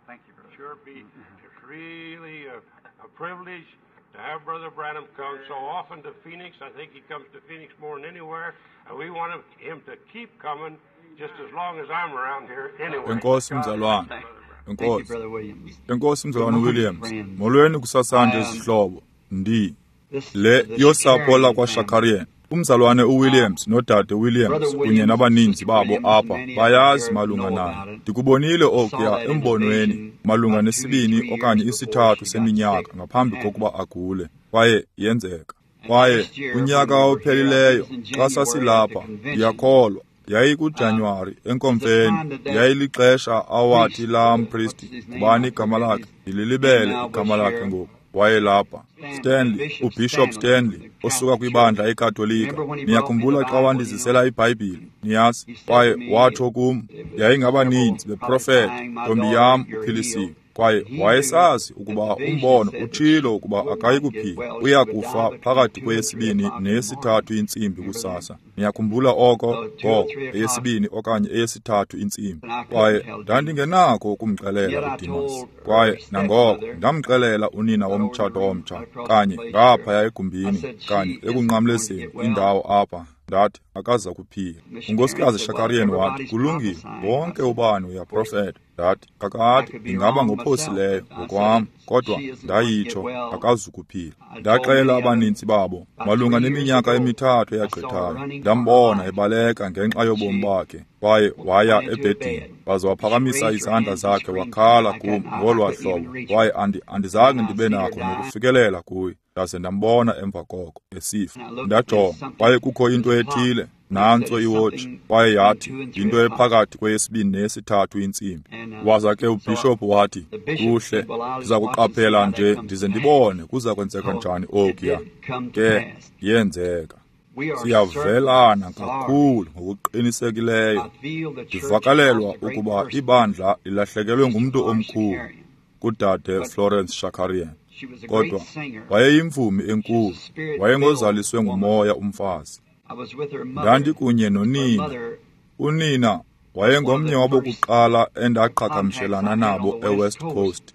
Thank you, brother. Sure be it's really a privilege to have Brother Branham come so often to Phoenix. I think he comes to Phoenix more than anywhere, and we want him to keep coming just as long as I'm around here anyway. Enkosi mzalwane. Thank you, Enkosi. Brother Williams. Enkosi mzalwane Williams. Molweni kusasanje zihlobo. Ndi This, le the yosapho Shakarian lakwaShakarian. Umzalwane uWilliams nodade Williams Brother kunye Williams, nabaninzi Sister babo Williams, apha many of bayazi them malunga know nayo. about it. Ndikubonile Saw okuya that in his embonweni vision malunga about 2 or nesibini 3 okanye years before isithathu she got seminyaka sick. ngaphambi And kokuba agule, kwaye yenzeka. Kwaye last year kunyaka when we were here, I think ophelileyo it was in xa January at the sasilapha, convention, ndiyakholwa yayikuJanuwari enkomfeni, time that that yayilixesha awathi priest, laa what's mpristi, his name? ngubani I igama forget lakhe? his Ndililibele name now, igama but lakhe here, ngoku. Wayelapha. Stan, Stanley, Bishop uBishop Stanley, Stanley the osuka Catholic kwibandla Church. eKatolika. Remember when he brought me the Niyakhumbula xa Bible, you know, wandizisela iBhayibhile, niyazi? he said Kwaye to me, watsho kum, it was yayingabaninzi several beprofeta, prophesying, my ntombi daughter, yam you're uphilisiwe. healed. Kwaye And he knew wayesazi that ukuba the vision umbono said that utshilo she ukuba would akayi not get kuphila, well, she uya would die kufa between phakathi 2 and 3 kweyesibini o'clock in the morning. neyesithathu intsimbi Remember that? kusasa. Niyakhumbula oko? So 2 or Ngoko, 3 o'clock, eyesibini okanye eyesithathu intsimbi. and I couldn't Kwaye tell Demas. ndandingenakho ukumxelela Yet I uDimas. told her Kwaye nangoko stepmother, ndamxelela unina right over in the womtshato room, omtsha, right across the kanye place ngaphaya here. I egumbini, said, she kanye isn't going to ekunqamlezeni get well. indawo apha. Ndathi akaza kuphila. Miss Sharon Unkosikazi said, well, Shakarian wathi, everybody's kulungile, prophesying. I wonke said, ubani of course, uyaprofeta. Ndathi, I kakade could be ndingaba wrong myself. ngophosileyo I said, ngokwam, kodwa she isn't going to get ndayitsho well. akazukuphila. I told Ndaxela many of them abaninzi babo about malunga 3 years neminyaka ago, emithathu I saw her eyagqithayo. running for her Ndambona life. ebaleka ngenxa yobomi She bakhe, kwaye waya went into a ebhedini, bed. waze She waphakamisa raised her izandla hands and zakhe screamed wakhala like kum that. I ngolwaa couldn't even hlobo, reach kwaye her. andizange And I ndibe seen her nakho die. nokufikelela kuye. Ndaze ndambona emva koko esifa. And I looked, there's Ndajonga, something, kwaye kukho into there's a clock. ethile, It said nantso it's iwotshi, something kwaye between yathi 2 and 3 yinto o'clock. ephakathi kweyesibini neyesithathu intsimbi. And Waza ke so ubhishophu wathi, the bishop kuhle, said, well, I'll ndiza just watch and see kuqaphela how that nje comes ndize to pass. ndibone kuza kwenzeka So njani it okuya. did come to Ke pass. yenzeka. We are Siyavelana certainly sorry. kakhulu ngokuqinisekileyo. I feel the church Ndivakalelwa lost a great ukuba person, ibandla lilahlekelwe Sister ngumntu Florence omkhulu Shakarian. kudade But Florence Shakarian. she was a great Kodwa singer. wayeyimvumi She was a enkulu, spirit-filled wayengozaliswe woman. ngumoya umfazi. I was with her mother. Ndandikunye Her nonina. mother Unina was one of wayengomnye the first wabokuqala contacts endaqhagamshelana I had on nabo the West eWest Coast Coast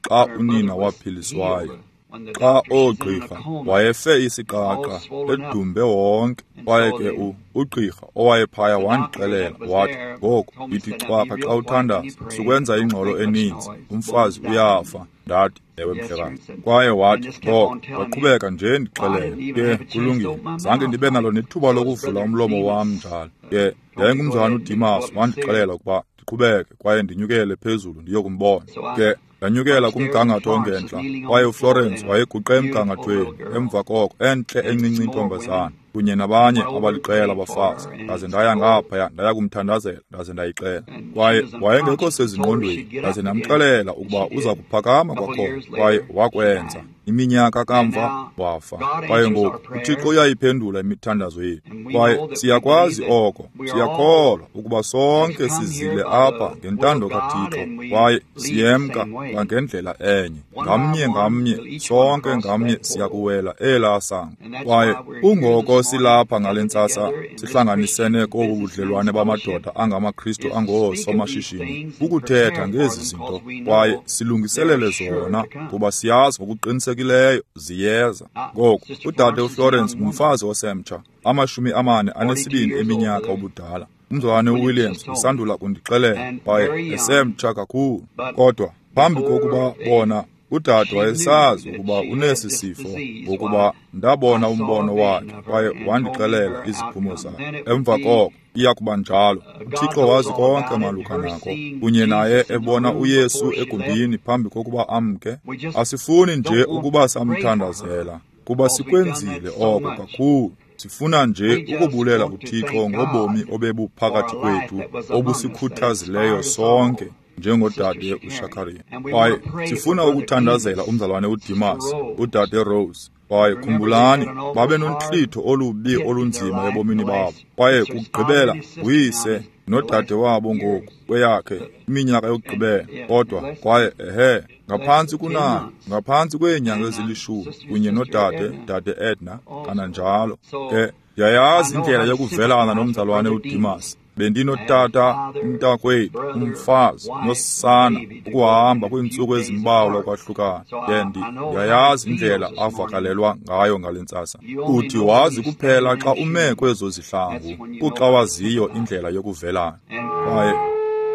xa when her mother unina was waphiliswayo. healed. When the Xa doctor, she's in a oogqirha coma, wayefe all isiqaqa swollen up. edumbe wonke, And kwaye so ke the ugqirha owayephaya the doctor wandixelela that was wathi, there ngoku told me, yithi said, now be cwaka xa real quiet when you uthandaza, pray. sukwenza Don't ingxolo make much eninzi, noise. The umfazi woman's dying. uyafa. Ndathi, ewe Yes, sir. mhlekazi. Said, Kwaye and wathi, just kept ngoko on telling me. waqhubeka nje Well, I ndixelela, didn't even ke have a chance to kulungile, open my zange mouth. ndibe nalo nethuba So it was lokuvula Brother umlomo wam Demas njalo. Ke told me to go yayingumzalwana ahead and go uDimas up and see her. wandixelela ukuba ndiqhubeke kwaye ndinyukele phezulu ndiyokumbona. So I Ke ndanyukela upstairs and kumgangatho Florence was ongentla, kneeling on kwaye the floor uFlorence then, a wayeguqe beautiful little emgangathweni. girl, Emva koko entle and encinci some more intombazana women kunye nabanye went over and abaliqela prayed for abafazi. her, and Ndaze ndaya so ngaphaya ndaya kumthandazela, ndaze ndayixela. and she Kwaye was wayengekho unconscious. Told her sezingqondweni, she'd get ndaze up again, ndamxelela and ukuba she uza did. kuphakama A couple kwakhona, years kwaye later, she wakwenza. died. Iminyaka And kamva now wafa. God Kwaye answers our ngoku uThixo prayers, uyayiphendula imithandazo yethu, and we kwaye know that we believe siyakwazi that oko, we are all siyakholwa ukuba has sonke come here sizile by apha the will ngentando of God, kaThixo, and we kwaye leave the siyemka same way. kwangendlela enye. One by Ngamnye one, ngamnye, we'll each one sonke cross ngamnye that portal. siyakuwela elaa sango. And that's Kwaye why we're here kungoko this morning, silapha ngale gathered ntsasa together in this sihlanganisene Christian kobu businessmen's budlelwane fellowship bamadoda angamaKristu is to speak of these angoosomashishini, things and kukuthetha prepare for ngezi them zinto because we kwaye know they're silungiselele sure zona to come. kuba siyazi ngokuqinisekileyo ziyeza. Now, Ngoku Sister udade Florence is a uFlorence young woman, ngumfazi osemtsha, 42 42 years old, eminyaka Brother ubudala. Umzalwane Williams uWilliams just told me, usandula kundixelela, and kwaye very young. esemtsha kakhulu. But Kodwa phambi before kokuba they, bona, udade she knew wayesazi that ukuba she had unesi this sifo, disease, why ngokuba ndabona I saw a umbono vision wakhe of her kwaye and told me wandixelela her iziphumo outcome. zakhe. Then it would Emva be koko iya kuba njalo. God uThixo knows wazi all konke about it. malunga Her nako, seeing kunye naye Jesus in the ebona room uYesu before she left. egumbini phambi kokuba amke. We just Asifuni nje don't want ukuba to pray for her samthandazela, kuba because we've done that sikwenzile so oko much. kakhulu. Sifuna nje We just ukubulela want to kuThixo thank ngobomi God for obebuphakathi a life kwethu that was among us that obusikhuthazileyo inspired us sonke all, Sister njengodade Shakarian. uShakarian. And we Kwaye want to pray for sifuna Brother ukuthandazela Demas, umzalwane Sister uDimas, Rose. udade Rose. Kwaye Remember, they khumbulani, had an awful babe hard nontlitho olubi hit in their olunzima life in ebomini the babo. last. Kwaye It's his father kugqibela and his sister now uyise in the nodade last wabo years. ngoku kweyakhe iminyaka And yokugqibela. yeah, Kodwa less kwaye ehe, less ngaphantsi than 10 kunayo, months. ngaphantsi kweenyanga And ezilishumi Sister kunye Sister nodade Edna dade Edna also. kananjalo. So Ke I ndiyayazi know indlela how to yokuvelana sympathize with nomzalwane Brother Demas. uDimas. Bendinotata, umntakwethu, umfazi nosana ukuhamba kwiintsuku ezimbalwa kwahlukana. Ke ndiyayazi indlela avakalelwa ngayo ngale ntsasa. Uthi wazi kuphela xa ume kwezo zihlangu, kuxa waziyo indlela yokuvelana. Kwaye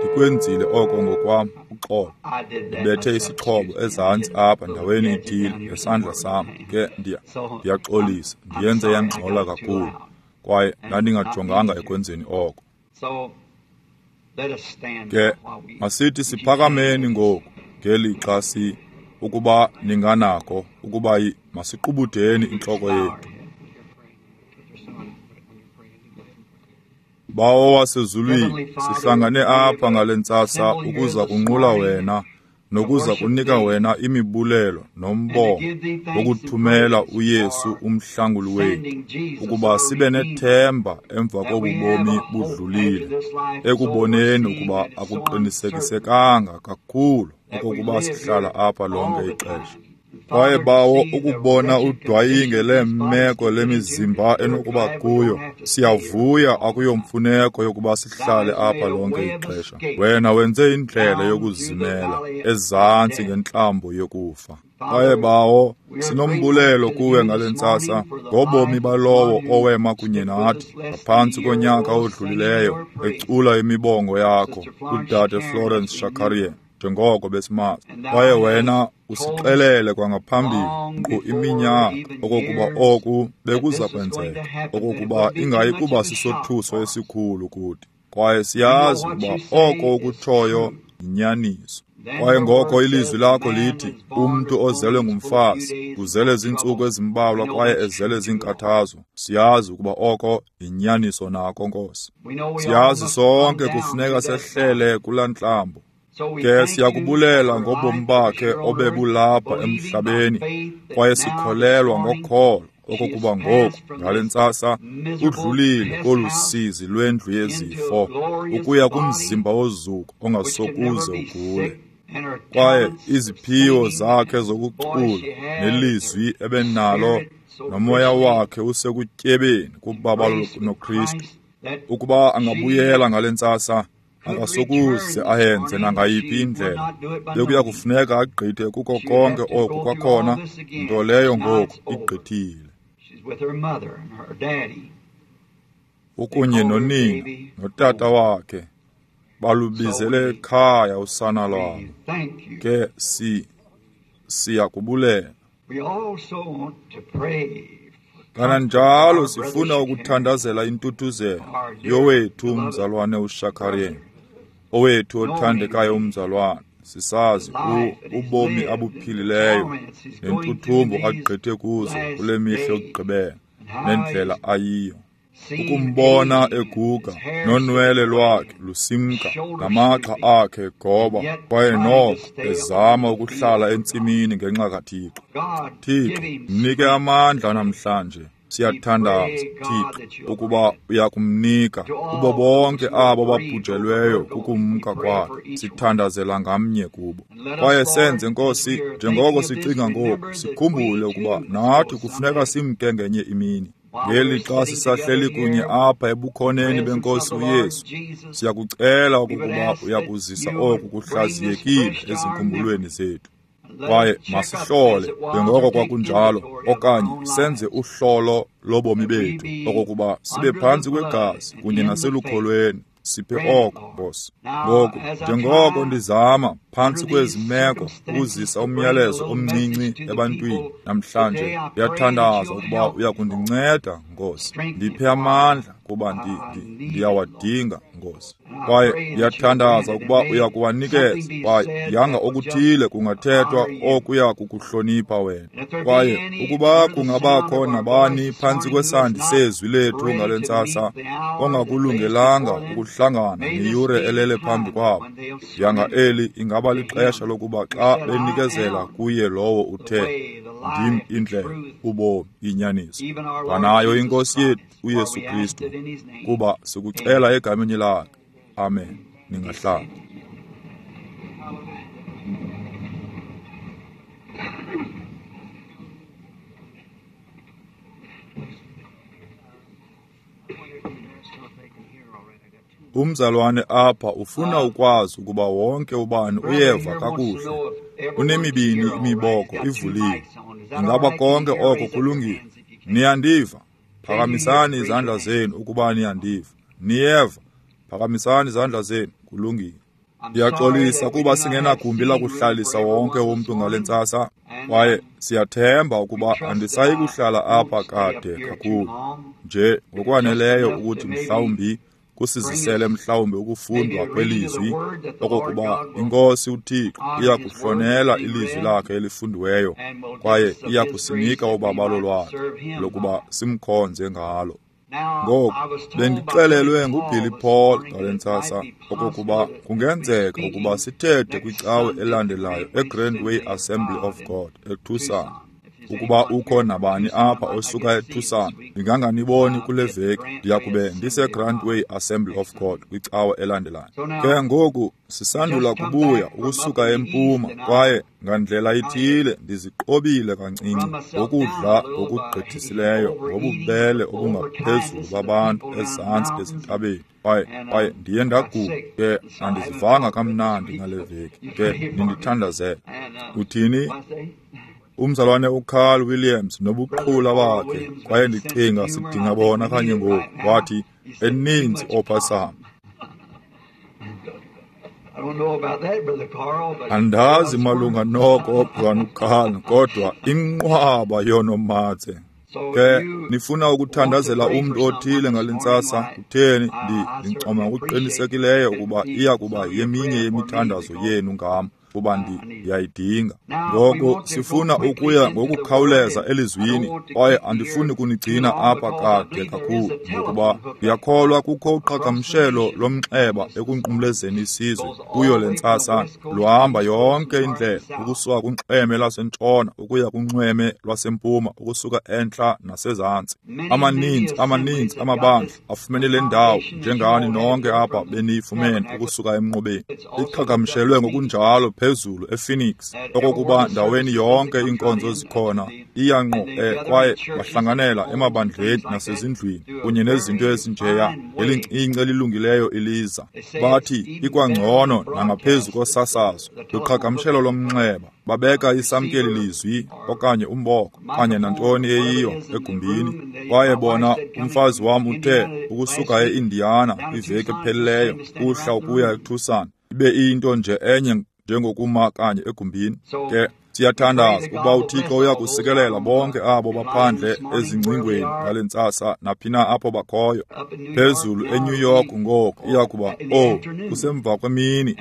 ndikwenzile oko ngokwam, uxolo. Ndibethe isixhobo ezantsi apha ndaweni ithile ngesandla sam. Ke ndiyaxolisa, ndiyenze yangxola kakhulu, kwaye ndandingajonganga ekwenzeni oko. Ke masithi siphakameni ngoku ngelixa ukuba ninganako ukuba masiqubudeni intloko yethu. Bawo wasezulwini, sihlangane apha ngale ntsasa ukuza kunqula wena nokuza kunika wena imibulelo nombongo wokuthumela uYesu umhlanguli wethu, ukuba sibe nethemba emva kobu bomi budlulile, ekuboneni ukuba akuqinisekisekanga kakhulu okokuba sihlala apha lonke ixesha. Kwaye Bawo, ukubona udwayinge leemeko lemizimba enokuba kuyo, siyavuya akuyomfuneko yokuba sihlale apha lonke ixesha. Wena wenze indlela yokuzimela ezantsi ngentlambo yokufa. Kwaye Bawo, sinombulelo kuwe ngale ntsasa ngobomi balowo owema kunye nathi ngaphantsi konyaka odlulileyo ecula imibongo yakho, udade Florence Shakarian, njengoko besimazi. Kwaye wena usixelele kwangaphambili nkqu iminyaka okokuba oku bekuza kwenzeka, okokuba ingayi kuba sisothuso esikhulu kuthi. Kwaye siyazi ukuba oko ukutshoyo yinyaniso. Kwaye ngoko ilizwi lakho lithi, umntu ozelwe ngumfazi uzele ziintsuku ezimbalwa kwaye ezele ziinkathazo. Siyazi ukuba oko yinyaniso nako, Nkosi. Siyazi sonke kufuneka sehlele kulaa ntlambo. Ke siyakubulela ngobomi bakhe obebulapha emhlabeni, kwaye sikholelwa ngokholo okokuba ngoku ngale ntsasa udlulile kolu sizi lwendlu yezifo ukuya kumzimba wozuko ongasokuze ugule. Kwaye iziphiwo zakhe zokucula nelizwi ebenalo nomoya wakhe usekutyebeni kubabalo noKristu, ukuba angabuyela ngale ntsasa akasokuze ayenze nangayiphi indlela. Bekuya kufuneka agqithe kuko konke oku kwakhona, nto leyo ngoku igqithile. Ukunye nonina notata wakhe balubizele ekhaya usana lwabo. Ke siyakubulela. Kananjalo sifuna ukuthandazela intuthuzelo yowethu umzalwane uShakarian, owethu othandekayo umzalwane. Sisazi ubomi abuphilileyo nentuthumbo agqithe kuzo kule mihla yokugqibela nendlela ayiyo. Ukumbona eguga nonwele lwakhe lusimka namagxa akhe egoba, kwaye noko ezama ukuhlala entsimini ngenxa kaThixo. Thixo, mnike amandla namhlanje. Siyathandaza, Thixo, ukuba uyakumnika kubo bonke abo babhujelweyo kukumka kwakhe. Sithandazela ngamnye kubo. Kwaye senze, Nkosi, njengoko sicinga ngoku, sikhumbule ukuba nathi kufuneka simke ngenye imini. Ngelixa sisahleli kunye apha ebukhoneni benkosi uYesu, siyakucela okokuba uyakuzisa oku kuhlaziyekile ezinkumbulweni zethu. Kwaye masihlole njengoko kwakunjalo, okanye senze uhlolo lobomi bethu, okokuba sibe phantsi kwegazi kunye naselukholweni. Siphe oko, Nkosi. Ngoku, njengoko ndizama phantsi kwezi meko ukuzisa umyalezo omncinci ebantwini namhlanje, ndiyathandaza ukuba uyakundinceda, Nkosi. Ndiphe amandla kuba ndiyawadinga, Nkosi. Kwaye ndiyathandaza ukuba uyakuwanikeza, kwaye yanga okuthile kungathethwa okuya kukuhlonipha wena. Kwaye ukuba kungabakho nabani phantsi kwesandi sezwi lethu ngale ntsasa ongakulungelanga ukuhlangana neyure elele phambi kwabo, yanga eli ingaba lixesha lokuba xa benikezela kuye lowo uthe, ndim indlela, ubomi, inyaniso, kwanayo iNkosi yethu uYesu Kristu, kuba sikucela egameni lakhe. Amen. Ningahlala. Umzalwane apha ufuna ukwazi ukuba wonke ubani uyeva kakuhle. Unemibini imiboko ivuliwe. Ingaba konke oko kulungile? Niyandiva? Phakamisani izandla zenu ukuba niyandiva. Niyeva? Phakamisani izandla zenu. Kulungile. Ndiyaxolisa kuba singenagumbi lakuhlalisa wonke umntu ngale ntsasa, kwaye siyathemba ukuba andisayi kuhlala apha kade kakhulu, nje ngokwaneleyo ukuthi mhlawumbi kusizisele mhlawumbi ukufundwa kwelizwi, okokuba iNkosi uThixo iya kuhlonela ilizwi lakhe elifundiweyo kwaye iya kusinika ubabalo lwakhe lokuba simkhonze ngalo. Ngoku bendixelelwe nguBilly Paul ngale ntsasa okokuba kungenzeka ukuba sithethe kwicawe elandelayo eGrand Way Assembly of God eTucson. Ukuba ukho nabani apha osuka eTucson, ndinganganiboni kule veki, ndiyakube ndiseGrand Way Assembly of God kwicawe elandelayo. Ke ngoku sisandula kubuya ukusuka empuma, kwaye ngandlela ithile ndiziqobile kancinci ngokudla ngokugqithisileyo ngobubele obungaphezulu babantu ezantsi ezintabeni. Kwaye ndiye ndagula, ke andizivanga kamnandi ngale veki, ke nindithandazele. Uthini? Umzalwane uCarl Williams nobuqhula bakhe, kwaye ndicinga sidinga bona kanye ngoku. Wathi eninzi opasam. Andazi malunga noko mzalwane uCarl, kodwa inqwaba yoonomatse. Ke nifuna ukuthandazela umntu othile ngale ntsasa? Kutheni, ndincoma ngokuqinisekileyo ukuba iya kuba yeminye yemithandazo yenu ngam, kuba ndiyayidinga. Ngoku sifuna ukuya ngokukhawuleza elizwini, kwaye andifuni kunigcina apha kade kakhulu, ngokuba ndiyakholwa kukho uqhagamshelo lomnxeba ekunqumlezeni isizwe kuyo le ntsasa. Luhamba yonke indlela ukusuka kunxweme lwasentshona ukuya kunxweme lwasempuma, ukusuka entla nasezantsi. Amaninzi amabandla afumene le ndawo, njengani nonke apha beniyifumene ukusuka emnqubeni. Iqhagamshelwe ngokunjalo phezulu ePhoenix, okokuba ndaweni yonke iinkonzo zikhona iya ngqo kwaye bahlanganela emabandleni nasezindlwini kunye nezinto ezinjeya. Elincinci elilungileyo iliza, bathi ikwangcono nangaphezu kosasazo luqhagamshelo lomnxeba. Babeka isamkeli lizwi okanye umboko okanye nantoni eyiyo egumbini. Kwaye bona, umfazi wam uthe ukusuka eIndiana kwiveki ephelileyo uhla ukuya eTucson, ibe iyinto nje enye njengokuma kanye egumbini. Ke siyathandaza ukuba uThixo uyakusikelela bonke abo baphandle ezingcingweni ngale ntsasa, naphina apho bakhoyo. Phezulu eNew York ngoku iya kuba kusemva kwemini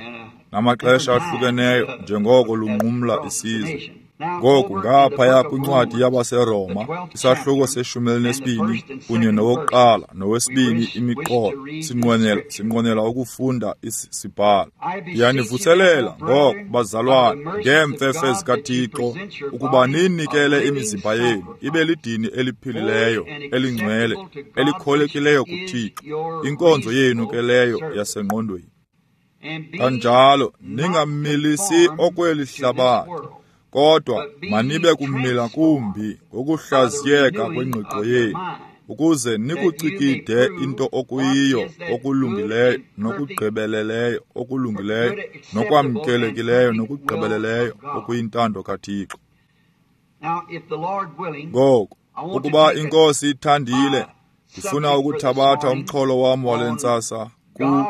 namaxesha ahlukeneyo njengoko lunqumla isizwe. Ngoku ngaphaya kwincwadi yabaseRoma, isahluko se-12 kunye nowokuqala nowesibini imiqolo, sinqwenela ukufunda isibhalo. Ndiyanivuselela ngoko, bazalwane, ngeemfefe zikaThixo, ukuba ninikele imizimba yenu ibe lidini eliphilileyo, elingcwele, elikholekileyo kuThixo, inkonzo yenu ke leyo yasengqondweni. Kanjalo ningamilisi okweli hlabathi, kodwa manibe kumila kumbi ngokuhlaziyeka kwengqiqo yenu, ukuze nikucikide into okuyiyo okulungileyo nokugqibeleleyo okulungileyo nokwamkelekileyo nokugqibeleleyo okuyintando kaThixo. Ngoku, ukuba iNkosi ithandile, ndifuna ukuthabatha umxholo wam wale ntsasa ku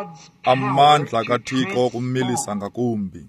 amandla kaThixo okumilisa ngakumbi,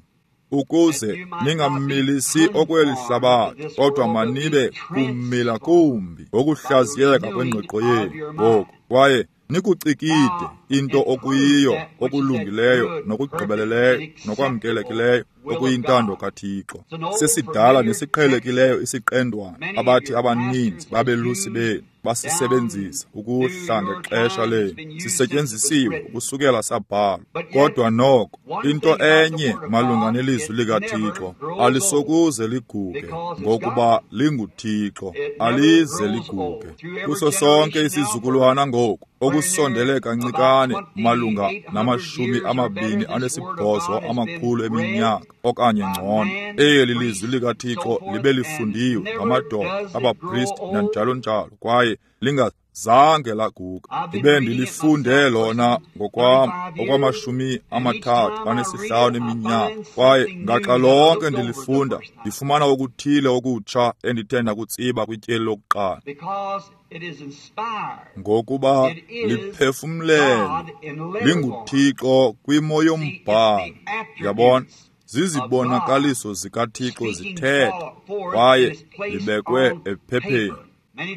ukuze ningamilisi okweli hlabathi, kodwa manibe kumila kumbi ngokuhlaziyeka kwengqiqo yenu ngoku, kwaye nikucikide into okuyiyo okulungileyo nokugqibeleleyo nokwamkelekileyo okuyintando kaThixo. Sesidala nesiqhelekileyo isiqendwana abathi abaninzi babelusi benu basisebenzisa ukuhla ngexesha lenu, sisetyenzisiwe ukusukela sabhalwa. Kodwa noko into enye malunga nelizwi likaThixo, alisokuze liguge, ngokuba linguThixo, alize liguge. Kuso sonke isizukulwana ngoku okusondele kancikane malunga na-28 amakhulu eminyaka okanye ngcono, eli lizwi likaThixo libe lifundiwe ngamadoda, abapristi nanjalo njalo, kwaye linga Zange laguga. Ndibe ndilifunde lona ngokwam okwama-35 eminyaka, kwaye ngaxa lonke ndilifunda ndifumana okuthile okutsha endithe ndakutsiba kwityeli lokuqala. Ngokuba liphefumlelwe, linguThixo kwimo yombhalo. Yabona, zizibonakaliso zikaThixo zithetha, kwaye libekwe ephepheni.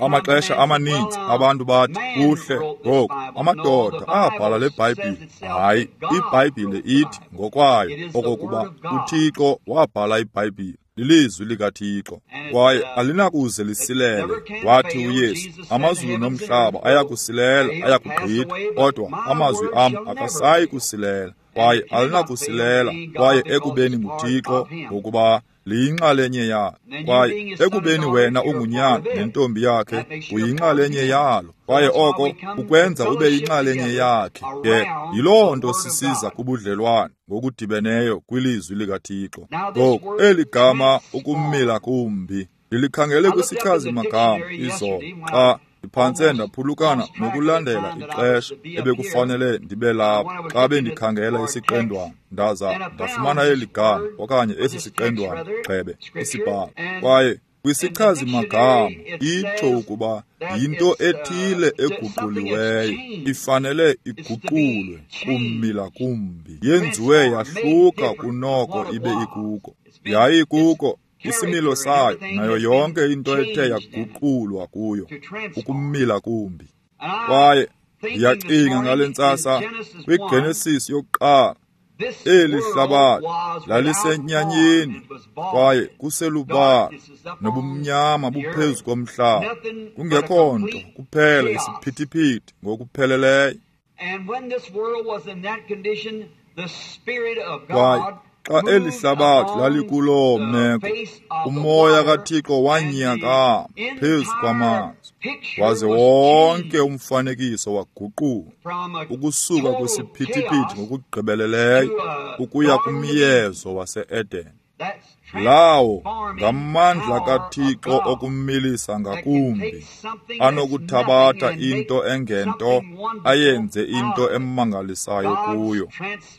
Amaxesha amaninzi abantu bathi, kuhle ngoku, amadoda abhala le Bhayibhile. Hayi, iBhayibhile ithi ngokwayo okokuba uThixo wabhala iBhayibhile. Lilizwi likaThixo, kwaye alinakuze lisilele. Wathi uYesu, amazulu nomhlaba ayakusilela, ayakugqitha, kodwa amazwi am akasayi kusilela, kwaye alinakusilela. Kwaye ekubeni nguThixo, ngokuba liyinxalenye yakhe, kwaye ekubeni wena ungunyana nentombi yakhe, uyinxalenye yalo, kwaye oko ukwenza ube yinxalenye yakhe. Ke yiloo nto sisiza kubudlelwane ngokudibeneyo kwilizwi likaThixo. Ngoku eli gama ukumila kumbi ndilikhangele kwisichazi magama izolo xa ndiphantse ndaphulukana nokulandela ixesha ebekufanele ndibe lapha xa bendikhangela isiqendwana, ndaza ndafumana eli gama okanye esi siqendwana gxebe isibhalo. Kwaye kwisichazi magama itsho ukuba yinto ethile eguquliweyo, ifanele iguqulwe kumila kumbi, yenziwe yahluka kunoko ibe ikuko. Yayikuko isimilo sayo nayo yonke into ethe yaguqulwa kuyo, ukumila kumbi. Kwaye ndiyacinga ngale ntsasa kwiGenesis yokuqala, eli hlabathi lalisenyanyeni kwaye kuselubala, nobumnyama buphezu komhlaba, kungekho nto kuphela isiphithiphithi ngokupheleleyo. Kwaye xa eli hlabathi lalikuloo meko, umoya kaThixo wanyakama phezu kwamanzi, waze wonke umfanekiso waguquka ukusuka kwisiphithiphithi ngokugqibeleleyo ukuya kumyezo wase-Eden. Lawo ngamandla kaThixo okumilisa ngakumbi, anokuthabatha into engento ayenze into emangalisayo kuyo.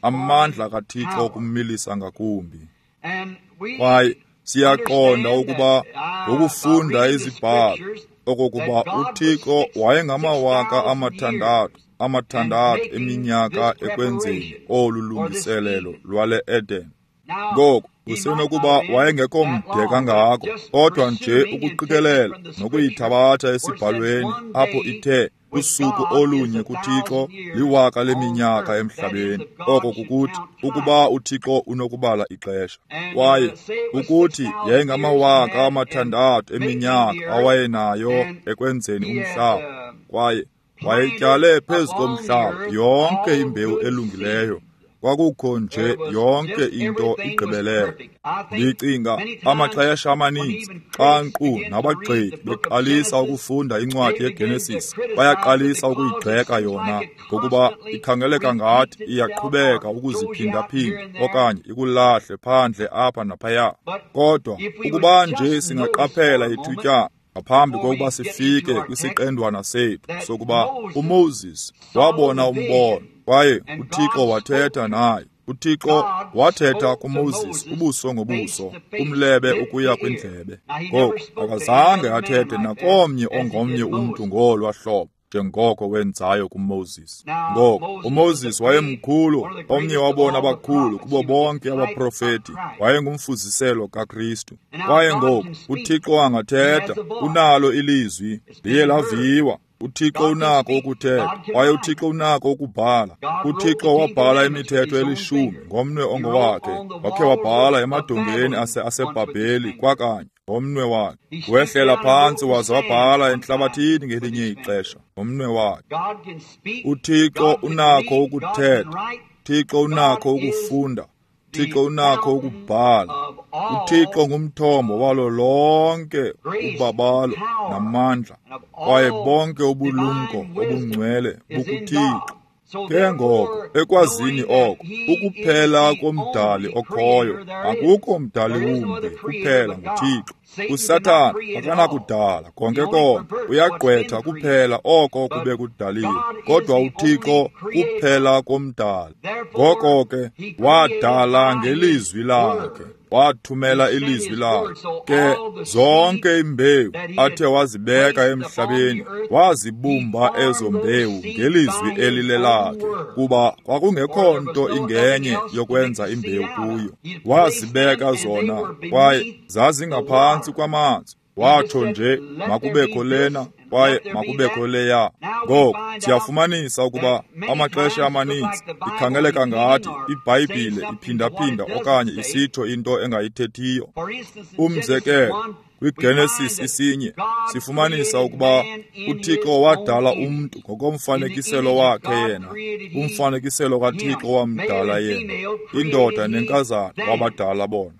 Amandla kaThixo okumilisa ngakumbi. Kwaye siyaqonda ukuba ngokufunda izibhalo okokuba uThixo wayengamawaka 6,600 eminyaka ekwenzeni olu lungiselelo lwale Eden. Ngoku usenokuba wayengekho mde kangako, kodwa nje ukuqikelela nokuyithabatha esibhalweni apho ithe usuku olunye kuThixo liwaka leminyaka emhlabeni. Oko kukuthi ukuba uThixo unokubala ixesha. Kwaye ukuthi yayingamawaka 6,000 eminyaka awayenayo ekwenzeni umhlaba, kwaye wayetyale phezu komhlaba yonke imbewu elungileyo. Kwakukho nje yonke into igqibelele. Ndicinga amaxesha amaninzi xa nkqu nabagxeki beqalisa ukufunda incwadi yeGenesis, bayaqalisa ukuyigxeka yona ngokuba ikhangeleka ngathi iyaqhubeka ukuziphindaphinda okanye ikulahle phandle apha naphaya. Kodwa ukuba nje singaqaphela ithutyana ngaphambi kokuba sifike kwisiqendwana sethu sokuba uMoses wabona umbono kwaye uThixo wathetha naye. uThixo wathetha kuMoses ubuso ngobuso, umlebe ukuya kwindlebe. Ngoku akazange athethe nakomnye ongomnye umntu ngolwa hlobo njengoko wenzayo kuMoses. Ngoku uMoses wayemkhulu, omnye wabona abakhulu kubo bonke abaprofeti, wayengumfuziselo kaKristu. Kwaye ngoku uThixo angathetha, unalo ilizwi, liye laviwa. uThixo unako ukuthetha, kwaye uThixo unako ukubhala. uThixo wabhala imithetho elishumi ngomnwe ongowakhe. Wakhe wabhala emadongeni aseBhabheli kwakanye ngomnwe wakhe. Wehlela phantsi waze wabhala entlabathini ngelinye ixesha ngomnwe wakhe. uThixo unako ukuthetha, uThixo unako ukufunda, uThixo unako ukubhala. uThixo ngumthombo walo lonke ubabalo namandla, kwaye bonke ubulumko obungcwele bukuThixo. Ke ngoko, ekwazini oko, ukuphela komdali okhoyo, akukho mdali wumbi, kuphela nguThixo. USathana akanakudala konke konke, uyagqwetha kuphela oko kube kudaliwe, kodwa uThixo kuphela komdali. Ngoko ke, wadala ngelizwi lakhe, wathumela ilizwi lakhe. Ke zonke imbewu athe wazibeka emhlabeni, wazibumba ezo mbewu ngelizwi elilelakhe, kuba kwakungekho nto ingenye yokwenza imbewu kuyo. Wazibeka zona, kwaye zazingaphantsi kwamanzi. Watsho nje, makubekho lena kwaye makubekho leya. Ngoko siyafumanisa ukuba amaxesha amaninzi ikhangeleka ngathi iBhayibhile iphindaphinda okanye isitsho into engayithethiyo. Umzekelo, kwiGenesis 1 sifumanisa ukuba uThixo wadala umntu ngokomfanekiselo wakhe yena. Umfanekiselo kaThixo wamdala yena, indoda nenkazana wabadala bona.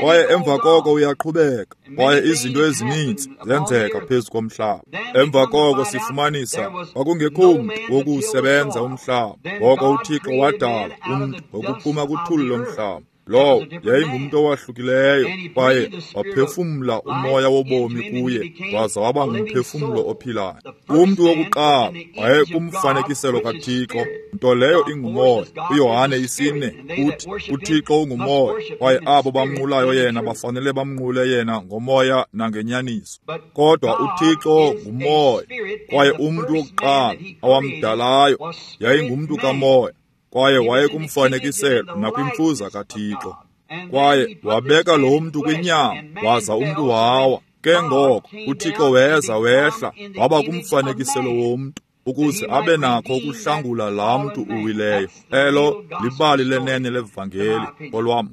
Kwaye emva koko uyaqhubeka, kwaye izinto ezininzi zenzeka phezu komhlaba. Emva koko sifumanisa kwakungekho mntu wokuwusebenza umhlaba. Ngoko uThixo wadala umntu ngokuphuma kuthuli lomhlaba. Lowo yayingumntu owahlukileyo, kwaye waphefumla umoya wobomi kuye, waza waba ngumphefumlo ophilayo. Umntu wokuqala wayekumfanekiselo kaThixo, nto leyo ingumoya. UYohane 4 uthi uThixo ungumoya, kwaye abo bamnqulayo yena bafanele bamnqule yena ngomoya nangenyaniso. Kodwa uThixo ngumoya, kwaye umntu wokuqala awamdalayo yayingumntu kamoya, kwaye wayekumfanekiselo nakwimfuza kaThixo. Kwaye wabeka lo mntu kwinyama, waza umntu wawa. Ke ngoko uThixo weza wehla waba kumfanekiselo womntu, ukuze abe nakho ukuhlangula laa mntu uwileyo. Elo libali lenene levangeli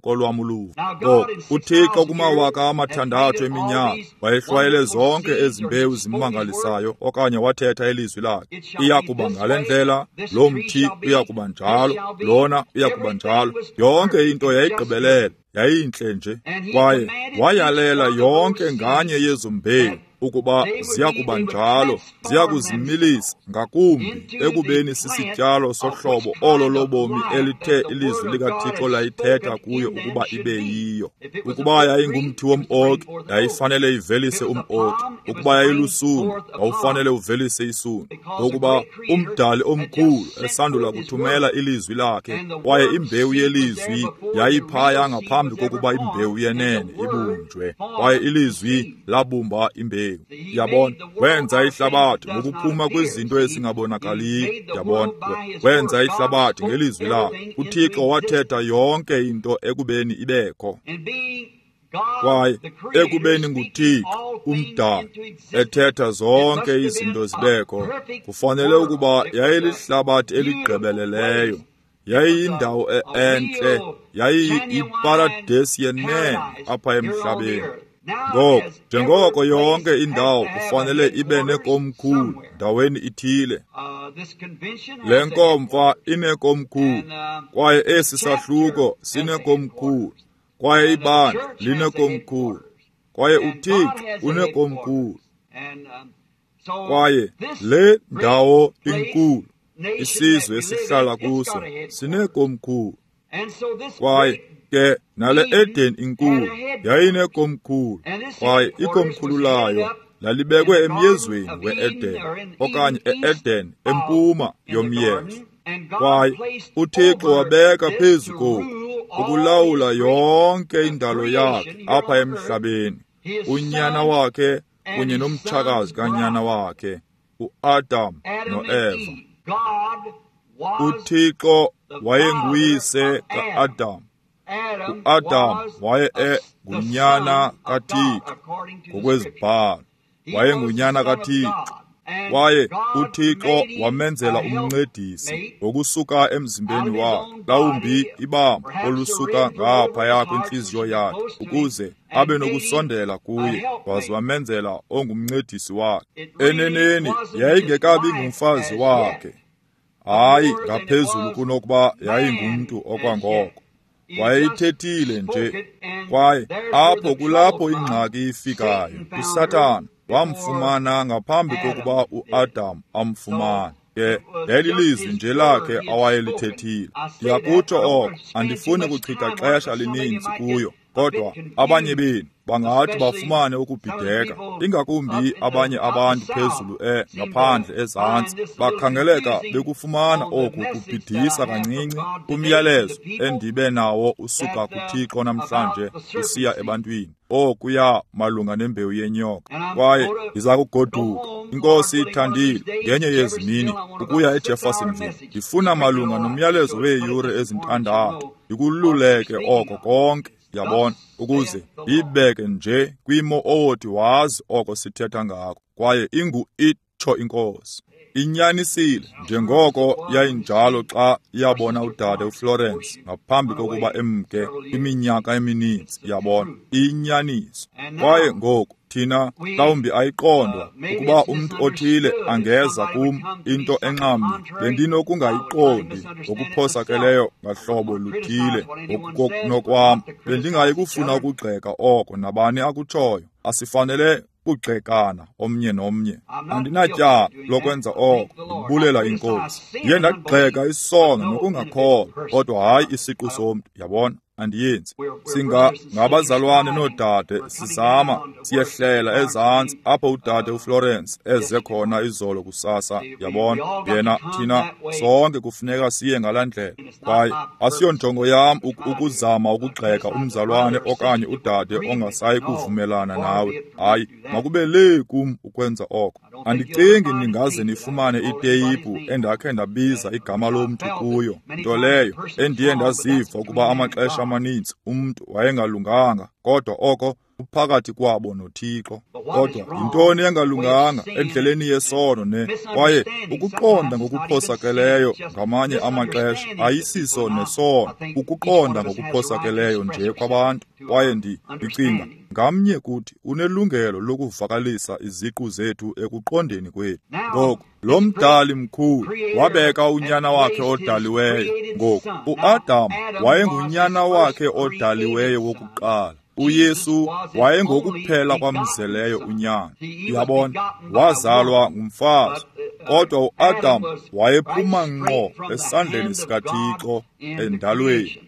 kolwam uluvo. Ngoko uThixo kumawaka 6 eminyaka wayehlwayele zonke ezi mbewu zimangalisayo, okanye wathetha ilizwi lakhe. Iya kuba ngale ndlela, lo mthi uya kuba njalo, lona uya kuba njalo. Yonke into yayigqibelele, yayintle nje. Kwaye wayalela yonke nganye yezo mbewu ukuba ziya kuba njalo, ziya kuzimilisa ngakumbi ekubeni sisityalo sohlobo olo lobomi elithe ilizwi likaThixo layithetha kuyo ukuba ibe yiyo. Ukuba yayingumthi wom-oki, yayifanele ivelise um-oki. Ukuba yayilusundu, wawufanele uvelise isundu. Ngokuba umdali omkhulu esandula kuthumela ilizwi lakhe, kwaye imbewu yelizwi yayiphaya ngaphambi kokuba imbewu yenene ibunjwe, kwaye ilizwi labumba imbewu. Yabona, wenza ihlabathi ngokuphuma kwizinto ezingabonakaliyo. Yabona, wenza ihlabathi ngelizwi lakhe. uThixo wathetha yonke into ekubeni ibekho. Kwaye ekubeni nguThixo umdali ethetha zonke izinto zibekho, kufanele ukuba yayilihlabathi eligqibeleleyo, yayiyindawo entle, yayiyiparadesi yenene apha emhlabeni. Ngoko, njengoko yonke indawo kufanele ibe nekomkhulu ndaweni ithile, le nkomfa inekomkhulu, kwaye esi sahluko sinekomkhulu, kwaye ibandla linekomkhulu, kwaye uThixo unekomkhulu. Kwaye le ndawo inkulu, isizwe esihlala kuso sinekomkhulu. Kwaye ke nale Eden inkulu yayinekomkhulu, kwaye ikomkhulu layo lalibekwe emyezweni we-Eden, okanye e-Eden empuma yomyezo. Kwaye uThixo wabeka phezu koku ukulawula yonke indalo yakhe apha emhlabeni, unyana wakhe kunye nomtshakazi kanyana wakhe, uAdam noEva. uThixo wayenguyise ka-Adam. UAdam waye ngunyana kaThixo ngokwezibhalo, wayengunyana kaThixo. Kwaye uThixo wamenzela umncedisi ngokusuka emzimbeni wakhe, mhlawumbi ibamba olusuka ngaphaya kwintliziyo yakhe, ukuze abe nokusondela kuye, waze wamenzela ongumncedisi wakhe. Eneneni yayingekabi ngumfazi wakhe, hayi ngaphezulu kunokuba yayingumntu okwangoko. Wayeyithethile nje, kwaye apho kulapho ingxaki ifikayo. USathana wamfumana ngaphambi kokuba uAdam amfumane. Ke yayililizwi nje lakhe awayelithethile. Ndiyakutsho oko, andifuni kuchitha xesha lininzi kuyo, kodwa abanye benu bangathi bafumane ukubhideka, ingakumbi abanye abantu phezulu ngaphandle ezantsi bakhangeleka bekufumana oku kubhidisa kancinci kumyalezo endibe nawo usuka kuThixo namhlanje usiya ebantwini, okuya malunga nembewu yenyoka. Kwaye ndiza kugoduka, iNkosi ithandile, ngenye yezi mini ukuya eJeffersonville. Ndifuna malunga nomyalezo weeyure ezintandathu, ndikululeke oko konke, yabona, ukuze ndiyibeke nje kwimo owothi wazi oko sithetha ngako. Kwaye ingu itsho iNkosi. Inyanisile njengoko yayinjalo xa yabona udade uFlorence ngaphambi kokuba emke kwiminyaka emininzi, yabona, inyaniso. Kwaye ngoku thina mhlawumbi ayiqondwa ukuba umntu othile angeza kum into enxamnye bendinokungayiqondi ngokuphosakeleyo ngahlobo luthile ngokunokwam. Bendingayi kufuna ukugxeka oko nabani akutshoyo. Asifanele kugxekana omnye nomnye. Andinatyala lokwenza oko, ndibulela iNkosi. Ndiye ndagxeka isono nokungakholwa, kodwa hayi isiqu somntu, yabona, andiyenzi. Singabazalwane noodade, sizama siyehlela ezantsi apho udade uFlorence eze khona izolo kusasa, yabona. Yena, thina sonke kufuneka siye ngalaa ndlela. Kwaye asiyonjongo yam ukuzama ukugxeka umzalwane okanye udade ongasayi kuvumelana nawe. Hayi, makube lee kum ukwenza oko. Andicingi ningaze nifumane iteyiphu endakhe ndabiza igama lomntu kuyo, nto leyo endiye ndaziva ukuba amaxesha amaninzi umntu wayengalunganga, kodwa oko uphakathi kwabo noThixo. Kodwa yintoni engalunganga endleleni yesono ne? Kwaye ukuqonda ngokuphosakeleyo ngamanye amaxesha ayisiso nesono, ukuqonda ngokuphosakeleyo nje kwabantu. Kwaye ndicinga ngamnye kuthi unelungelo lokuvakalisa iziqu zethu ekuqondeni kwethu. Ngoku lo mdali mkhulu wabeka unyana wakhe odaliweyo. Ngoku uAdam wayengunyana wakhe odaliweyo wokuqala. uYesu wayengokuphela kwamzeleyo unyana. Uyabona, wazalwa ngumfazi, kodwa uAdam wayephuma ngqo esandleni sikaThixo endalweni.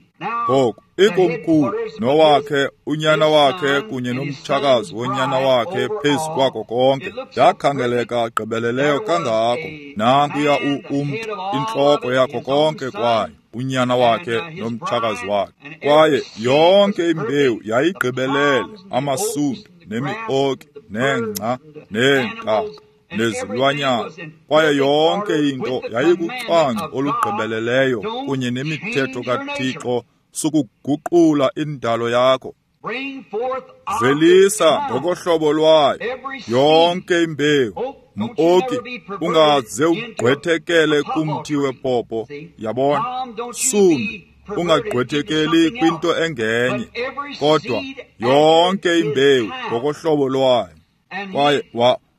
Ngoku ikomkhulu nowakhe unyana wakhe kunye nomtshakazi wonyana wakhe phezu kwako konke yakhangeleka gqibeleleyo kangako. Nankuya umntu, intloko yakho konke kwayo, unyana wakhe nomtshakazi wakhe. Kwaye yonke imbewu yayigqibelele, amasundu nemioki nengca neentaka nezilwanyana. Kwaye yonke into yayikucwangco olugqibeleleyo kunye nemithetho kaThixo sukuguqula indalo yakho. Velisa ngokohlobo lwayo yonke imbewu. Mioki ungaze ugqwethekele kumthi wepopo, yabona. Sundu ungagqwethekeli kwinto engenye, kodwa yonke imbewu ngokohlobo lwayo. Kwaye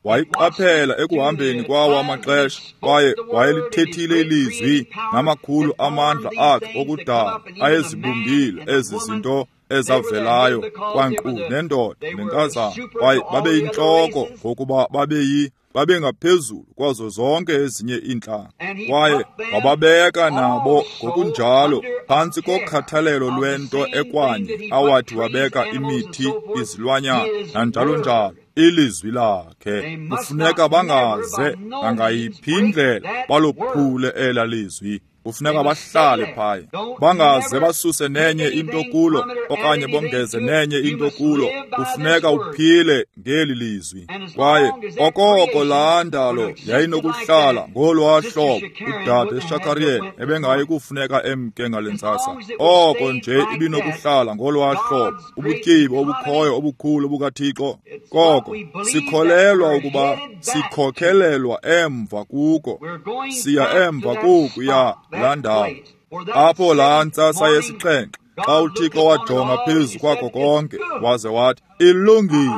wayiqaphela ekuhambeni kwawo amaxesha, kwaye wayelithethile ilizwi namakhulu amandla akhe okudala ayezibumbile ezi zinto ezavelayo kwankqu nendoda nenkazana. Kwaye babeyintloko ngokuba babengaphezulu kwazo zonke ezinye iintlanga. Kwaye wababeka nabo ngokunjalo phantsi kokhathalelo lwento ekwanye awathi wabeka imithi, izilwanyana nanjalo njalo. Ilizwi lakhe kufuneka bangaze nangayiphi indlela balophule ela lizwi. Kufuneka bahlale phaya, bangaze basuse nenye into kulo okanye bongeze nenye into kulo. Kufuneka uphile ngeli lizwi. Kwaye okoko laa ndalo yayinokuhlala ngolwaa hlobo, udade Shakarian ebengayi kufuneka emke ngale ntsasa. Oko nje ibinokuhlala ngolwaa hlobo, ubutyebi obukhoyo obukhulu bukaThixo. Koko sikholelwa ukuba sikhokhelelwa emva kuko, siya emva kokuya laa ndawo apho laa ntsasa yesixhenxe Xa uThixo wajonga phezu kwakho konke waze wathi, ilungile,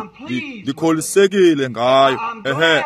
ndikholisekile ngayo, ehe,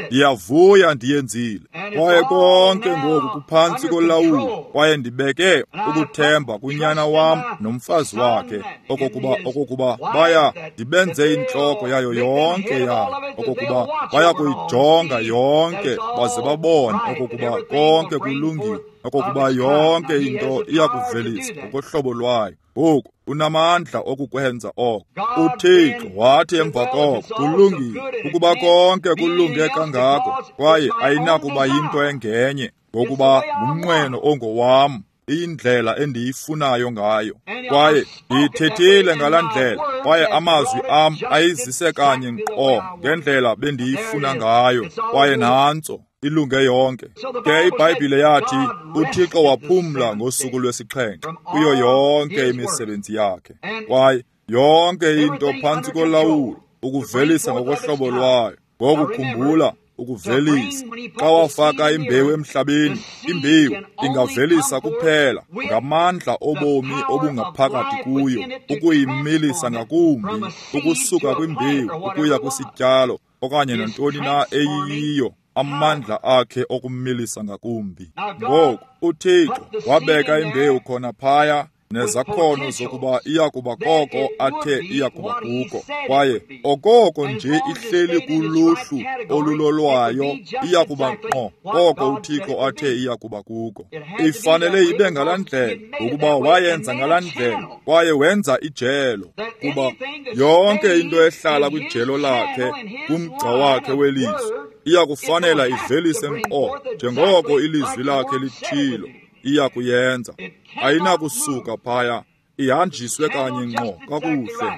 ndiyavuya ndiyenzile. Kwaye konke ngoku kuphantsi kolawulo, kwaye ndibeke ukuthemba kunyana wam nomfazi wakhe, okokuba baya ndibenze intloko yayo yonke yayo, okokuba baya kuyijonga yonke baze babone okokuba konke kulungile, okokuba yonke into iyakuvelisa ngokohlobo lwayo. Ngoku unamandla okukwenza oko. UThixo wathi emva koko, kulungile, ukuba konke kulunge kangako, kwaye ayinakuba yinto engenye, ngokuba ngumnqweno ongowam, iyindlela endiyifunayo ngayo. Kwaye ndiyithethile ngalaa ndlela, kwaye amazwi am ayizise kanye nkqo ngendlela bendiyifuna ngayo, kwaye nantso ilunge yonke. Ke iBhayibhile yathi uThixo waphumla ngosuku lwesixhenxe kuyo yonke imisebenzi yakhe, kwaye yonke into phantsi kolawulo, ukuvelisa ngokohlobo lwayo. Ngokukhumbula ukuvelisa, xa wafaka imbewu emhlabeni, imbewu ingavelisa kuphela ngamandla obomi obungaphakathi kuyo, ukuyimilisa ngakumbi ukusuka kwimbewu ukuya kwisityalo okanye nantoni na eyiyiyo, amandla akhe okumilisa ngakumbi. Ngoku uThixo wabeka imbewu khona phaya nezakhono zokuba iyakuba koko athe iyakuba kuko, kwaye okoko nje ihleli kuluhlu olulolwayo iyakuba ngqo koko uThixo athe iyakuba kuko. Ifanele ibe ngalaa ndlela, ngokuba wayenza ngalaa ndlela, kwaye wenza ijelo, kuba yonke into ehlala kwijelo lakhe, kumgca wakhe welizwi, iyakufanela ivelise ngqo njengoko ilizwi lakhe lithilo iyakuyenza. Ayinakusuka phaya, ihanjiswe kanye ngqo kakuhle.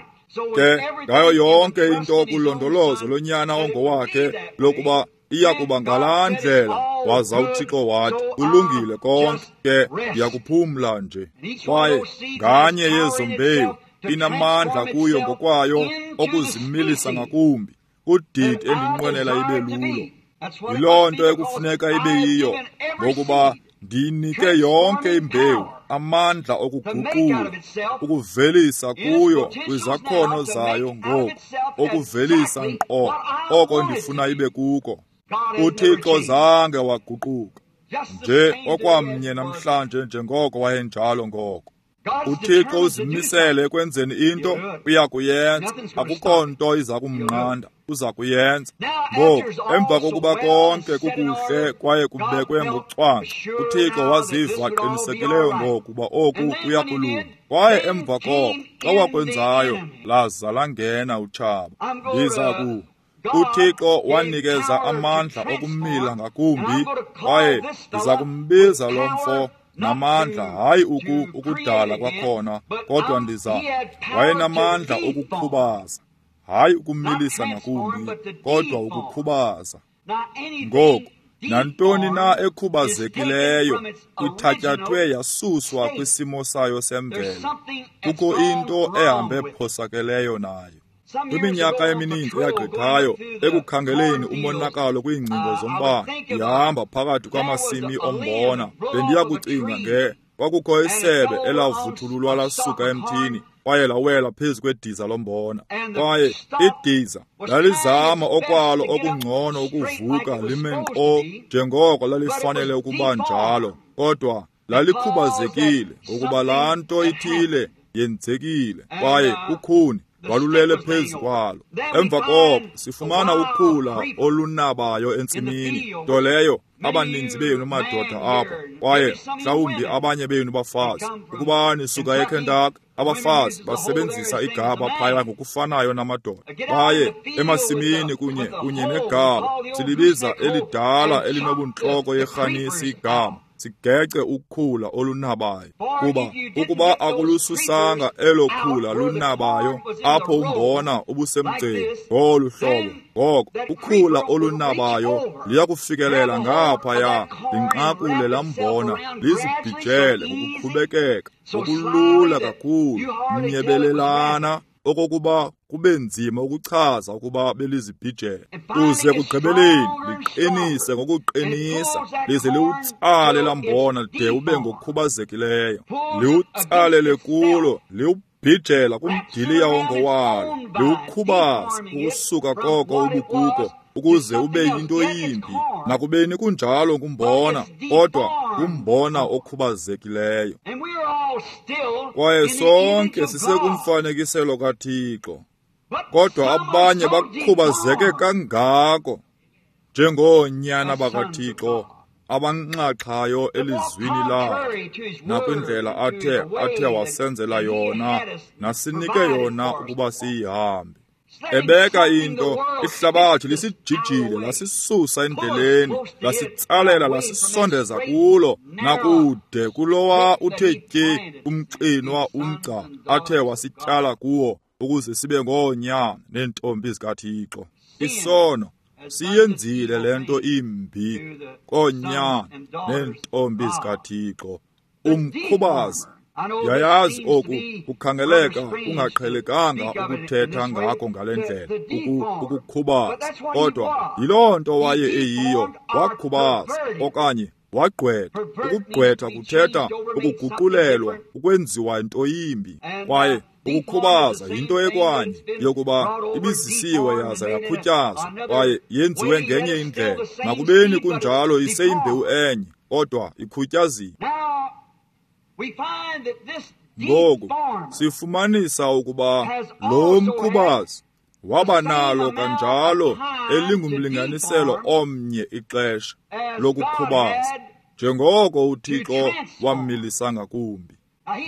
Ke ngayo yonke into kulondolozo lonyana ongowakhe lokuba iyakuba ngalaa ndlela, waza uThixo wathi, kulungile konke, ke ndiyakuphumla nje. Kwaye nganye yezo mbewu inamandla kuyo ngokwayo okuzimilisa ngakumbi kudidi endinqwenela ibe lulo. Yiloo nto ekufuneka ibe yiyo, ngokuba ndiyinike yonke imbewu amandla okuguqula, ukuvelisa kuyo kwizakhono zayo ngoku, okuvelisa ngqo oko ndifuna ibe kuko. uThixo zange waguquka, nje okwamnye namhlanje njengoko wayenjalo ngoko. uThixo uzimisele ekwenzeni into, uyakuyenza. Akukho nto iza kumnqanda, uza kuyenza. Ngoku emva kokuba konke kukuhle kwaye kubekwe ngocwangco, uThixo waziva qinisekileyo ngokuba oku kuyakulunga. Kwaye emva koko xa wakwenzayo, laza langena utshaba. Ndiza ku uThixo wanikeza amandla okumila ngakumbi, kwaye ndiza kumbiza lo mfo namandla, hayi ukudala kwakhona, kodwa ndiza wayenamandla okukhubaza, hayi ukumilisa ngakumbi, kodwa ukukhubaza. Ngoku nantoni na ekhubazekileyo ithatyathwe yasuswa kwisimo sayo semvelo, kukho into ehambe phosakeleyo nayo. Kwiminyaka emininzi eyagqithayo, ekukhangeleni umonakalo kwiingcingo zombane, ndihamba phakathi kwamasimi ombona, bendiyakucinga nge kwakukho isebe elavuthululwa lasuka emthini, kwaye lawela phezu kwediza lombona. Kwaye idiza lalizama okwalo okungcono ukuvuka lime nkqo njengoko lalifanele ukuba njalo, kodwa lalikhubazekile ngokuba laa nto ithile yenzekile, kwaye ukhuni lwalulele phezu kwalo. Emva koko sifumana ukhula olunabayo entsimini, nto leyo abaninzi benu madoda apha, kwaye mhlawumbi abanye benu bafazi, ukuba nisuka eKentucky, abafazi basebenzisa igaba phaya ngokufanayo namadoda. Baye emasimini kunye negaba, silibiza elidala elinobuntloko yerhanisi igama, sigece ukhula olunabayo. Kuba ukuba akulususanga elo khula lunabayo apho umbona ubusemgceni ngolu hlobo, ngoko ukhula olunabayo liyakufikelela ngaphaya, linqakule laa mbona, lizibhijele ngokuqhubekeka ngokulula kakhulu, mnyebelelana. okokuba kube nzima ukuchaza ukuba belizibhijela, kuze ekugqibeleni liqinise ngokuqinisa, lize liwutsale lambona de ube ngokhubazekileyo, liwutsalele kulo, liwubhijela kumdiliya wongowalo, liwukhubaze ukusuka koko ubukuko, ukuze ube yinto yimbi. Nakubeni kunjalo ngumbona, kodwa ngumbona okhubazekileyo. Kwaye sonke sisekumfanekiselo kaThixo, kodwa abanye bakhubazeke kangako njengoonyana bakaThixo abanxaxhayo elizwini lakhe nakwindlela athe wasenzela yona nasinike yona ukuba siyihambe. Ebeka into, ihlabathi lisijijile, lasisusa endleleni, lasitsalela, lasisondeza kulo, nakude kulowa uthe tye umxinwa umgca athe wasityala kuwo, ukuze sibe ngoonyana neentombi zikaThixo. Isono siyenzile le nto imbi koonyana neentombi zikaThixo. Umkhubazi. Yayazi oku kukhangeleka kungaqhelekanga ukuthetha ngakho ngale ndlela, ukukhubaza, kodwa yiloo nto waye eyiyo. Wakhubaza okanye wagqwetha. Ukugqwetha kuthetha ukuguqulelwa, ukwenziwa into yimbi, kwaye ukukhubaza yinto ekwanye yokuba ibizisiwe yaza yakhutyazwa kwaye yenziwe ngenye indlela. Nakubeni kunjalo iseyimbewu enye, kodwa ikhutyaziwe. Ngoku sifumanisa ukuba lo mkhubazi waba nalo kanjalo elingumlinganiselo omnye ixesha lokukhubaza, njengoko uThixo wammilisa ngakumbi.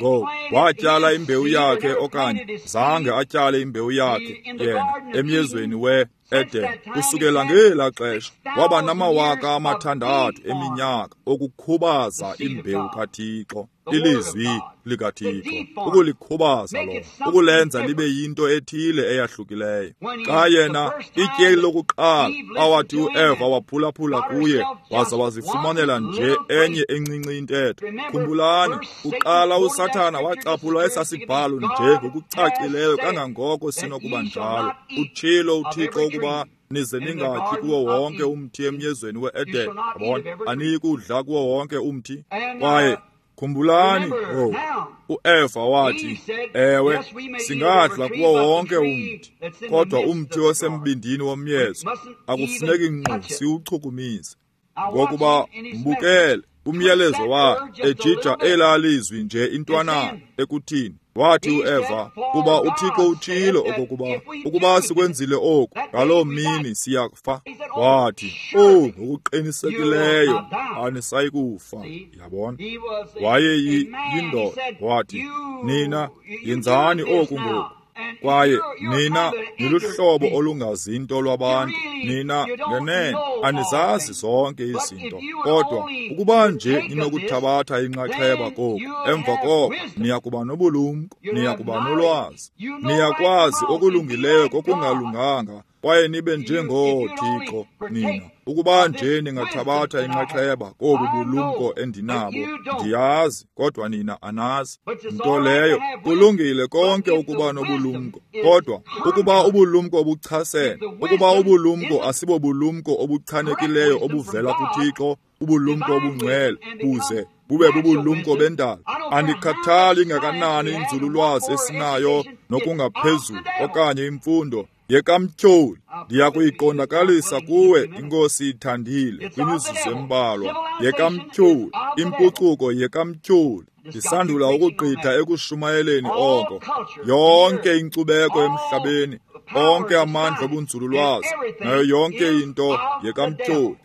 Ngoku watyala imbewu yakhe, okanye zange atyale imbewu yakhe yena emyezweni we-Eden. Kusukela ngelaa xesha waba nama 6,000 eminyaka okukhubaza imbewu kaThixo, ilizwi likaThixo, ukulikhubaza lona, ukulenza libe yinto ethile eyahlukileyo. Xa yena ityeli lokuqala awathi uEva waphulaphula kuye waza wazifumanela nje enye encinci intetho. Khumbulani, kuqala uSathana wacaphula esasibhalo nje ngokucacileyo kangangoko sinokuba njalo. Utshilo uThixo ukuba nize ningatyi kuwo wonke umthi emyezweni we-Eden. Yabona, aniyi kudla kuwo wonke umthi. Kwaye khumbulani, uEva wathi, ewe, singadla kuwo wonke umthi, kodwa umthi osembindini womyezo akufuneki ngqo siwuchukumise. Ngokuba mbukele umyalezo wakhe ejija elaa lizwi nje intwanana ekuthini. Wathi uEva, kuba uThixo utshilo okokuba ukuba sikwenzile oku ngaloo mini siyakufa. Wathi, oh, ngokuqinisekileyo anisayi kufa. Yabona, waye yindoda. Wathi, nina yenzani oku ngoku, kwaye nina niluhlobo olungazinto lwabantu, nina ngenene anizazi zonke izinto, kodwa ukuba nje ninokuthabatha inxaxheba koku, emva koko niyakuba nobulumko, niyakuba nolwazi, niyakwazi okulungileyo kokungalunganga, kwaye nibe njengooThixo nina. Ukuba nje ningathabatha inxaxheba kobu bulumko endinabo, ndiyazi, kodwa nina anazi. Nto leyo, kulungile konke ukuba nobulumko, kodwa ukuba ubulumko obuchasene, ukuba ubulumko asibobulumko obuchanekileyo obuvela kuThixo, ubulumko obungcwele, buze bube bubulumko bendalo. Andikhathali ngakanani inzululwazi esinayo nokungaphezulu okanye imfundo yekamtyholi, ndiyakuyiqondakalisa kuwe, iNkosi ithandile, kwimizuzu embalwa. Yekamtyholi, impucuko yekamtyholi. Ndisandula ukugqitha ekushumayeleni oko. Yonke inkcubeko emhlabeni, onke amandla obunzululwazi, nayo yonke into yekamtyholi.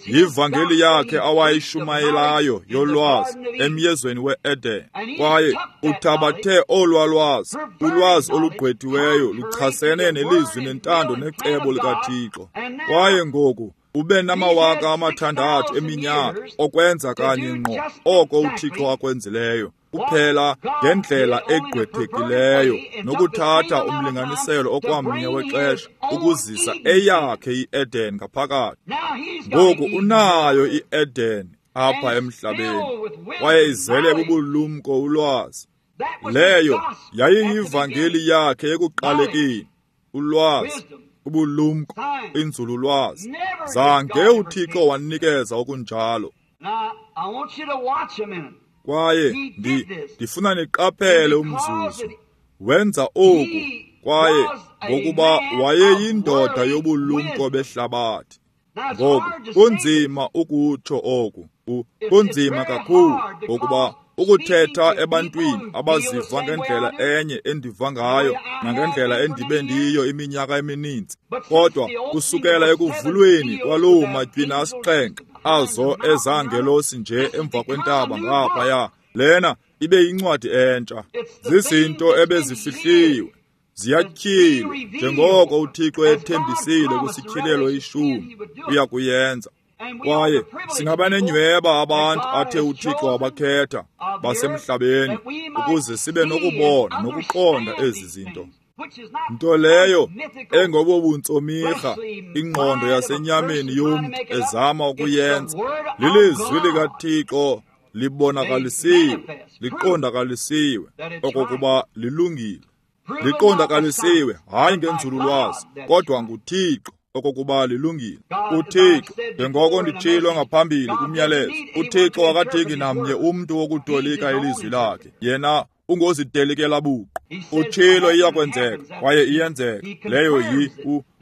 Yivangeli yakhe awayishumayelayo yolwazi emyezweni we-Eden, kwaye uthabathe olwa lwazi, ulwazi olugqwethiweyo luchasene nelizwi nentando necebo likaThixo. Kwaye ngoku ube nama 6,000 eminyaka okwenza kanye ngqo oko uThixo akwenzileyo, kuphela ngendlela egqwethekileyo, nokuthatha umlinganiselo okwamnye wexesha ukuzisa eyakhe iEden ngaphakathi. Ngoku unayo iEden apha emhlabeni, kwaye izele bubulumko ulwazi. Leyo yayiyivangeli yakhe ekuqalekeni, ulwazi, ubulumko, inzululwazi. Zange uThixo wanikeza okunjalo. Kwaye ndifuna niqaphele umzuzu. Wenza oku, kwaye ngokuba wayeyindoda yobulumko behlabathi. Ngoku kunzima ukutsho oku, kunzima kakhulu, ngokuba ukuthetha ebantwini abaziva ngendlela enye endiva ngayo nangendlela endibe ndiyo iminyaka emininzi. Kodwa kusukela ekuvulweni kwaloo matywina asixhenxe azo ezangelosi nje emva kwentaba ngaphaya, lena ibe yincwadi entsha. Zizinto ebezifihliwe, ziyatyhilwa njengoko uThixo ethembisile kwisityhilelo ishumi uya kuyenza. Kwaye singabanenyhweba abantu athe uThixo wabakhetha basemhlabeni ukuze sibe nokubona nokuqonda ezi zinto. Nto leyo engobobuntsomirha ingqondo yasenyameni yomntu ezama ukuyenza. Lilizwi likaThixo libonakalisiwe, liqondakalisiwe okokuba lilungile. Liqondakalisiwe hayi ngenzululwazi, kodwa nguThixo okokuba lilungile. uThixo, njengoko nditshilo ngaphambili kumyalezo, uThixo akadingi namnye umntu wokutolika ilizwi lakhe. Yena ungozitelikela buqu. Utshilo iyakwenzeka kwaye iyenzeka. Leyo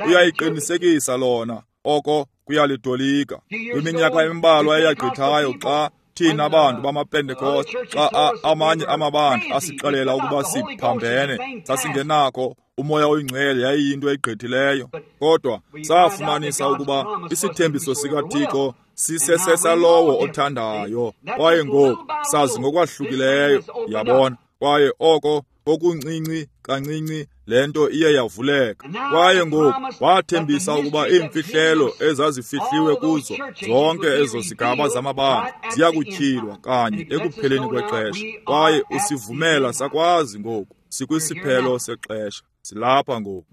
uyayiqinisekisa lona, oko kuyalitolika. Kwiminyaka embalwa eyagqithayo xa thina bantu bamaPentekoste, xa amanye amabandla asixelela ukuba siphambene, sasingenakho uMoya oyiNgcwele, yayiyinto egqithileyo. Kodwa safumanisa ukuba isithembiso sikaThixo sisesesalowo othandayo. Kwaye ngoku sazi ngokwahlukileyo, yabona. Kwaye oko kokuncinci kancinci le nto iye yavuleka. Kwaye ngoku wathembisa ukuba iimfihlelo ezazifihliwe kuzo zonke ezo zigaba zamabandla ziyakutyhilwa kanye ekupheleni kwexesha. Kwaye usivumela sakwazi ngoku sikwisiphelo sexesha. Silapha ngoku.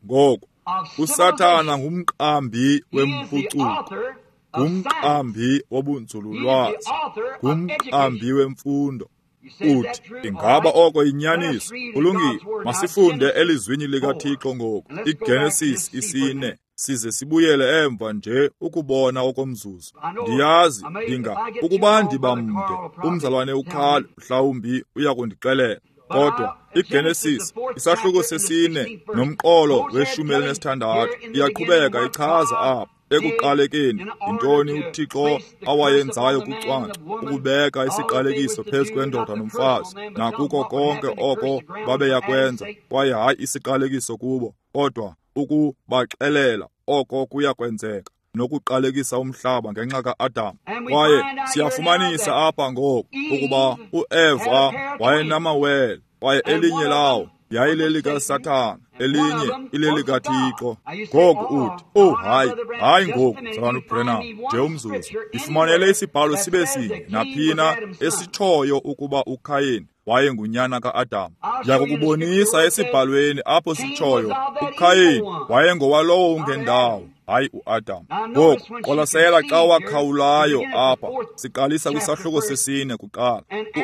Ngoku uSathana ngumqambi wempucuko, ngumqambi wobunzululwazi, ngumqambi wemfundo. Uthi, ingaba oko yinyaniso? Kulungile, masifunde elizwini likaThixo ngoku, iGenesis 4, size sibuyele emva nje ukubona okomzuzu. Ndiyazi, ukuba ndiba mde, umzalwane uKhal mhlawumbi uya kundixelela. Kodwa iGenesis isahluko 4 nomqolo we-16 iyaqhubeka ichaza apha. Ekuqalekeni yintoni uThixo awayenzayo kucwangco, ukubeka isiqalekiso phezu kwendoda nomfazi, nakuko konke oko babeyakwenza, kwaye hayi isiqalekiso kubo, kodwa ukubaxelela oko kuya kwenzeka, nokuqalekisa umhlaba ngenxa ka-Adam. Kwaye siyafumanisa apha ngoku ukuba uEva wayenamawele, kwaye elinye lawo yayilelikaSathana, elinye ilelikaThixo. Ngoku uthi, oh hayi, hayi ngoku, mzalwana uBrenham, nje umzuzu, ndifumanele isibhalo sibe sinye naphina esitshoyo ukuba uKhayini wayengunyana ka-Adam. Ndiyakukubonisa esibhalweni apho sitshoyo uKhayini wayengowalowo ungendawo, hayi uAdam. Ngoku qwalasela xa wakhawulayo apha, siqalisa kwisahluko 4 kuqala.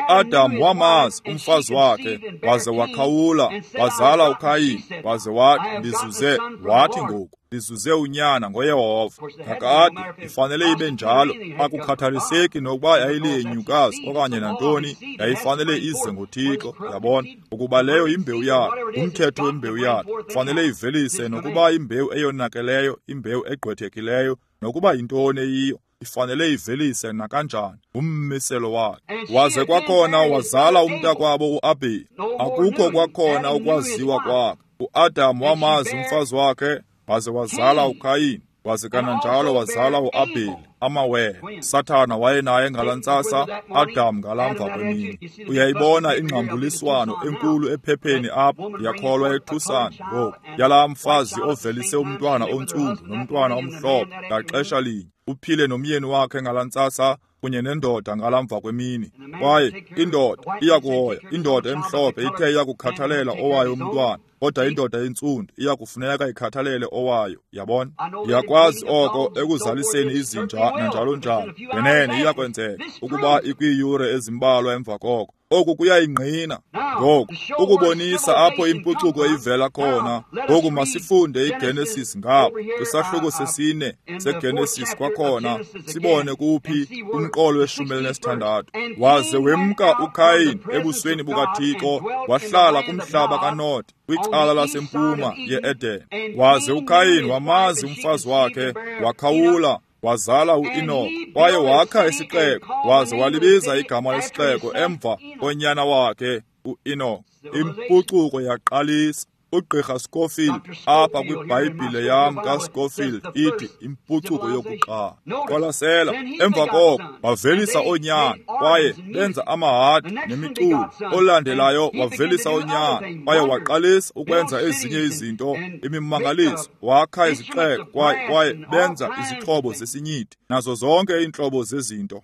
uAdam wamazi umfazi wakhe, waze wakhawula, wazala uKhayini, waze wathi, ndizuze, wathi ngoku, ndizuze unyana ngoYehova. Kakade ifanele ibe njalo, akukhathaliseki nokuba yayiliyenyukazi okanye nantoni, yayifanele ize ngoThixo, yabona, ukuba leyo imbewu yakhe, umthetho wembewu yakhe, fanele ivelise nokuba imbewu eyonakeleyo, imbewu egqwethekileyo, nokuba yintoni eyiyo, ifanele ivelise nakanjani, ummiselo wakhe. Waze kwakhona wazala umntakwabo uAbheli. Akukho kwakhona ukwaziwa kwakhe. uAdam wamazi umfazi wakhe, waze wazala uKhayini, waze kananjalo wazala uAbheli, amawele. Sathana wayenaye ngalaa ntsasa, Adam ngalamva kwemini. Uyayibona ingxambuliswano enkulu ephepheni apha, ndiyakholwa eTucson ngoku, yalaa mfazi ovelise umntwana ontsundu nomntwana omhlophe ngaxesha linye, uphile nomyeni wakhe ngalaa ntsasa kunye nendoda ngalamva kwemini. Kwaye indoda iyakuhoya, indoda emhlophe ithe iyakukhathalela owayo umntwana, Kodwa indoda entsundu iya kufuneka ikhathalele owayo, yabona. Ndiyakwazi oko ekuzaliseni izinja nanjalo njalo. Ngenene iya kwenzeka ukuba ikwiiyure ezimbalwa emva koko. Oku kuyayingqina. Ngoku, ukubonisa apho impucuko ivela khona. Ngoku masifunde iGenesis ngapha kwisahluko 4 seGenesis kwakhona, sibone kuphi umqolo we-16. Waze wemka uKayin ebusweni bukaThixo, wahlala kumhlaba kaNod, kwicala lasempuma ye-Eden. Waze uKayin wamazi umfazi wakhe, wakhawula, wazala uEnoch, kwaye wakha isixeko, waze walibiza igama lesixeko emva konyana wakhe uEnoch. Impucuko yaqalisa. Ugqirha Scofield apha kwiBhayibhile yam kaScofield ithi impucuko yokuqala. Qwalasela, emva koko wavelisa oonyana, kwaye benza amahadi nemiculo. Olandelayo wavelisa oonyana, kwaye waqalisa ukwenza ezinye izinto, imimangaliso, wakha izixeko, kwaye benza izixhobo zesinyithi nazo zonke iintlobo zezinto.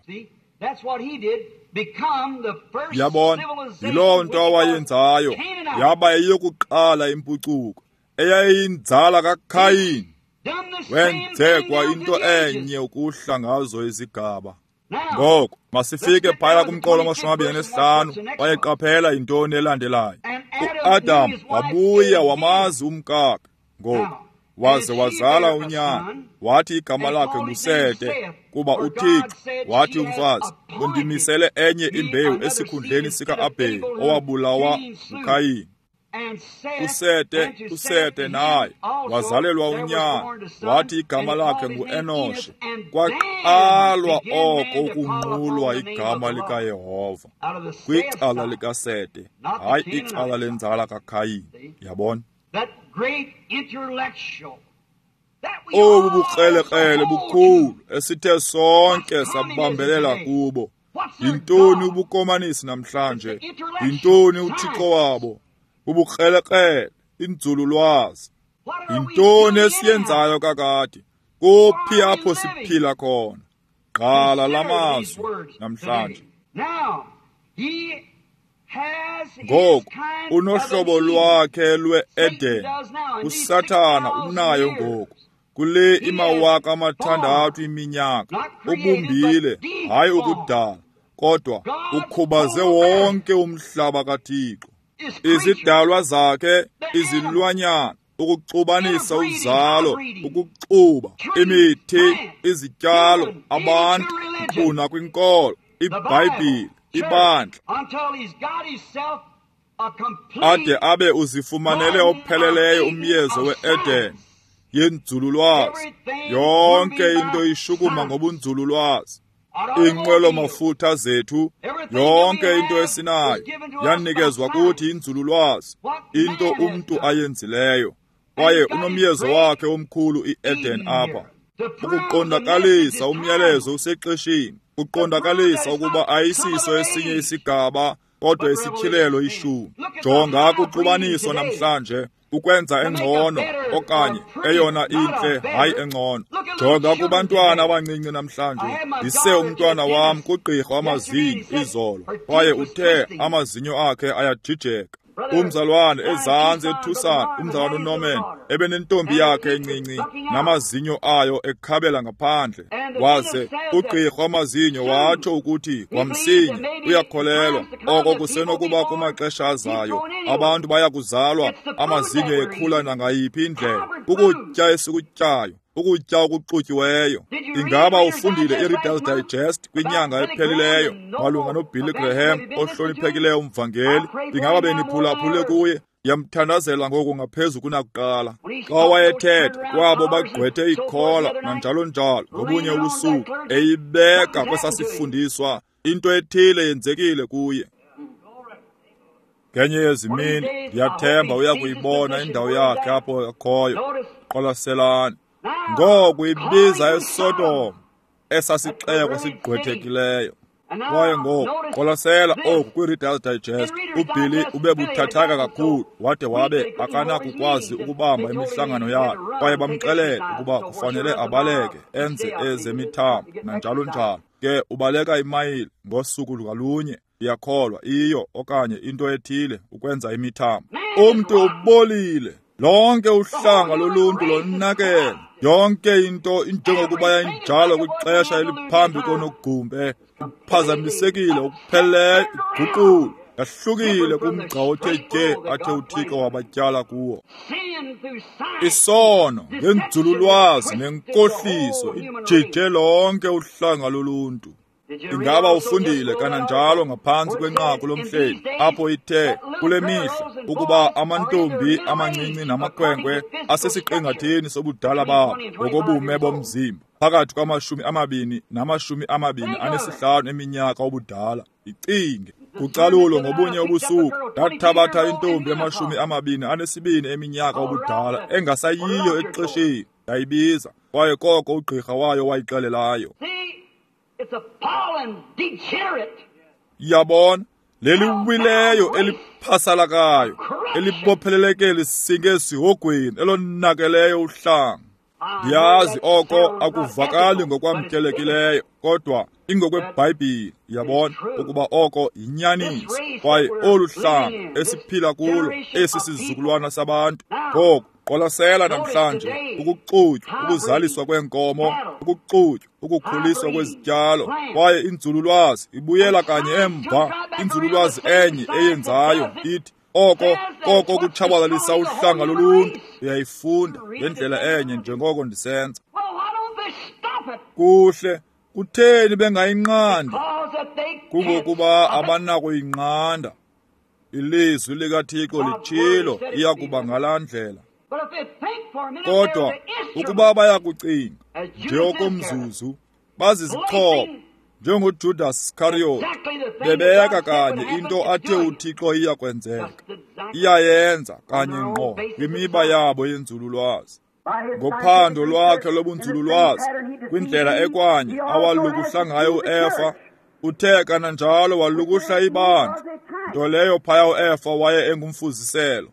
Yabona, yiloo nto awayenzayo, yaba yeyokuqala impucuko, eyayinzala kaKhayini. Wenze kwa into enye ukuhla ngazo izigaba. Ngoku masifike phaya kumqolo 25, kwaye qaphela yintoni elandelayo. UAdam wabuya wamazi umkakhe. Ngoku waze wazala unyana, wathi igama lakhe nguSete, kuba uThixo wathi umfazi, undimisele enye imbewu esikhundleni sika-Abheli owabulawa nguKhayini. USete naye wazalelwa unyana, wathi igama lakhe nguEnoshe. Kwaqalwa oko ukunqulwa igama likaYehova kwicala likaSete, hayi icala lenzala kaKhayini. Yabona? Obu bukrelekrele bukhulu esithe sonke sabambelela kubo. Yintoni ubukomanisi namhlanje? Yintoni uThixo wabo? Ubukrelekrele, inzululwazi. Yintoni esiyenzayo kakade? Kuphi apho siphila khona? Qala lamazwi namhlanje. Ngoku unohlobo lwakhe lwe-Eden. uSathana unayo ngoku. Kule 6,000 iminyaka ubumbile, hayi ukudala, kodwa ukhubaze wonke umhlaba kaThixo. Izidalwa zakhe, izilwanyana, ukuxubanisa uzalo, ukuxuba imithi, izityalo, abantu, nkqu kwinkolo, iBhayibhile, ibandla, ade abe uzifumanele opheleleyo umyezo we-Eden yenzululwazi. Yonke into ishukuma ngobunzululwazi. Iinqwelo-mafutha zethu, yonke into esinayo yanikezwa kuthi inzululwazi, into umntu ayenzileyo. Kwaye unomyezo wakhe omkhulu i-Eden apha, ukuqondakalisa umyalezo usexesheni, uqondakalisa ukuba ayisiso esinye isigaba, kodwa isityhilelo 10. Jonga kuxubaniso namhlanje, ukwenza engcono okanye eyona intle, hayi engcono. Jonga kubantwana abancinci namhlanje. Ndise umntwana wam kugqirha wamazinyo izolo, kwaye uthe amazinyo akhe ayajijeka. Umzalwane ezantsi eTucson, umzalwane uNorman, ebenentombi yakhe encinci namazinyo ayo ekhabela ngaphandle. Waze ugqirha wamazinyo watsho ukuthi kwamsinya uyakholelwa oko kusenokuba kumaxesha azayo abantu baya kuzalwa amazinyo ekhula nangayiphi indlela. Ukutya esikutyayo, ukutya okuxutyiweyo. Ingaba ufundile iReader's Digest kwinyanga ephelileyo malunga noBilly Graham ohloniphekileyo umvangeli? Ingaba beniphulaphule kuye? Yamthandazela ngoku ngaphezu kunakuqala. Xa wayethetha kwabo bagqwethe ikhola nanjalo njalo ngobunye ubusuku, eyibeka kwesasifundiswa, into ethile yenzekile kuye. Ngenye yezimini ndiyathemba uya kuyibona indawo yakhe apho akhoyo. Qwalaselani. Ngoku ibiza eSodom, esasixeko sigqwethekileyo. Kwaye ngoku qwalasela oku kwi-Reader's Digest. uBilly ube buthathaka kakhulu, wade wabe akanakukwazi ukubamba imihlangano yakhe, kwaye bamxelela ukuba kufanele abaleke enze ezemithambo nanjalo njalo. Ke ubaleka imayile ngosuku lwalunye. Iyakholwa iyo okanye into ethile ukwenza imithambo. Umntu ubolile. Lonke uhlanga loluntu lonakele. Yonke into injengokuba yayinjalo kwixesha eliphambi konogumbe, iphazamisekile okupheleleyo, iguqule, yahlukile kumgca othe tye athe uThixo wabatyala kuwo. Isono ngenzululwazi nenkohliso ijije lonke uhlanga loluntu. Ingaba ufundile kananjalo ngaphantsi kwenqaku lomhleli apho ithe kule mihla ukuba amantombi amancinci namakhwenkwe asesiqingatheni sobudala babo ngokobume bomzimba phakathi kwama-20 na-25 eminyaka obudala. Icinge kucalulo ngobunye ubusuku ndathabatha intombi ema-22 eminyaka obudala engasayiyo exesheni, ndayibiza, kwaye koko ugqirha wayo wayixelelayo. Yabona, leliwileyo eliphasalakayo elibopheleleke lisinge esihogweni elonakeleyo uhlanga. Ndiyazi oko akuvakali ngokwamkelekileyo, kodwa ingokweBhayibhile, yabona, ukuba oko yinyaniso. Kwaye olu hlanga esiphila kulo, esi sizukulwana sabantu ngoku, qwalasela namhlanje ukuxutywa, ukuzaliswa kweenkomo, ukuxutywa, ukukhuliswa kwezityalo, kwaye inzululwazi ibuyela kanye emva. Inzululwazi enye eyenzayo ithi oko koko kutshabalalisa uhlanga loluntu. Uyayifunda ngendlela enye njengoko ndisenza. Kuhle, kutheni bengayinqandi? Kungokuba abanakuyinqanda. Ilizwi likaThixo litshilo iyakuba ngalaa ndlela. Kodwa ukuba bayakucinga nje okomzuzu, bazizixhobo njengoJudas Iscariot, bebeka kanye into athe uThixo iyakwenzeka, iyayenza kanye ngqo kwimiba yabo yenzululwazi. Ngophando lwakhe lobunzululwazi, kwindlela ekwanye awalukuhla ngayo uEfa, uthe kananjalo walukuhla ibandla, nto leyo phaya uEfa waye engumfuziselo.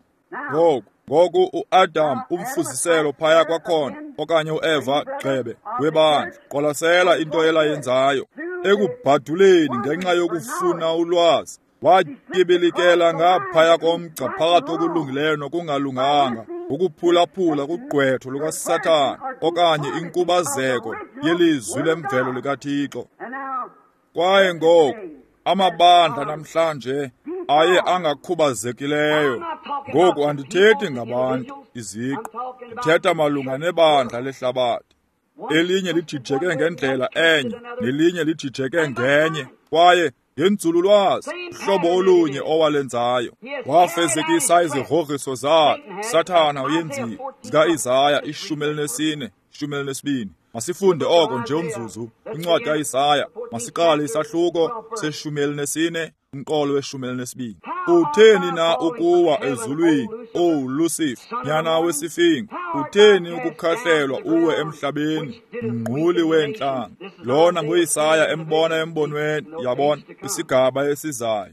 Ngoku uAdam umfuziselo phaya kwakhona, okanye uEva gxebe webandla. Qwalasela into elayenzayo ekubhaduleni ngenxa yokufuna ulwazi. Watyibilikela ngaphaya komgca phakathi kokulungileyo nokungalunganga, ukuphulaphula kugqwetho lukaSathana okanye inkubazeko yelizwi lemvelo likaThixo. Kwaye ngoku amabandla namhlanje aye angakhubazekileyo. Ngoku andithethi ngabantu iziqu, ndithetha malunga nebandla lehlabathi. Elinye lijijeke ngendlela enye, nelinye lijijeke ngenye, kwaye ngenzululwazi uhlobo olunye owalenzayo. Wafezekisa izigrogriso zakhe Sathana uyenzile, zikaIsaya 14, 12. Masifunde oko nje umzuzu. Incwadi kaIsaya, masiqale isahluko se-14, umqolo we-12. Utheni na ukuwa ezulwini, O Lucifer, nyana wesifingo? Utheni ukukhahlelwa uwe emhlabeni, mngquli weentlanga? Lona nguIsaya embona embonweni, yabona, isigaba esizayo.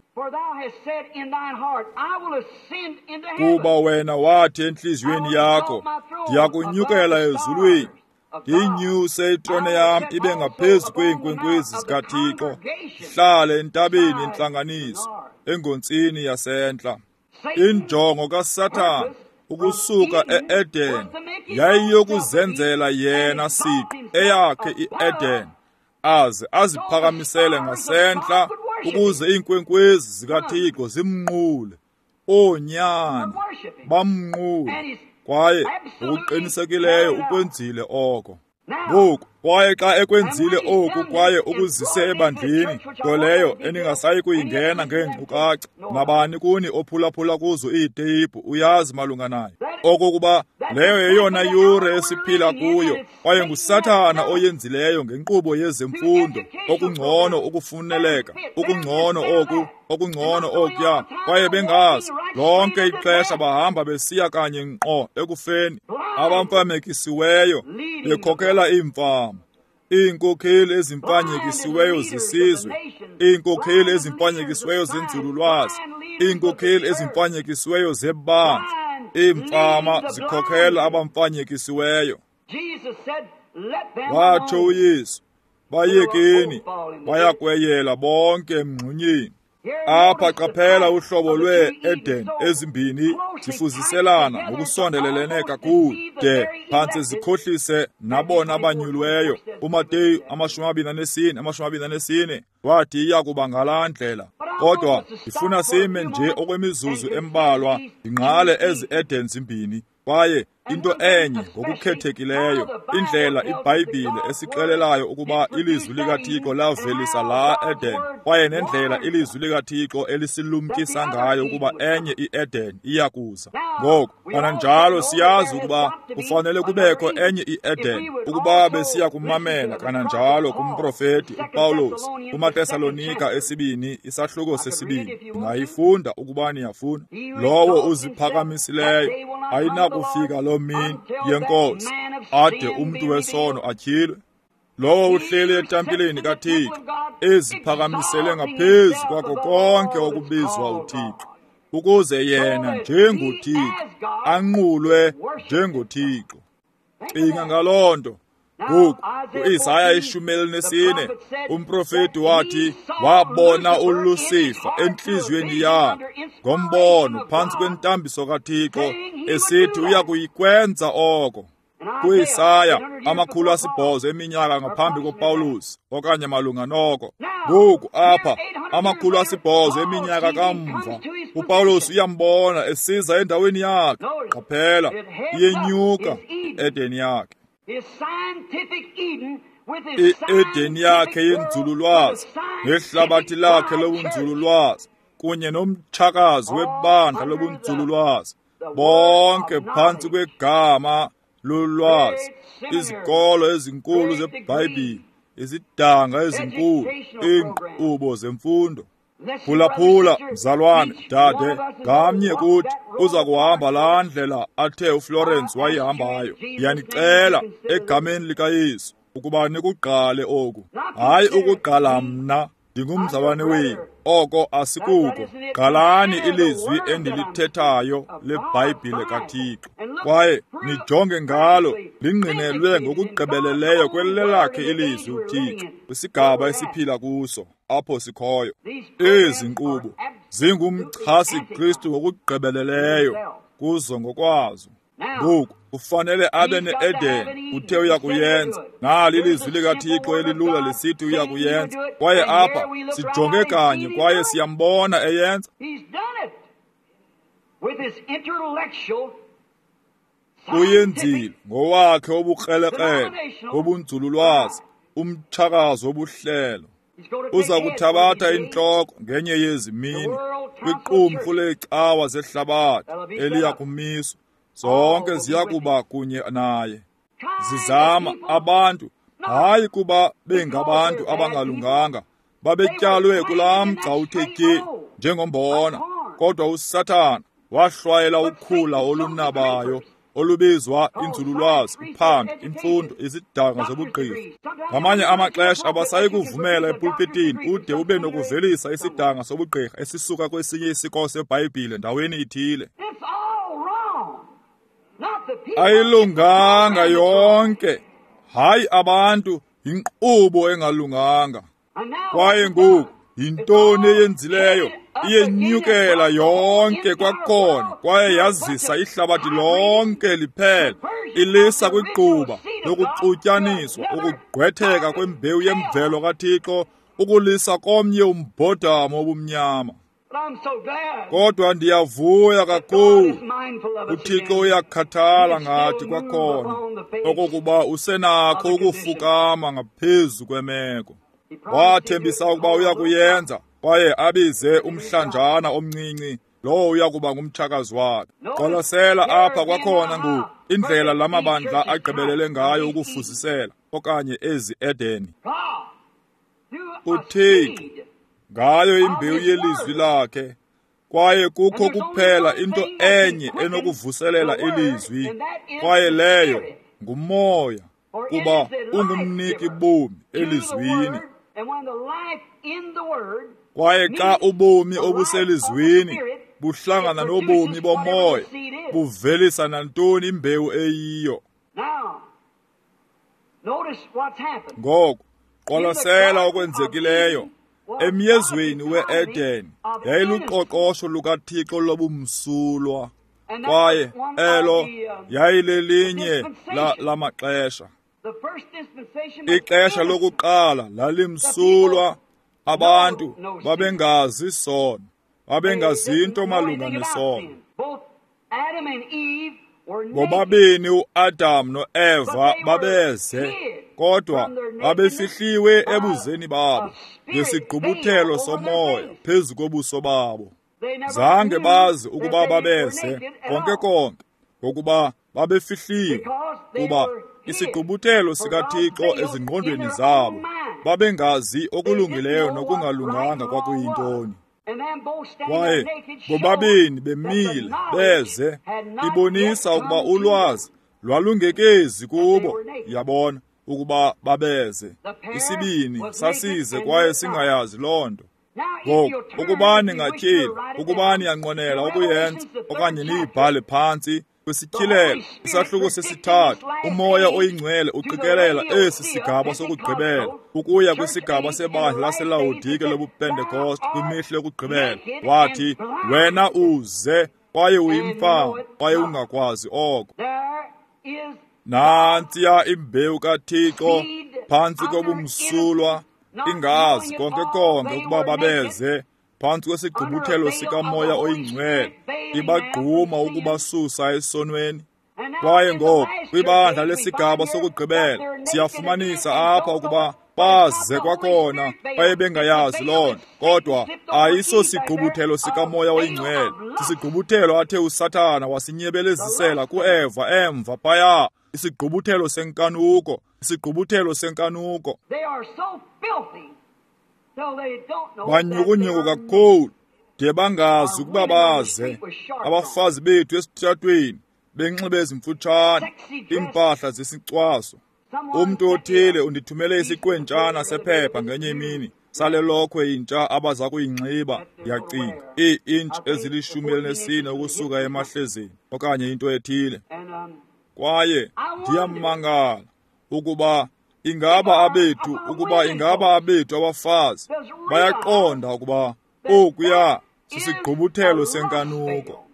Kuba wena wathi entliziyweni yakho, ndiyakunyukela ezulwini, ndiyinyuse itrone yam ibe ngaphezu kweenkwenkwezi zikaThixo, ndihlale entabeni yentlanganiso, engontsini yasentla. Injongo kaSathana ukusuka e-Eden yayiyokuzenzela yena siqu eyakhe i-Eden, aze aziphakamisele ngasentla ukuze iinkwenkwezi zikaThixo zimnqule. Oonyana bamnqule, kwaye ngokuqinisekileyo ukwenzile oko. Ngoku, kwaye xa ekwenzile oku kwaye ukuzise ebandleni, nto leyo eningasayi kuyingena ngeenkcukacha, nabani kuni ophulaphula kuzo iiteyipu uyazi malunga nayo, okokuba leyo yeyona yure esiphila kuyo, kwaye nguSathana oyenzileyo ngenkqubo yezemfundo, okungcono ukufuneleka, okungcono oku, okungcono okuya, kwaye bengazi lonke ixesha bahamba besiya kanye ngqo ekufeni, abamfamekisiweyo bekhokela iimfama, iinkokheli ezimfanyekisiweyo zesizwe, iinkokheli ezimfanyekisiweyo zenzululwazi, iinkokheli ezimfanyekisiweyo zebandla, iimfama zikhokela abamfanyekisiweyo. Watsho uYesu, bayekeni, bayakweyela bonke emngxunyeni. Apha qaphela uhlobo lwee-Eden ezimbini zifuziselana ngokusondelelene kakhulu de phantse zikhohlise nabona abanyulweyo. UMateyu 24:24 wathi iya kuba ngalaa ndlela. Kodwa ndifuna sime nje okwemizuzu embalwa ndingqale ezi Eden zimbini. Kwaye into enye ngokukhethekileyo, indlela iBhayibhile esixelelayo ukuba ilizwi likaThixo lavelisa laa Eden, kwaye nendlela ilizwi likaThixo elisilumkisa ngayo ukuba enye iEden iya kuza. Ngoku, kananjalo siyazi ukuba kufanele kubekho enye iEden ukuba besiya kumamela kananjalo kumprofeti uPawulos kumaTesalonika esibini isahluko sesibini. Ndingayifunda ukuba niyafuna. Lowo uziphakamisileyo ayinakufika loo mini yeNkosi ade umntu wesono atyhilwe. Lowo uhleli etempileni kaThixo eziphakamisele ngaphezu kwako konke okubizwa uThixo, ukuze yena njengoThixo anqulwe njengoThixo. Cinga ngaloo nto. Ngoku uIsaya 14 umprofeti wathi wabona uLusifa entliziyweni yakhe ngombono phantsi kwentambiso kaThixo esithi uya kuyikwenza oko. KuIsaya 800 eminyaka ngaphambi koPawulos okanye malunga noko. Ngoku apha 800 eminyaka kamva uPawulos uyambona esiza endaweni yakhe. Qaphela, iyenyuka iEden yakhe. I-Eden yakhe yenzululwazi nehlabathi lakhe lobunzululwazi kunye nomtshakazi webandla lobunzululwazi, bonke phantsi kwegama lolwazi, izikolo ezinkulu zeBhayibhile, izidanga ezinkulu, iinkqubo zemfundo. Phulaphula, mzalwane, dade, ngamnye kuthi uza kuhamba laa ndlela athe uFlorence wayihambayo. Ndiyanicela egameni likaYesu ukuba nikugqale oku. Hayi ukugqala mna, ndingumzalwane wenu. Oko asikuko. Gqalani ilizwi endilithethayo leBhayibhile kaThixo, kwaye nijonge ngalo lingqinelwe ngokugqibeleleyo kwelelakhe ilizwi uThixo kwisigaba esiphila kuso apho sikhoyo. Ezi nkqubo zingumchasi-Kristu ngokugqibeleleyo kuzo ngokwazo. Ngoku ufanele abe ne-Eden, uthe uya kuyenza. Nali ilizwi likaThixo elilula lisithi uya kuyenza. Kwaye apha sijonge kanye kwaye siyambona eyenza. Uyenzile ngowakhe obukrelekrele, obunzululwazi, umtshakazo wobuhlelo. Uza kuthabatha intloko ngenye yezi mini kwiqumrhu leecawa zehlabathi eliya kumiswa. Zonke ziya kuba kunye naye. Zizama abantu, hayi kuba bengabantu abangalunganga, babetyalwe kulaa mgca uthe tye njengombona, kodwa uSathana wahlwayela ukhula olunabayo olubizwa inzululwazi, uphando, imfundo, izidanga zobugqirha. Ngamanye amaxesha abasayi kuvumela epulpitini ude ube nokuvelisa isidanga sobugqirha esisuka kwesinye isikolo seBhayibhile ndaweni ithile. Ayilunganga yonke, hayi abantu, yinkqubo engalunganga. Kwaye ngoku yintoni eyenzileyo? Iyenyukela yonke kwakhona kwaye yazisa ihlabathi lonke liphela, ilisa kwigquba lokuxutyaniswa, ukugqwetheka kwembewu yemvelo kaThixo, ukulisa komnye umbhodamo obumnyama. Kodwa ndiyavuya kakhulu, uThixo uyakhathala ngathi kwakhona, okokuba usenakho ukufukama ngaphezu kwemeko. Wathembisa ukuba uya kuyenza, kwaye abize umhlanjana omncinci, lowo uya kuba ngumtshakazi wakhe. Qwalasela apha kwakhona ngoku indlela la mabandla agqibelele ngayo ukufuzisela okanye ezi Edeni. uThixo ngayo imbewu yelizwi lakhe, kwaye kukho kuphela into enye enokuvuselela ilizwi, kwaye leyo ngumoya, kuba ungumniki bomi elizwini. Kwaye xa ubomi obuselizwini buhlangana nobomi bomoya, buvelisa nantoni imbewu eyiyo. Ngoku qwalasela okwenzekileyo Emyezweni we-Eden yayiluqoqosho lukaThixo lobumsulwa, kwaye elo yayilelinye lamaxesha. Ixesha lokuqala lalimsulwa, abantu babengazi sono, babengazinto malunga nesono. Bobabini uAdam noEva babeze, kodwa babefihliwe ebuzeni babo ngesigqubuthelo somoya phezu kobuso babo. Zange bazi ukuba babeze konke konke, ngokuba babefihliwe, kuba isigqubuthelo sikaThixo ezingqondweni zabo, babengazi okulungileyo nokungalunganga kwakuyintoni. Kwaye bobabini bemile beze, ibonisa ukuba ulwazi lwalungekezi kubo, yabona ukuba babeze. Isibini sasize kwaye singayazi loo nto. Ngoku, ukuba ningatyhili, ukuba niyanqwenela ukuyenza okanye niyibhale phantsi kwisityhilelo, isahluko sesithathu, uMoya oyiNgcwele uqikelela esi sigaba sokugqibela ukuya kwisigaba sebandla laseLawodike lobuPentekoste kwimihla yokugqibela. Wathi, wena uze kwaye uyimfama kwaye ungakwazi oko. Nantsiya imbewu kaThixo phantsi kobumsulwa, ingazi konke konke ukuba babeze phantsi kwesigqubuthelo sikaMoya oyiNgcwele, ibagquma ukubasusa esonweni. Kwaye ngoku kwibandla lesigaba sokugqibela siyafumanisa apha ukuba baze kwakhona baye bengayazi loo nto, kodwa ayisosigqubuthelo sikaMoya oyiNgcwele, sisigqubuthelo athe uSathana wasinyebelezisela kuEva emva phaya, isigqubuthelo senkanuko, isigqubuthelo senkanuko. Banyukunyuku kakhulu de bangazi ukuba baze. Abafazi bethu esitratweni benxibe ezimfutshane, iimpahla zesicwaso. Umntu othile undithumele isiqwentshana sephepha ngenye imini sale lokhwe intsha abaza kuyinxiba, ndiyacinga ii-intshi ezili-14 ukusuka emahlezeni okanye into ethile. Kwaye ndiyamangala ukuba ingaba abethu abafazi bayaqonda ukuba okuya sisigqubuthelo senkanuko.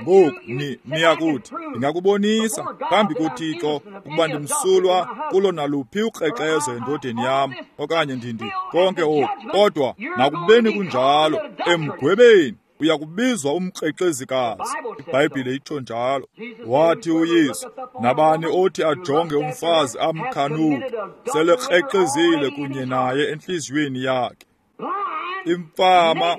Ngoku niyakuthi, ndingakubonisa phambi koThixo ukuba ndimsulwa kulo naluphi ukrexezo endodeni yam okanye ndindi konke oku, kodwa nakubeni kunjalo, emgwebeni uyakubizwa umkrexezikazi. IBhayibhile itsho njalo. Wathi uYesu, nabani othi ajonge umfazi amkhanuke, selekrexezile kunye naye entliziyweni yakhe. Imfama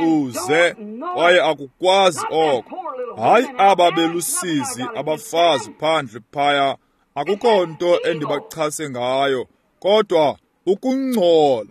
uze kwaye akukwazi oko. Hayi aba belusizi abafazi phandle phaya, akukho nto endibachase ngayo, kodwa ukungcola.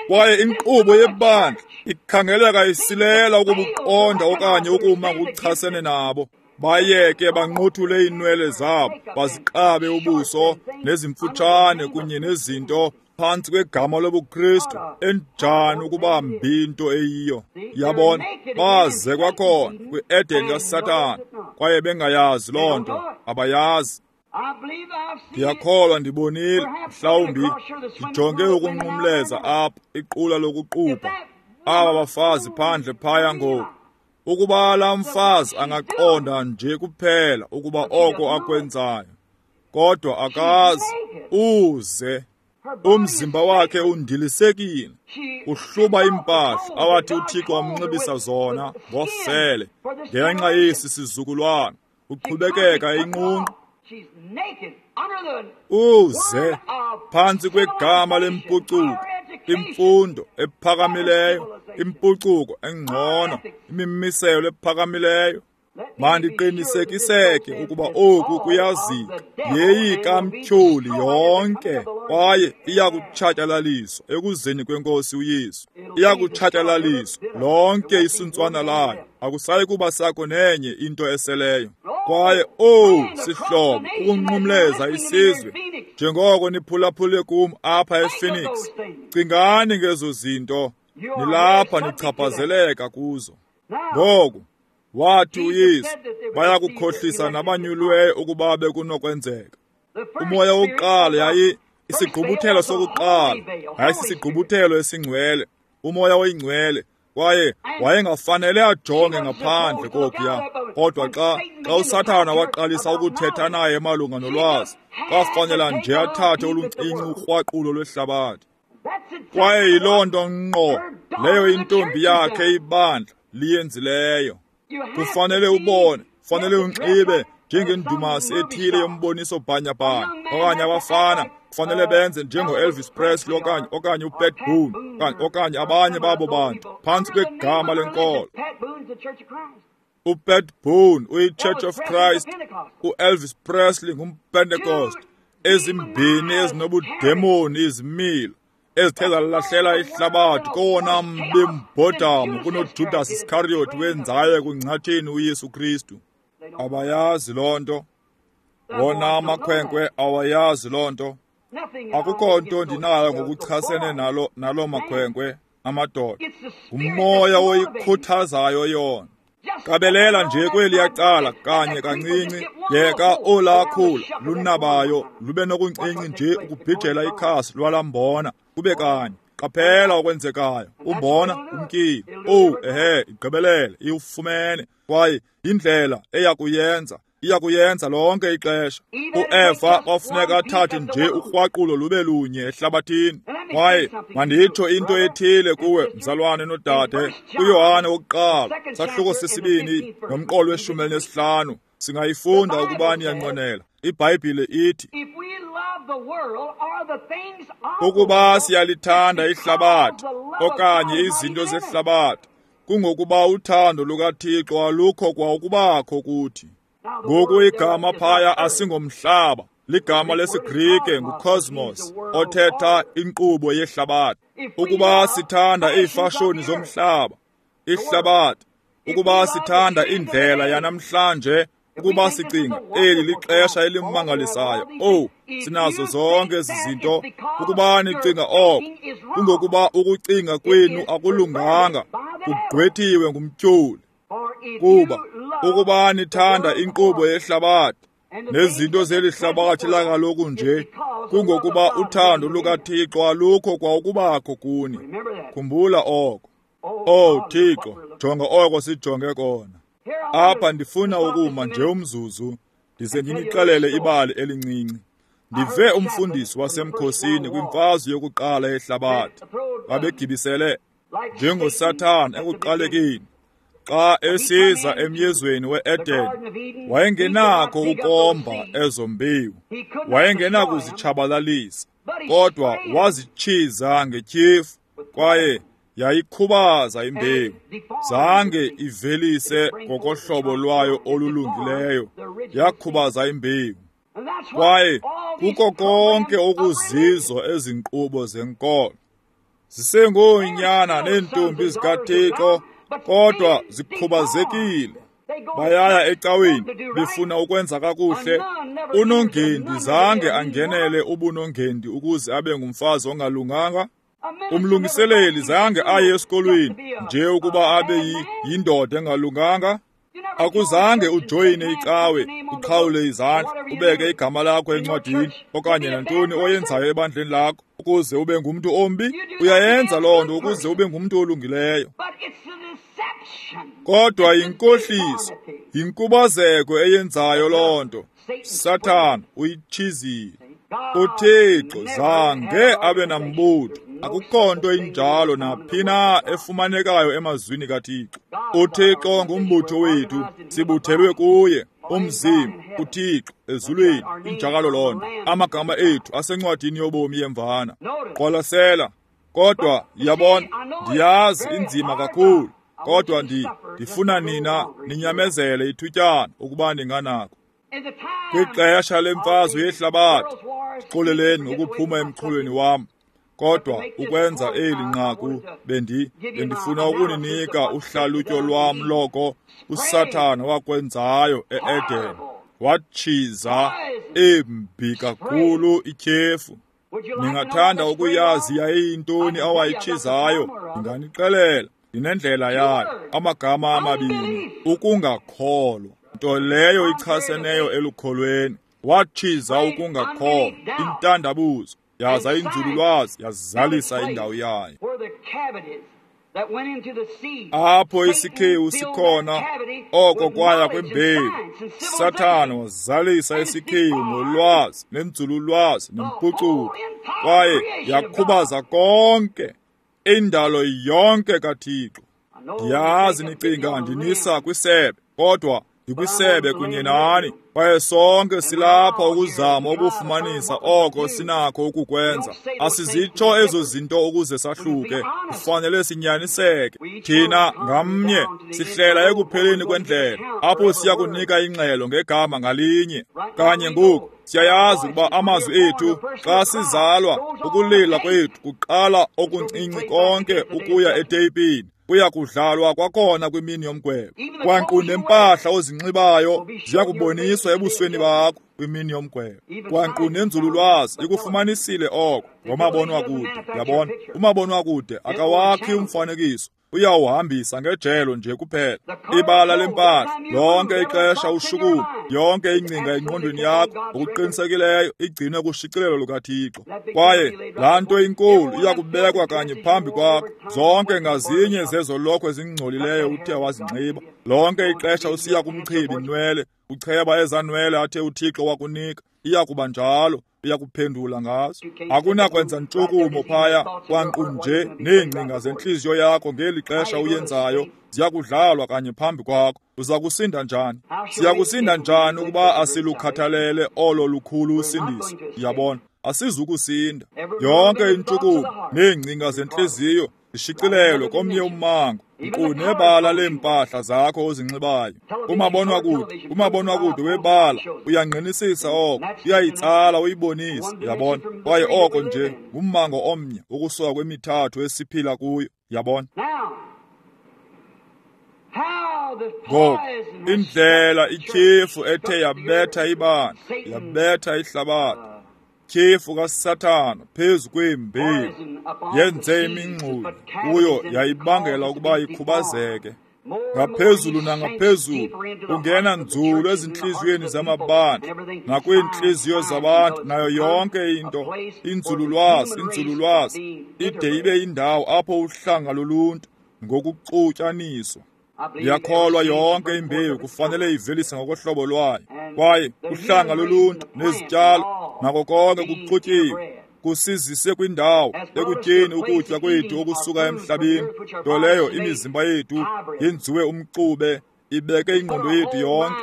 Kwaye inkqubo yebandla ikhangeleka isilela ukubuqonda okanye ukuma ngokuchasene nabo. Bayeke banqothule iinwele zabo, baziqabe ubuso nezimfutshane kunye nezinto phantsi kwegama lobuKristu. Enjani ukuba mbi into eyiyo! Yabona, baze kwakhona kwi-Eden kaSathana kwaye bengayazi loo nto, abayazi. Ndiyakholwa ndibonile, mhlawumbi ndijonge ukunqumleza apha iqula lokuqubha aba bafazi phandle phaya ngoku. Ukuba laa mfazi angaqonda nje kuphela ukuba oko akwenzayo, kodwa akazi, uze umzimba wakhe undilisekile, uhluba iimpahla awathi uThixo wamnxibisa zona ngofele ngenxa yesi sizukulwana, uqhubekeka inqunqu. Uze phantsi kwegama lempucuko, imfundo ephakamileyo, impucuko engcono, imimiselo ephakamileyo. Mandiqinisekiseke ukuba oku kuyazika, yeyikamtyholi yonke, kwaye iyakutshatyalaliswa ekuzeni kweNkosi uYesu. Iyakutshatyalaliswa lonke isuntswana layo, akusayi kuba sakho nenye into eseleyo. Kwaye owu sihlobo, ukunqumleza isizwe njengoko niphulaphule kum apha ePhoenix, cingani ngezo zinto, nilapha nichaphazeleka kuzo. Ngoku wathi uYesu, bayakukhohlisa nabanyuliweyo ukuba bekunokwenzeka. Umoya wokuqala yayi isigqubuthelo sokuqala, yayisisigqubuthelo esingcwele, uMoya oyiNgcwele, kwaye wayengafanele ajonge ngaphandle kokuya. Kodwa xa uSathana waqalisa ukuthetha naye malunga nolwazi, kwafanela nje athathe oluncinci ukrwaqulo lwehlabathi. Kwaye yiloo nto ngqo leyo intombi yakhe ibandla liyenzileyo. Kufanele ubone, kufanele unxibe njengendumasi ethile yomboniso bhanyabhanya, okanye abafana kufanele benze njengo-Elvis Presley okanye uPat Boone okanye abanye babo bantu phantsi kwegama lenkolo. UPat Boone uyi-Church of Christ, uElvis Presley ngumPentecost. Ezimbini ezinobudemoni izimilo ezithe zalahlela ihlabathi kowona mbi mbhodamo kunoJudas Iscariot wenzayo ekungcatsheni uYesu Kristu. Abayazi loo nto. Wona amakhwenkwe awayazi loo nto. Akukho nto ndinayo ngokuchasene nalo makhwenkwe amadoda. Ngumoya oyikhuthazayo yona. Qabelela nje kweliya cala kanye kancinci, yeka olakhula lunabayo lube nokuncinci nje ukubhijela ikhasi lwalambona kube kanye. Qaphela okwenzekayo, umbona umkile. Owu, ehe, igqibelele, iwufumene. Kwaye yindlela eyakuyenza, iyakuyenza lonke ixesha. UEva kwafuneka athathe nje ukrwaqulo lube lunye ehlabathini. Kwaye manditsho into ethile kuwe, mzalwane nodade. UYohane wokuqala, sahluko sesibini nomqolo we-15, singayifunda ukuba niyanqwenela. IBhayibhile ithi, ukuba siyalithanda ihlabathi okanye izinto zehlabathi, kungokuba uthando lukaThixo alukho kwa ukubakho kuthi. Ngoku igama phaya asingomhlaba, ligama lesiGrike ngukosmos, othetha inkqubo yehlabathi. Ukuba sithanda iifashoni zomhlaba, ihlabathi, ukuba sithanda indlela yanamhlanje, ukuba sicinga eli lixesha elimangalisayo, owu, sinazo zonke ezi zinto, ukuba nicinga oko, kungokuba ukucinga kwenu akulunganga, kugqwethiwe ngumtyholi. Kuba ukuba nithanda inkqubo yehlabathi nezinto zeli hlabathi lakaloku nje, kungokuba uthando lukaThixo alukho kwa ukubakho kuni. Khumbula oko. Owu Thixo, jonga oko sijonge kona. Apha ndifuna ukuma nje umzuzu, ndize ndinixelele ibali elincinci. Ndive umfundisi wasemkhosini kwimfazwe yokuqala yehlabathi. Babegibisele njengoSathana ekuqalekeni. Xa esiza emyezweni we-Eden, wayengenakho ukomba ezo mbewu, wayengenakuzitshabalalisa, kodwa wazitshiza ngetyhefu, kwaye yayikhubaza imbewu. Zange ivelise ngokohlobo lwayo olulungileyo, yakhubaza imbewu. Kwaye kuko konke okuzizo ezinkqubo zenkolo, zisengoonyana neentombi zikaThixo, kodwa zikhubazekile. Bayaya ecaweni befuna ukwenza kakuhle. Unongendi zange angenele ubunongendi ukuze abe ngumfazi ongalunganga. Umlungiseleli zange aye esikolweni nje ukuba abe yindoda engalunganga. Akuzange ujoyine icawe, uqhawule izandla, ubeke igama lakho encwadini okanye nantoni oyenzayo ebandleni lakho ukuze ube ngumntu ombi. Uyayenza loo nto ukuze ube ngumntu olungileyo. Kodwa yinkohliso, yinkubazeko eyenzayo loo nto. Sathana uyitshizile. UThixo zange abe nambutho. Akukho nto injalo naphi na efumanekayo emazwini kaThixo. UThixo ngumbutho wethu, sibuthelwe kuye, umzimba, uThixo ezulwini, injalo loo nto. Amagama ethu asencwadini yobomi yemvana. Qwalasela. Kodwa yabona, ndiyazi inzima kakhulu, kodwa ndifuna nina ninyamezele ithutyana ukuba ninganako. Kwixesha lemfazwe yehlabathi, xoleleni ngokuphuma emxholweni wam, kodwa ukwenza eli nqaku bendifuna ukuninika uhlalutyo lwam loko uSathana wakwenzayo e-Eden. Watshiza embi kakhulu ityhefu. Ningathanda ukuyazi yayiyintoni awayitshizayo? Ndinganixelela, ndinendlela yayo. Amagama amabini, ukungakholwa, nto leyo ichaseneyo elukholweni. Watshiza ukungakholwa, intandabuzo. Yaza inzululwazi yazalisa indawo yayo. Apho isikhewu sikhona, oko kwaya kwembewu. Sathana wazalisa isikhewu ngolwazi nenzululwazi nempucuko, kwaye yakhubaza konke indalo yonke kaThixo. Ndiyazi nicinga ndinisa kwisebe, kodwa ndikwisebe kunye nani, kwaye sonke silapha ukuzama ukufumanisa oko sinakho ukukwenza. Asizitsho ezo zinto ukuze sahluke, kufanele sinyaniseke. Thina ngamnye sihlela ekupheleni kwendlela, apho siya kunika ingxelo ngegama ngalinye. Kanye ngoku siyayazi ukuba amazwi ethu xa sizalwa, ukulila kwethu kuqala okuncinci konke ukuya eteyipini, kuya kudlalwa kwakhona kwimini yomgwebo. Kwanqu nempahla ozinxibayo ziya kuboniswa ebusweni bakho kwimini yomgwebo. Kwanqu nenzululwazi ikufumanisile oko ngomabonwakude. Yabona, umabonwakude akawakhi umfanekiso, uyawuhambisa ngejelo nje kuphela. Ibala lempahla lonke ixesha ushukuma, yonke ingcinga engqondweni yakho ngokuqinisekileyo igcinwe kushicilelo lukaThixo. Kwaye laa nto inkulu iya kubekwa kanye phambi kwakho, zonke ngazinye zezo lokhwe ezingcolileyo uthe wazinxiba. Lonke ixesha usiya kumchibi inwele, ucheba ezaa nwele athe uThixo wakunika, iya kuba njalo, uya kuphendula ngazo. Akunakwenza ntshukumo phaya, kwanqu nje neengcinga zentliziyo yakho ngeli xesha uyenzayo ziya kudlalwa kanye phambi kwakho. Uza kusinda njani? Siya kusinda njani ukuba asilukhathalele olo lukhulu usindiso? Uyabona, asizukusinda. Yonke intshukumo neengcinga zentliziyo zishicilelwe komnye ummango, nkqu nebala leempahla zakho ozinxibayo. Umabonwakude webala uyangqinisisa oko, uyayitsala uyibonise, uyabona. Kwaye oko nje ngummango omnye ukusuka kwemithathu esiphila kuyo, uyabona. Ngoku indlela ityhefu ethe yabetha ibandla, yabetha ihlabathi, tyhefu kaSathana phezu kwembewu yenze imingxunya kuyo, yayibangela ukuba ikhubazeke ngaphezulu nangaphezulu, kungena nzulu ezintliziyweni zamabandla nakwiintliziyo zabantu, nayo yonke into. Inzululwazi ide ibe indawo apho uhlanga loluntu ngokuxutyaniswa. Ndiyakholwa yonke imbewu kufanele ivelise ngokohlobo lwayo, kwaye uhlanga loluntu nezityalo nako konke kuxutyiwe, kusizise kwindawo ekutyeni ukutya kwethu okusuka emhlabeni, nto leyo imizimba yethu yenziwe umxube, ibeke ingqondo yethu yonke.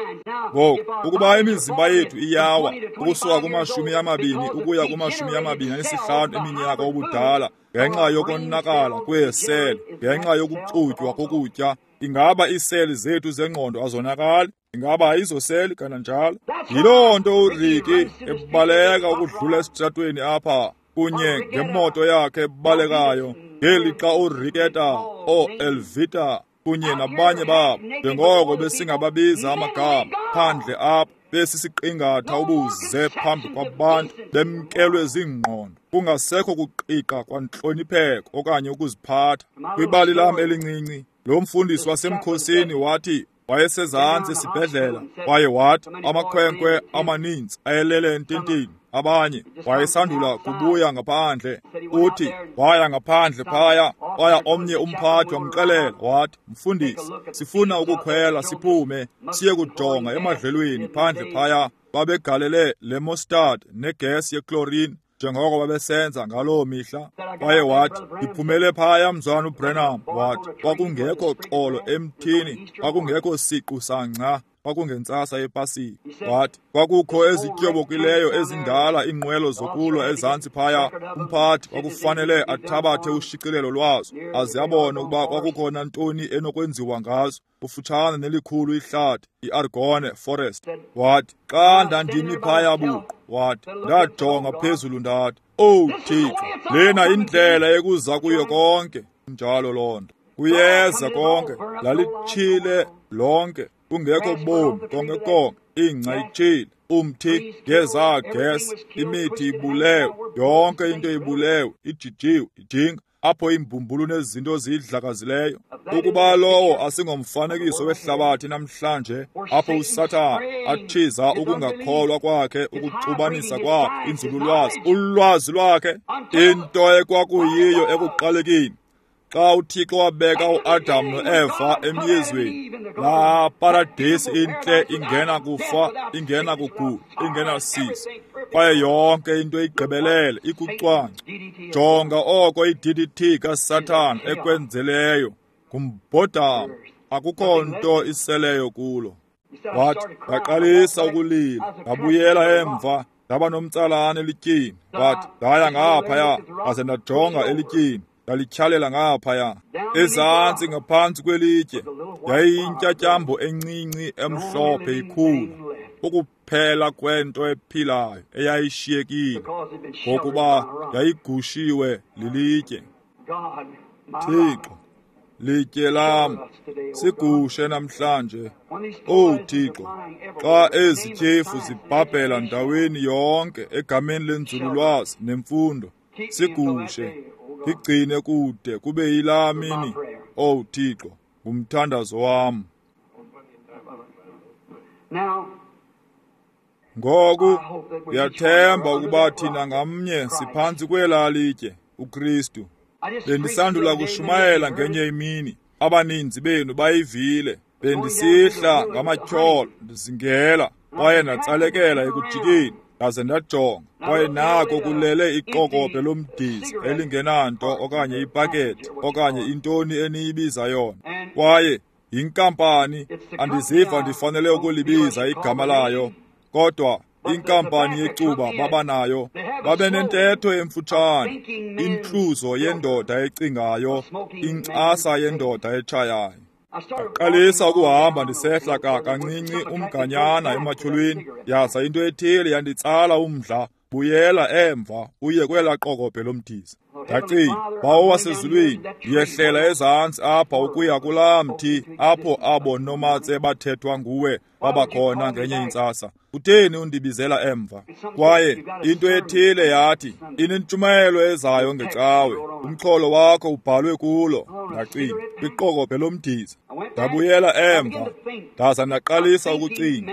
Ngoku ukuba imizimba yethu iyawa ukusuka kuma-20 ukuya kuma-25 eminyaka obudala ngenxa yokonakala kweeseli, ngenxa yokuxutywa kokutya, ingaba iiseli zethu zengqondo azonakali? Ingaba ayizoseli kananjalo? Yiloo nto uRicky ebaleka ukudlula esitratweni apha kunye ngemoto yakhe ebalekayo, ngelixa uRicketta, ooElvita kunye nabanye babo, njengoko besingababiza amagama, phandle apha besisiqingatha ubuze phambi kwabantu, bemkelwe ziingqondo, kungasekho kuqiqa kwantlonipheko okanye ukuziphatha. Kwibali lam elincinci, lo mfundisi wasemkhosini wathi wayesezantsi esibhedlela, kwaye wathi amakhwenkwe amaninzi ayelele ententeni, abanye wayesandula kubuya ngaphandle. Uthi waya ngaphandle phaya, waya omnye umphathi wamxelela wathi, mfundisi, sifuna ukukhwela siphume siye kujonga emadlelweni phandle phaya. Babegalele le mustard negesi yechlorine njengoko babesenza ngaloo mihla. Kwaye wathi, ndiphumele phaya mzwana uBrenham, wathi kwakungekho xolo emthini, kwakungekho siqu sangca, kwakungentsasa yePasika. Wathi kwakukho ezityobokileyo ezindala iinqwelo zokulwa ezantsi phaya. Umphathi kwakufanele athabathe ushicilelo lwazo aze abone ukuba kwakukhona ntoni enokwenziwa ngazo, kufutshane nelikhulu ihlathi iArgone Forest. Wathi xa ndandimi phaya buqu, wathi ndajonga phezulu ndathi, owu Thixo, lena indlela ekuza kuyo konke. Njalo loo nto kuyeza konke, lalitshile lonke, kungekho bomi konke konke, ingca itshile, umthi ngezaa gesi, imithi ibulewe, yonke into ibulewe, ijijiwe, ijinga. apho iimbumbulu nezinto ziyidlakazileyo. Ukuba lowo asingomfanekiso wehlabathi namhlanje, apho uSathana athiza ukungakholwa kwakhe, ukuxubanisa kwakhe inzululwazi, ulwazi lwakhe, into ekwakuyiyo ekuqalekeni. Xa uThixo wabeka uAdam noEva emyezweni, laa paradesi intle ingena kufa, ingena kugula, ingena sizi, kwaye yonke into igqibelele ikucwangco. Jonga oko i-DDT kaSathana ekwenzeleyo ngumbhodamo, akukho nto iseleyo kulo. Wathi, ndaqalisa ukulila, ndabuyela emva, ndaba nomtsalane elityini. Wathi, ndaya ngaphaya, ndaze ndajonga elityini, ndalityhalela ngaphaya. Ezantsi ngaphantsi kwelitye yayiyintyatyambo encinci emhlophe ikhula, ukuphela kwento ephilayo eyayishiyekile, ngokuba yayigushiwe lilitye. Thixo, litye lam, sigushe namhlanje. Owu Thixo, xa ezi tyhefu zibhabhela ndaweni yonke egameni lenzululwazi nemfundo, sigushe, ndigcine kude kube yilaa mini. Owu Thixo, ngumthandazo wam. Ngoku ndiyathemba ukuba thina ngamnye siphantsi kwelaa litye, uKristu. Bendisandula kushumayela ngenye imini, abaninzi benu bayivile. Bendisihla ngamatyholo ndizingela, kwaye ndatsalekela ekujikeni, ndaze ndajonga, kwaye nako kulele iqokobhe lomdiza elingenanto okanye ipakethi okanye intoni eniyibiza yona. Kwaye yinkampani, andiziva ndifanele ukulibiza igama layo, kodwa inkampani yecuba babanayo, babenentetho emfutshane, intluzo yendoda ecingayo, inkcasa yendoda etshayayo. Ndaqalisa ukuhamba ndisehla kancinci umganyana ematyholweni, yaza into ethile yanditsala umdla, buyela emva uye kwelaa qokobhe lomdiza. Ndacinga, Bawo wasezulwini, ndiyehlela ezantsi apha ukuya kulaa mthi apho abo nomatse bathethwa nguwe babakhona ngenye intsasa. Kutheni undibizela emva? Kwaye into ethile yathi, inentshumayelo ezayo ngecawe, umxholo wakho ubhalwe kulo. Ndacinga, kwiqokobhe lomdiza. Ndabuyela emva, ndaza ndaqalisa ukucinga,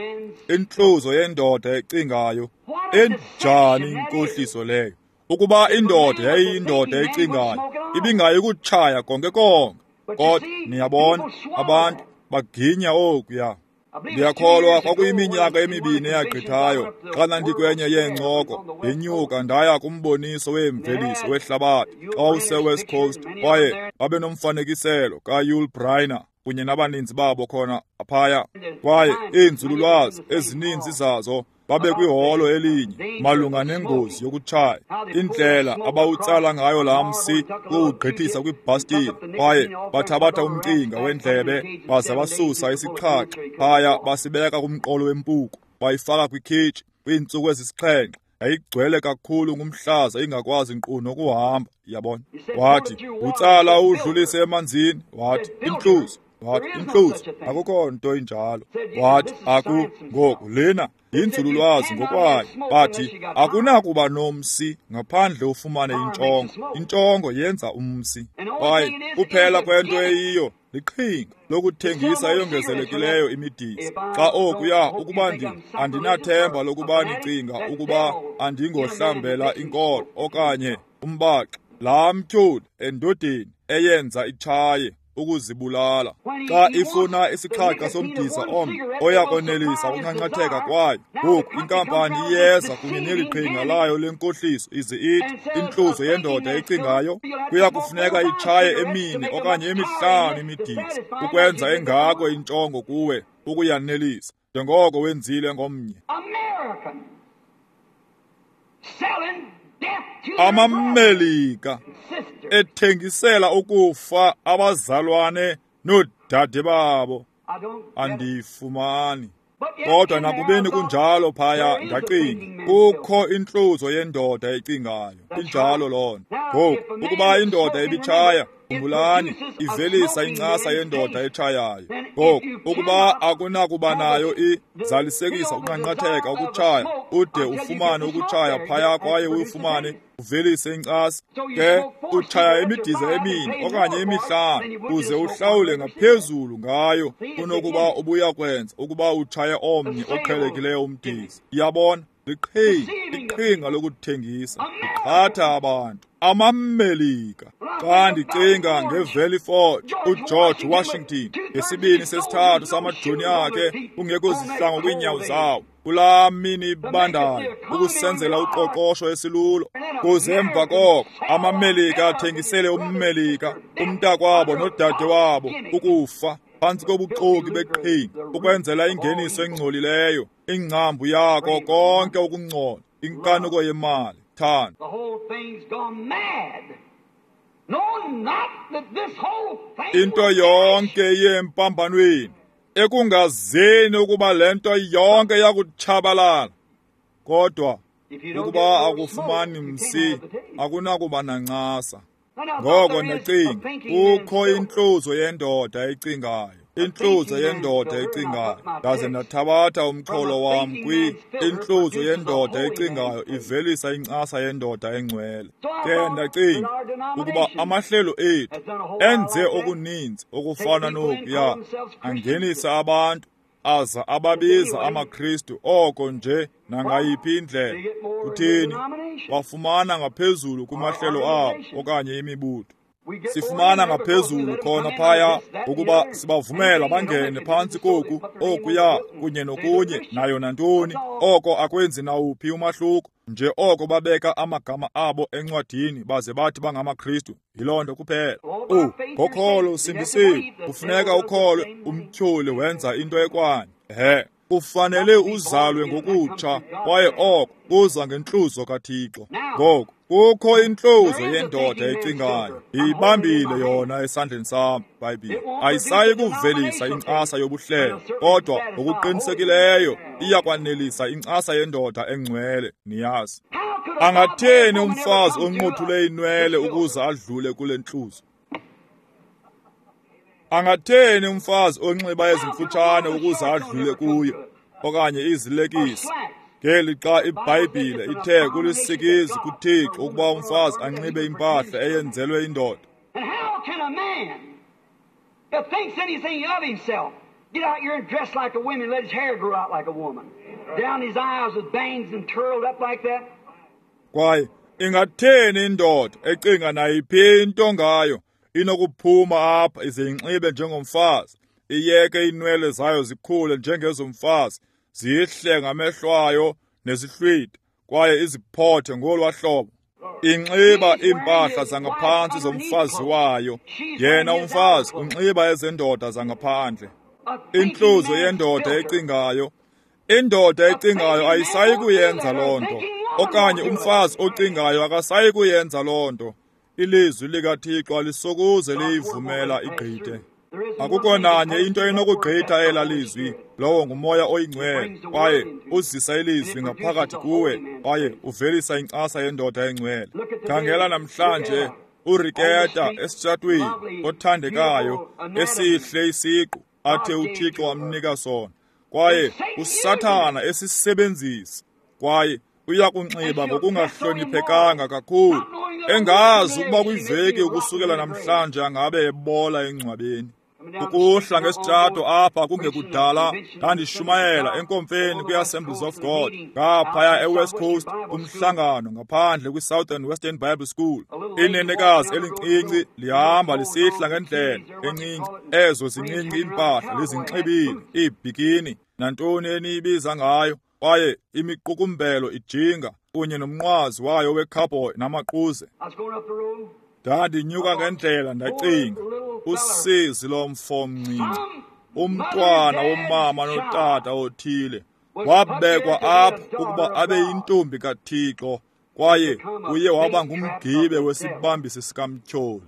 intluzo yendoda ecingayo. Enjani inkohliso leyo! Ukuba indoda yayiyindoda ecingayo, ibingayi kutshaya konke konke. Kodwa niyabona, abantu baginya okuya. Ndiyakholwa kwakuyiminyaka emibini eyagqithayo, xa ndandikwenye yeencoko, ndenyuka ndaya kumboniso weemveliso wehlabathi xa wawuseWest Coast, kwaye babenomfanekiselo kaYul Brynner kunye nabaninzi babo khona phaya. Kwaye iinzululwazi ezininzi zazo babekwiholo elinye malunga nengozi yokutshaya, indlela abawutsala ngayo laa msi ukuwugqithisa kwibhastile, kwaye bathabatha umcinga wendlebe baza basusa isixhaxha phaya basibeka kumqolo wempuku, bayifaka kwikhitshi kwiintsuku ezisixhenxe. Yayigcwele kakhulu ngumhlaza ingakwazi nkqu nokuhamba, yabona. Wathi, utsala uwudlulise emanzini. Wathi, intluzo. Wathi, intluzo, akukho nto injalo. Wathi, aku ngoku lena yinzululwazi ngokwayo. Bathi, akunakuba nomsi ngaphandle ufumane intshongo. Intshongo yenza umsi. Kwaye kuphela kwento eyiyo liqhinga lokuthengisa eyongezelekileyo imidiza. Xa okuya ukuba andinathemba lokuba nicinga ukuba andingohlambela inkolo okanye umbaxa, laa mtyholi endodeni eyenza itshaye ukuzibulala. Xa ifuna isixhaxha somdiza omnye oya konelisa ukunqanqatheka kwayo, ngoku inkampani iyeza kunye neli qhinga layo lenkohliso ize ithi intluzo yendoda ecingayo kuya kufuneka itshaye emine okanye emihlanu imidiza ukwenza engako intshongo kuwe ukuyanelisa, njengoko wenzile ngomnye. AmaMelika ethengisela ukufa abazalwane noodade babo. Andiyifumani. Kodwa nakubeni kunjalo phaya, ndacinga, kukho intluzo yendoda ecingayo. Injalo loo nto. Ngoku, ukuba indoda ibitshaya, Khumbulani, ivelisa incasa yendoda etshayayo. Ngoku, ukuba akunakuba nayo izalisekisa ukunqanqatheka ukutshaya, ude ufumane ukutshaya phaya kwaye uyifumane uvelise incasa. Ke utshaya imidiza emine okanye emihlanu uze uhlawule ngaphezulu ngayo kunokuba ubuya kwenza ukuba utshaye omnye oqhelekileyo umdiza. Iyabona? Liqhinga lokuthengisa, liqhatha abantu. AmaMelika. Xa ndicinga ngeValley Forge, uGeorge Washington, ngesibini sesithathu samajoni akhe kungekho zihlangu kwiinyawo zawo, kulaa mini ibandayo ukusenzela uqoqosho esilulo. Kuze emva koko amaMelika athengisele umMelika, umntakwabo nodade wabo ukufa phantsi kobuxoki beqhinga ukwenzela ingeniso engcolileyo, ingcambu yako konke ukungcola, inkanuko yemali. Thanda. Into yonke yempambanweni, ekungazini ukuba le nto yonke yakutshabalala. Kodwa ukuba akufumani msi, akunakuba nancasa. Ngoko ndacinga, kukho intluzo yendoda ecingayo, intluzo yendoda ecingayo. Ndaze ndathabatha umxholo wam intluzo yendoda ecingayo ivelisa incasa yendoda engcwele. Ke ndacinga ukuba amahlelo ethu enze okuninzi okufana nokuya, angenisa abantu aza ababiza amaKristu oko nje nangayiphi indlela. Kutheni? Wafumana ngaphezulu kumahlelo abo okanye imibutho. Sifumana ngaphezulu khona phaya ukuba sibavumela bangene phantsi koku, okuya, kunye nokunye, nayo nantoni. Oko akwenzi nawuphi umahluko, nje oko babeka amagama abo encwadini baze bathi bangamaKristu. Yiloo nto kuphela. Ngokholo usindisiwe. Kufuneka ukholwe. Umtyholi wenza into ekwanye. Ehe. Kufanele uzalwe ngokutsha, kwaye oko kuza ngentluzo kaThixo. Ngoku kukho intluzo yendoda ecingayo. Ndiyibambile yona esandleni sam, iBhayibhile. Ayisayi kuvelisa incasa yobuhlelo, kodwa ngokuqinisekileyo iyakwanelisa incasa yendoda engcwele, niyazi. Angatheni umfazi onqothule inwele ukuze adlule kule ntluzo? Angatheni umfazi onxiba ezimfutshane ukuze adlule kuyo, okanye izilekisi? Ngeli xa iBhayibhile ithe kulisikizi kuThixo ukuba umfazi anxibe impahla eyenzelwe indoda. And how can a man that thinks anything of himself get out here and dress like a woman, let his hair grow out like a woman, down his eyes with bangs and curled up like that? Kwaye ingatheni indoda ecinga nayiphi into ngayo inokuphuma apha ize inxibe njengomfazi, iyeke iinwele zayo zikhule njengezomfazi, zihle ngamehlo ayo nezihlwitha, kwaye iziphothe ngolwa hlobo? Inxiba iimpahla zangaphantsi zomfazi wayo, yena umfazi unxiba ezendoda zangaphandle. Intluzo yendoda ecingayo. Indoda ecingayo ayisayi kuyenza loo nto, okanye umfazi ocingayo akasayi kuyenza loo nto. Ilizwi likaThixo alisokuze liyivumela igqithe. Akukho nanye into enokugqitha ela lizwi. Lowo nguMoya oyiNgcwele, kwaye uzisa ilizwi ngaphakathi kuwe, kwaye uvelisa incasa yendoda engcwele. Khangela namhlanje uRiketa esitshatweni othandekayo, esihle isiqu athe uThixo wamnika sona, kwaye uSathana esisebenzisa, kwaye uyakunxiba ngokungahloniphekanga kakhulu, engazi ukuba kwiveki ukusukela namhlanje angabe ebola engcwabeni. Ukuhla ngesitshato apha kungekudala ndandishumayela enkomfeni kwi-Assemblies of God ngaphaya eWest Coast, kumhlangano ngaphandle kwi-Southern Western Bible School. Inenekazi elincinci lihamba lisihla ngendlela encinci, ezo zincinci iimpahla lizinxibile, iibhikini, nantoni eniyibiza ngayo, kwaye imiqukumbelo ijinga kunye nomnqwazi wayo wecowboy namaquze. Ndandinyuka ngendlela ndacinga, usizi lomfo mncinci, umntwana womama notata othile wabekwa apha ukuba abe yintombi kaThixo, kwaye uye waba ngumgibe wesibambisi sikamtyholi.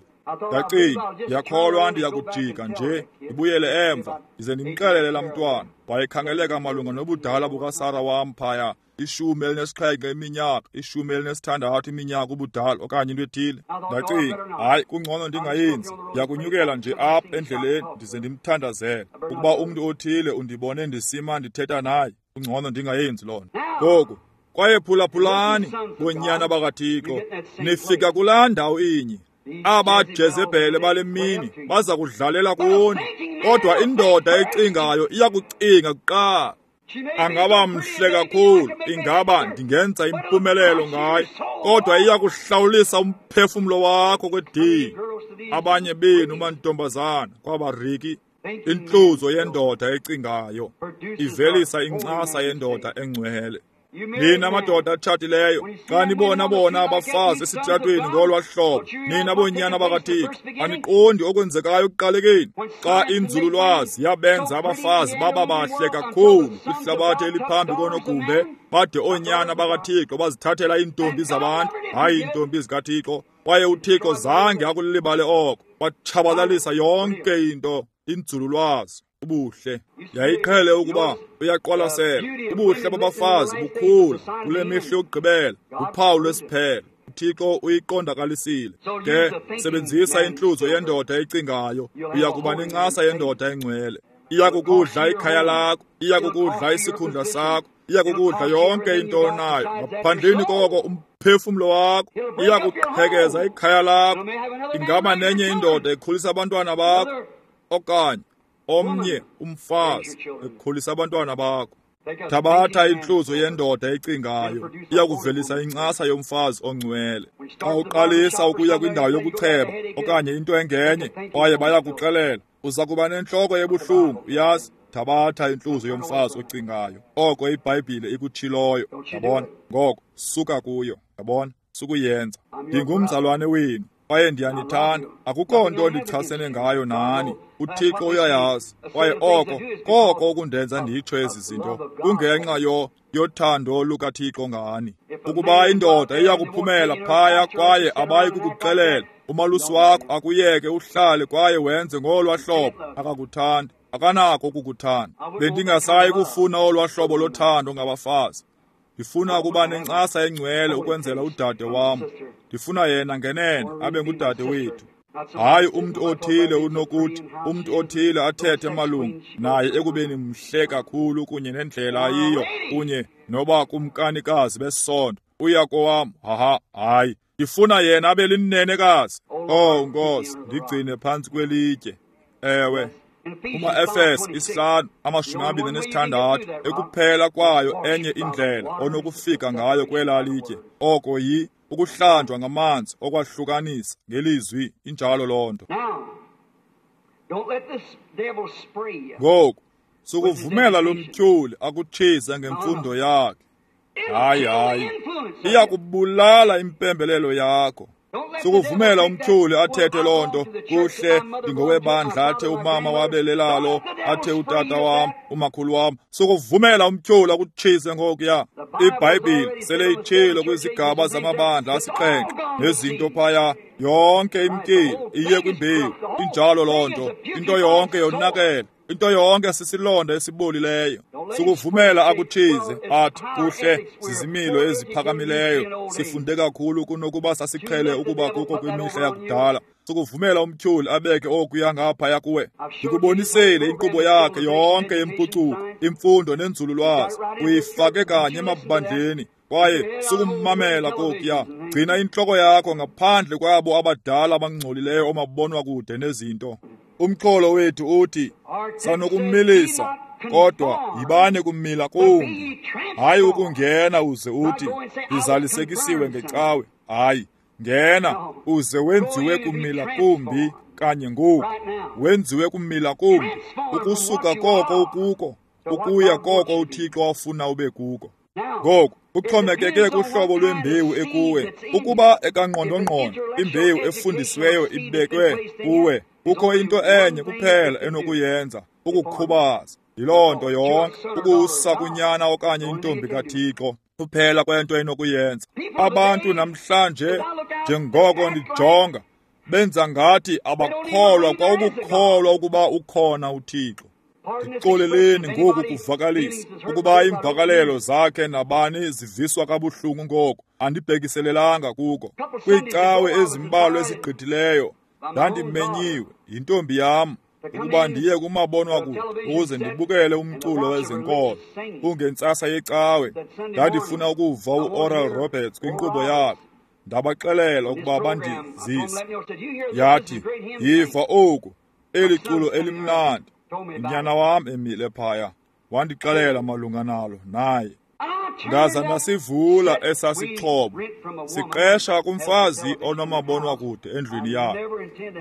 Ndacinga, ndiyakholwa ndiyakujika nje ndibuyele emva ndize ndimxelele laa mntwana. Wayekhangeleka malunga nobudala bukaSara wam phaya, 17 iminyaka, 16 iminyaka ubudala okanye into ethile. Ndacinga, hayi, kungcono ndingayenzi. Ndiyakunyukela nje apha endleleni ndize ndimthandazele. Ukuba umntu othile undibone ndisima ndithetha naye, kungcono ndingayenzi loo nto. Ngoku, kwaye phulaphulani, bonyana bakaThixo, nifika kulaa ndawo inye. Aba Jezebhele bale mini baza kudlalela kuni, kodwa indoda ecingayo iyakucinga kuqala. Angaba mhle kakhulu, ingaba ndingenza impumelelo ngayo, kodwa iyakuhlawulisa umphefumlo wakho kwedini. Abanye benu mantombazana kwabariki, intluzo yendoda ecingayo ivelisa incasa yendoda engcwele. Nina madoda atshatileyo, xa nibona bona abafazi esitratweni ngolwa hlobo, nina boonyana bakaThixo, aniqondi okwenzekayo ekuqalekeni. Xa inzululwazi yabenza abafazi baba bahle kakhulu kwihlabathi eliphambi konogumbe, bade oonyana bakaThixo bazithathela iintombi zabantu, hayi iintombi zikaThixo. Kwaye uThixo zange akulibale oko, watshabalalisa yonke into, inzululwazi. Ubuhle yayiqhele ukuba uyaqwalasela. Ubuhle babafazi bukhula kule mihla yokugqibela, uphawu lwesiphelo. uThixo uyiqondakalisile. Ke sebenzisa intluzo yendoda ecingayo, uya kuba nencasa yendoda engcwele. Iya kukudla ikhaya lakho, iya kukudla isikhundla sakho, iya kukudla yonke into onayo. Ngaphandleni koko umphefumlo wakho, iya kuqhekeza ikhaya lakho. Ingaba nenye indoda ekhulisa abantwana bakho, okanye omnye umfazi ekhulisa abantwana bakho. Thabatha intluzo yendoda ecingayo, iya kuvelisa incasa yomfazi ongcwele. Xa uqalisa ukuya kwindawo yokucheba okanye into engenye, kwaye bayakuxelela, uza kuba nentloko ebuhlungu, uyazi. Thabatha intluzo yomfazi ocingayo, oko iBhayibhile ikutshiloyo. Yabona? Ngoko suka kuyo. Yabona? Sukuyenza. Ndingumzalwane wenu kwaye ndiyanithanda. Akukho nto ndichasene ngayo nani. uThixo uyayazi. Kwaye oko koko okundenza nditsho ezi zinto kungenxa yothando lukaThixo ngani. Ukuba indoda iyakuphumela phaya kwaye abayi kukuxelela, umalusi wakho akuyeke uhlale kwaye wenze ngolwa hlobo, akakuthandi, akanako ukukuthanda. Bendingasayi kufuna olwa hlobo lothando ngabafazi. Ndifuna ukuba nencasa engcwele ukwenzela udade wam. Ndifuna yena ngenene abe ngudade wethu. Hayi umntu othile unokuthi, umntu othile athethe malungu naye ekubeni mhle kakhulu kunye nendlela ayiyo kunye noba kumkanikazi besondo. Uya kowam, haha, hayi. Ndifuna yena abe linenekazi. Oh Nkosi, ndigcine phantsi kwelitye. Ewe. Kuma-Efese 5:26 ekuphela kwayo enye indlela onokufika ngayo kwelaa litye, oko yi ukuhlanjwa ngamanzi okwahlukanisa ngelizwi. Injalo loo nto. Ngoku sukuvumela lo mtyholi akutshise ngemfundo yakhe. Hayi, hayi, iyakubulala impembelelo yakho. Sukuvumela umtyholi athethe loo nto. Kuhle, ndingowebandla, athe umama wabelelalo, athe utata wam, umakhulu wam. Sukuvumela umtyholi akutshise ngokuya. iBhayibhile sele itshilo kwizigaba zamabandla 7 nezinto phaya. Yonke imkile iye kwimbewu. Injalo loo nto. Into yonke yonakele. Into yonke sisilonda esibolileyo. Sukuvumela akuthize athi kuhle, zizimilo eziphakamileyo, sifunde kakhulu kunokuba sasiqhele ukuba kuko kwimihla yakudala. Sukuvumela umtyholi abeke okuya ngaphaya kuwe. Ndikubonisele inkqubo yakhe yonke yempucuko, imfundo nenzululwazi, uyifake kanye emabandleni. Kwaye sukummamela kokuya. Gcina intloko yakho ngaphandle kwabo abadala abangcolileyo omabonwa kude nezinto. Umxholo wethu uthi sanokumilisa, kodwa yibane kumila kumbi. Hayi ukungena uze uthi ndizalisekisiwe ngecawe. Hayi, ngena uze wenziwe kumila kumbi kanye ngoku. Wenziwe kumila kumbi ukusuka koko ukuko ukuya koko uThixo afuna ube kuko. Ngoku kuxhomekeke kuhlobo lwembewu ekuwe. Ukuba ekangqondongqondo imbewu efundisiweyo ibekwe kuwe, kukho into enye kuphela enokuyenza, ukukhubaza. Yiloo nto yonke, ukusa kunyana okanye intombi kaThixo, kuphela kwento enokuyenza. Abantu namhlanje, njengoko ndijonga, Benza ngathi abakholwa kwa ukukholwa ukuba ukhona uThixo. Ndixoleleni ngoku kuvakalisa ukuba iimvakalelo zakhe nabani ziviswa kabuhlungu ngoku, andibhekiselelanga kuko. Kwiicawe ezimbalwa ezigqithileyo ndandimenyiwe yintombi yam ukuba ndiye kumabonwakude ukuze ndibukele umculo wezenkolo. Kungentsasa yecawe ndandifuna ukuva uOral Roberts kwinkqubo yakhe. Ndabaxelela ukuba bandizise. Yathi, yiva oku, eli culo elimnandi. Unyana wam emile phaya wandixelela malunga nalo naye. Ndaza ndasivula esasixhobo siqesha kumfazi onomabonwakude endlwini yakhe.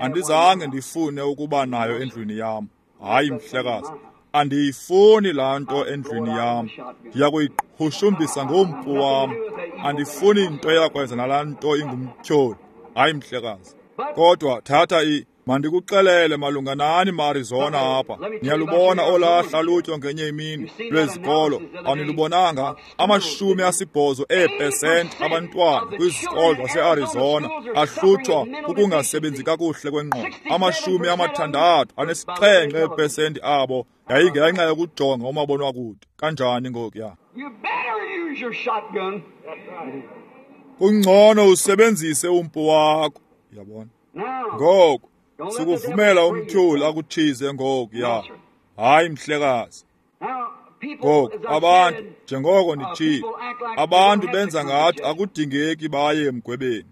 Andizange ndifune ukuba nayo endlwini yam. Hayi mhlekazi, andiyifuni laa nto endlwini yam. Ndiya kuyiqhushumbisa ngompu wam. Andifuni nto yakwenza nalaa nto ingumtyholi. Hayi mhlekazi. Kodwa thatha mandikuxelele malunga nani maArizona apha. Niyalubona olaa hlalutyo ngenye imini lwezikolo, anilubonanga? 80% abantwana kwizikolo zaseArizona ahlutshwa kukungasebenzi kakuhle kwengqondo. 67% abo yayingenxa yokujonga umabonwakude. Kanjani ngokuya? Kungcono usebenzise umpu wakho, yabona. Ngoku sukuvumela umtyholi akuthize ngokuya. Hayi mhlekazi. Ngoku abantu, njengoko ndithile, abantu benza ngathi akudingeki baye emgwebeni.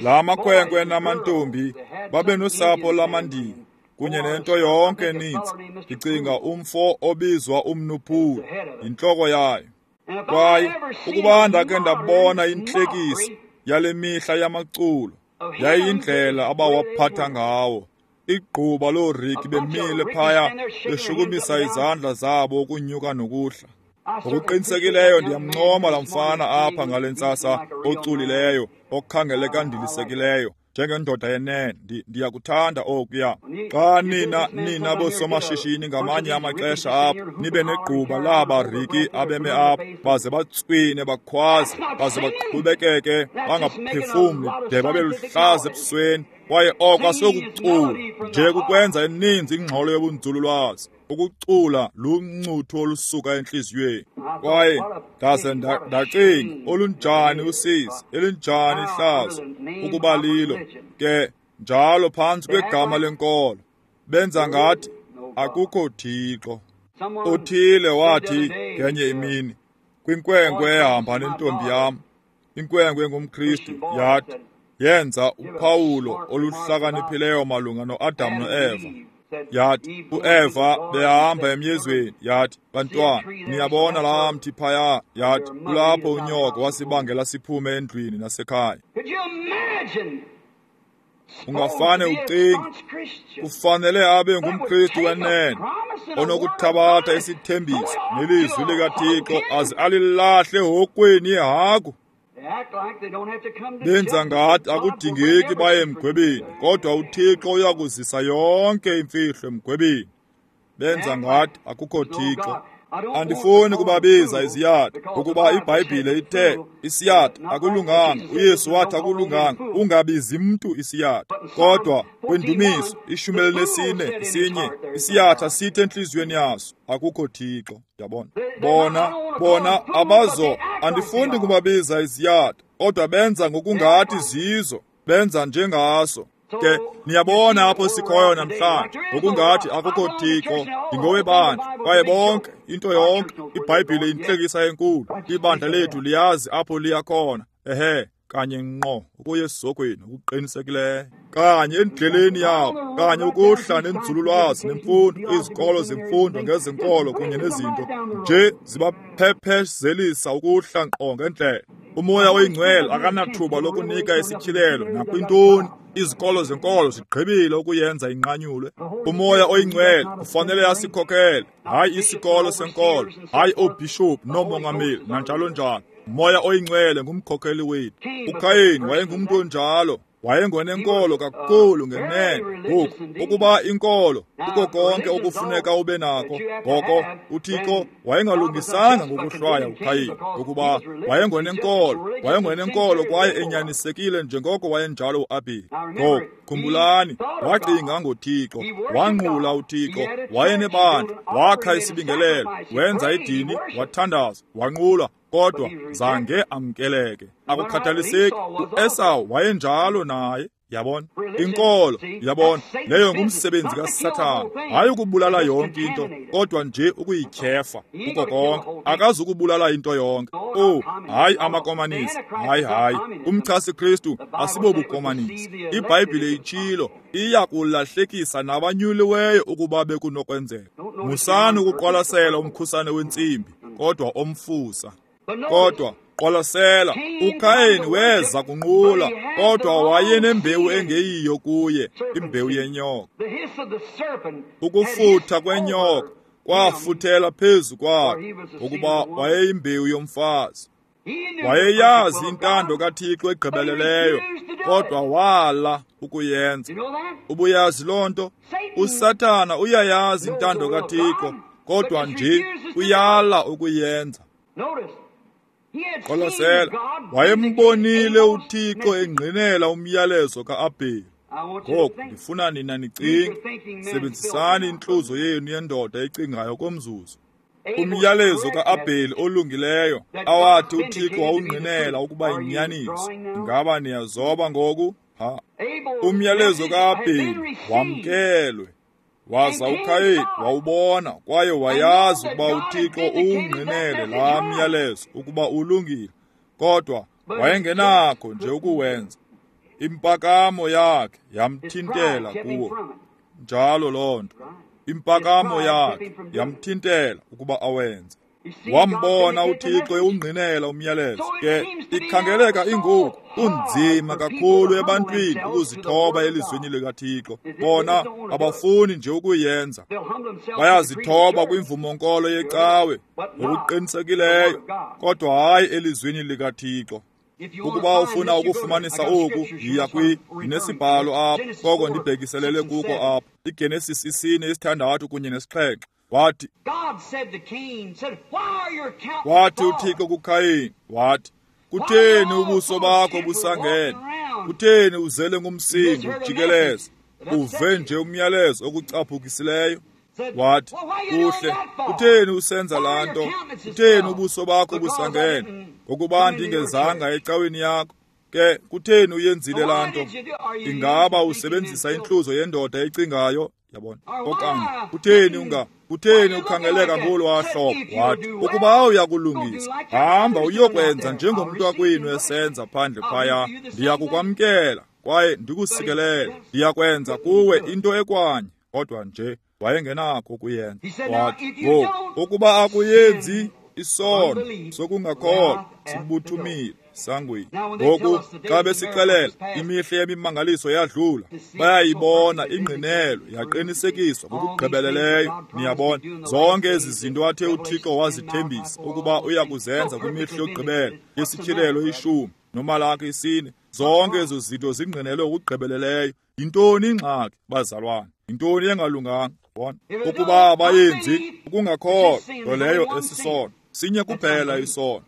La makhwenkwe namantombi babe nosapho lamaNdiya kunye nento yonke eninzi. Ndicinga umfo obizwa umnuphuli yintloko yayo. Kwaye ukuba ndake ndabona intlekisi yale mihla yamaculo, yayiyindlela abawaphatha ngawo. Igquba looriki bemile phaya beshukumisa izandla zabo ukunyuka nokuhla. Ngokuqinisekileyo ndiyamncoma laa mfana apha ngale ntsasa oculileyo, okhangeleka ndilisekileyo njengendoda yenene. Ndiyakuthanda okuya. Xa nina boosomashishini ngamanye amaxesha apha nibe negquba laba riki abeme apha baze batswine bakhwaze baze baqhubekeke bangaphefumli de babe luhlaza ebusweni. Kwaye oko asikucula nje, kukwenza eninzi ingxolo yobunzululwazi. Ukucula luncuthu olusuka entliziyweni. Kwaye ndaze ndacinga, olunjani usizi, elinjani ihlazo ukuba lilo ke njalo phantsi kwegama lenkolo. Benza ngathi akukho Thixo. Uthile wathi ngenye imini kwinkwenkwe ehamba nentombi yam, inkwenkwe engumKristu, yathi yenza uphawulo oluhlakaniphileyo malunga noAdam noEva. Yathi uEva behamba emyezweni, yathi, bantwana, niyabona laa mthi phaya? Yathi kulapho unyoko wasibangela siphume endlwini nasekhaya. Ungafane ucinge, kufanele abe ngumKristu wenene onokuthabatha isithembiso nelizwi likaThixo aze alilahle hokweni yehagu. Benza ngathi akudingeki baye emgwebeni, kodwa uThixo uyakuzisa yonke imfihlo emgwebeni. Benza ngathi akukho Thixo. Andifuni kubabiza iziyatha, ukuba iBhayibhile ithe isiyatha akulunganga. uYesu wathi akulunganga, ungabizi mntu isiyatha. Kodwa kwiNdumiso 14 sinye, isiyatha sithi entliziyweni yaso akukho Thixo. Yabona? Bona abazo. Andifuni kubabiza iziyatha, kodwa benza ngokungathi zizo, benza njengaso. Ke niyabona apho sikhoyo namhlanje, ngokungathi akukho Thixo, ndingowebandla. Kwaye bonke, into yonke, iBhayibhile intlekisa enkulu. Ibandla lethu liyazi apho liya khona. Ehe, kanye ngqo ukuya esizogweni okuqinisekileyo, kanye endleleni yabo, kanye ukuhla nenzululwazi nemfundo, izikolo zemfundo ngezenkolo kunye nezinto nje zibaphephezelisa ukuhla ngqo ngendlela. Umoya oyingcwele akanathuba lokunika isityhilelo nakwintoni. Izikolo zenkolo zigqibile ukuyenza inqanyulwe. Umoya oyingcwele kufanele asikhokhele, hayi isikolo senkolo, hayi oobhishophu noomongameli nanjalo njalo. Umoya oyingcwele ngumkhokheli wethu. uKhayini wayengumntu onjalo. Wayengonenkolo kakhulu ngenene. Ngoku, ukuba inkolo kuko konke okufuneka ube nako, ngoko uThixo wayengalungisanga ngokuhlwaya uKhayini, ngokuba wayengonenkolo kwaye enyanisekile njengoko wayenjalo uAbheli. Ngoku khumbulani, wacinga ngoThixo, wanqula uThixo, wayenebandla, wakha isibingelelo, wenza idini, wathandaza, wanqula, kodwa zange amkeleke. Akukhathaliseki, uEsawu wayenjalo naye. Yabona inkolo, yabona leyo ngumsebenzi kaSathana, hayi ukubulala yonke into, kodwa nje ukuyityhefa kuko konke. Akazukubulala into yonke. Oh, hayi amakomanisi, hayi. Umchasi Kristu asibobukomanisi. IBhayibhile itshilo, iya kulahlekisa nabanyuliweyo ukuba bekunokwenzeka. Musani ukuqwalasela umkhusane wentsimbi, kodwa omfusa. Kodwa qwalasela, uKhayini weza kunqula, kodwa wayenembewu engeyiyo kuye, imbewu yenyoka. Ukufutha kwenyoka kwafuthela phezu kwakhe, ukuba wayeyimbewu yomfazi. Wayeyazi intando kaThixo egqibeleleyo, kodwa wala ukuyenza. Ubuyazi loo nto? USathana uyayazi intando kaThixo, kodwa nje uyala ukuyenza. Qwalasela, wayembonile uThixo engqinela umyalezo kaAbheli. Ngoku ndifuna nina nicinge, sebenzisani intluzo yenu yendoda ecingayo komzuzu. Umyalezo kaAbheli olungileyo awathi uThixo wawungqinela ukuba yinyaniso. Ingaba niyazoba ngoku? Ha. Umyalezo kaAbheli wamkelwe, waza uKhayini wawubona kwaye wayazi ukuba uThixo uwungqinele laa myalezo ukuba ulungile, kodwa wayengenakho nje ukuwenza. Impakamo yakhe yamthintela kuwo. Njalo loo nto, impakamo yakhe yamthintela ukuba awenze. Wambona uThixo ewungqinela umyalezo. Ke ikhangeleka ingoku kunzima kakhulu ebantwini ukuzithoba elizwini likaThixo. Bona abafuni nje ukuyenza. Bayazithoba kwimvumo-nkolo yecawe ngokuqinisekileyo, kodwa hayi elizwini likaThixo. Ukuba ufuna ukufumanisa oku, yiya ndinesibhalo apha, koko ndibhekiselele kuko apha. IGenesis 4, 6 kunye 7. Wathi uThixo kuKhayini, wathi, kutheni ubuso bakho busangene? Kutheni uzele ngumsindo ujikeleze? Uve nje umyalezo okucaphukisileyo. Wathi, kuhle, kutheni usenza laa nto? Kutheni ubuso bakho busangene? Ngokuba ndingezanga ecaweni yakho. Ke kutheni uyenzile laa nto? Ingaba usebenzisa intluzo yendoda ecingayo? Yabona? Okanye kutheni kutheni ukhangeleka ngolwaa hlobo? Wathi, ukuba uyakulungisa, hamba uyokwenza njengomntu wakwenu esenza phandle phaya. Ndiyakukwamkela kwaye ndikusikelele. Ndiyakwenza kuwe into ekwanye. Kodwa nje wayengenakho ukuyenza. Wathi, ngoku ukuba akuyenzi, isono sokungakholwa sibuthumile sangweni. Ngoku xa besixelela imihla yemimangaliso yadlula, bayayibona ingqinelo yaqinisekiswa ngokugqibeleleyo. Niyabona zonke ezi zinto athe uThixo wazithembisa ukuba uya kuzenza kwimihla yokugqibela, yesityhilelo 10 noMalaki 4, zonke ezo zinto zingqinelwe ngokugqibeleleyo. Yintoni ingxaki, bazalwane? Yintoni engalunganga? Bona ukuba abayenzi, ukungakholwa, nto leyo esisono. Sinye kuphela isono,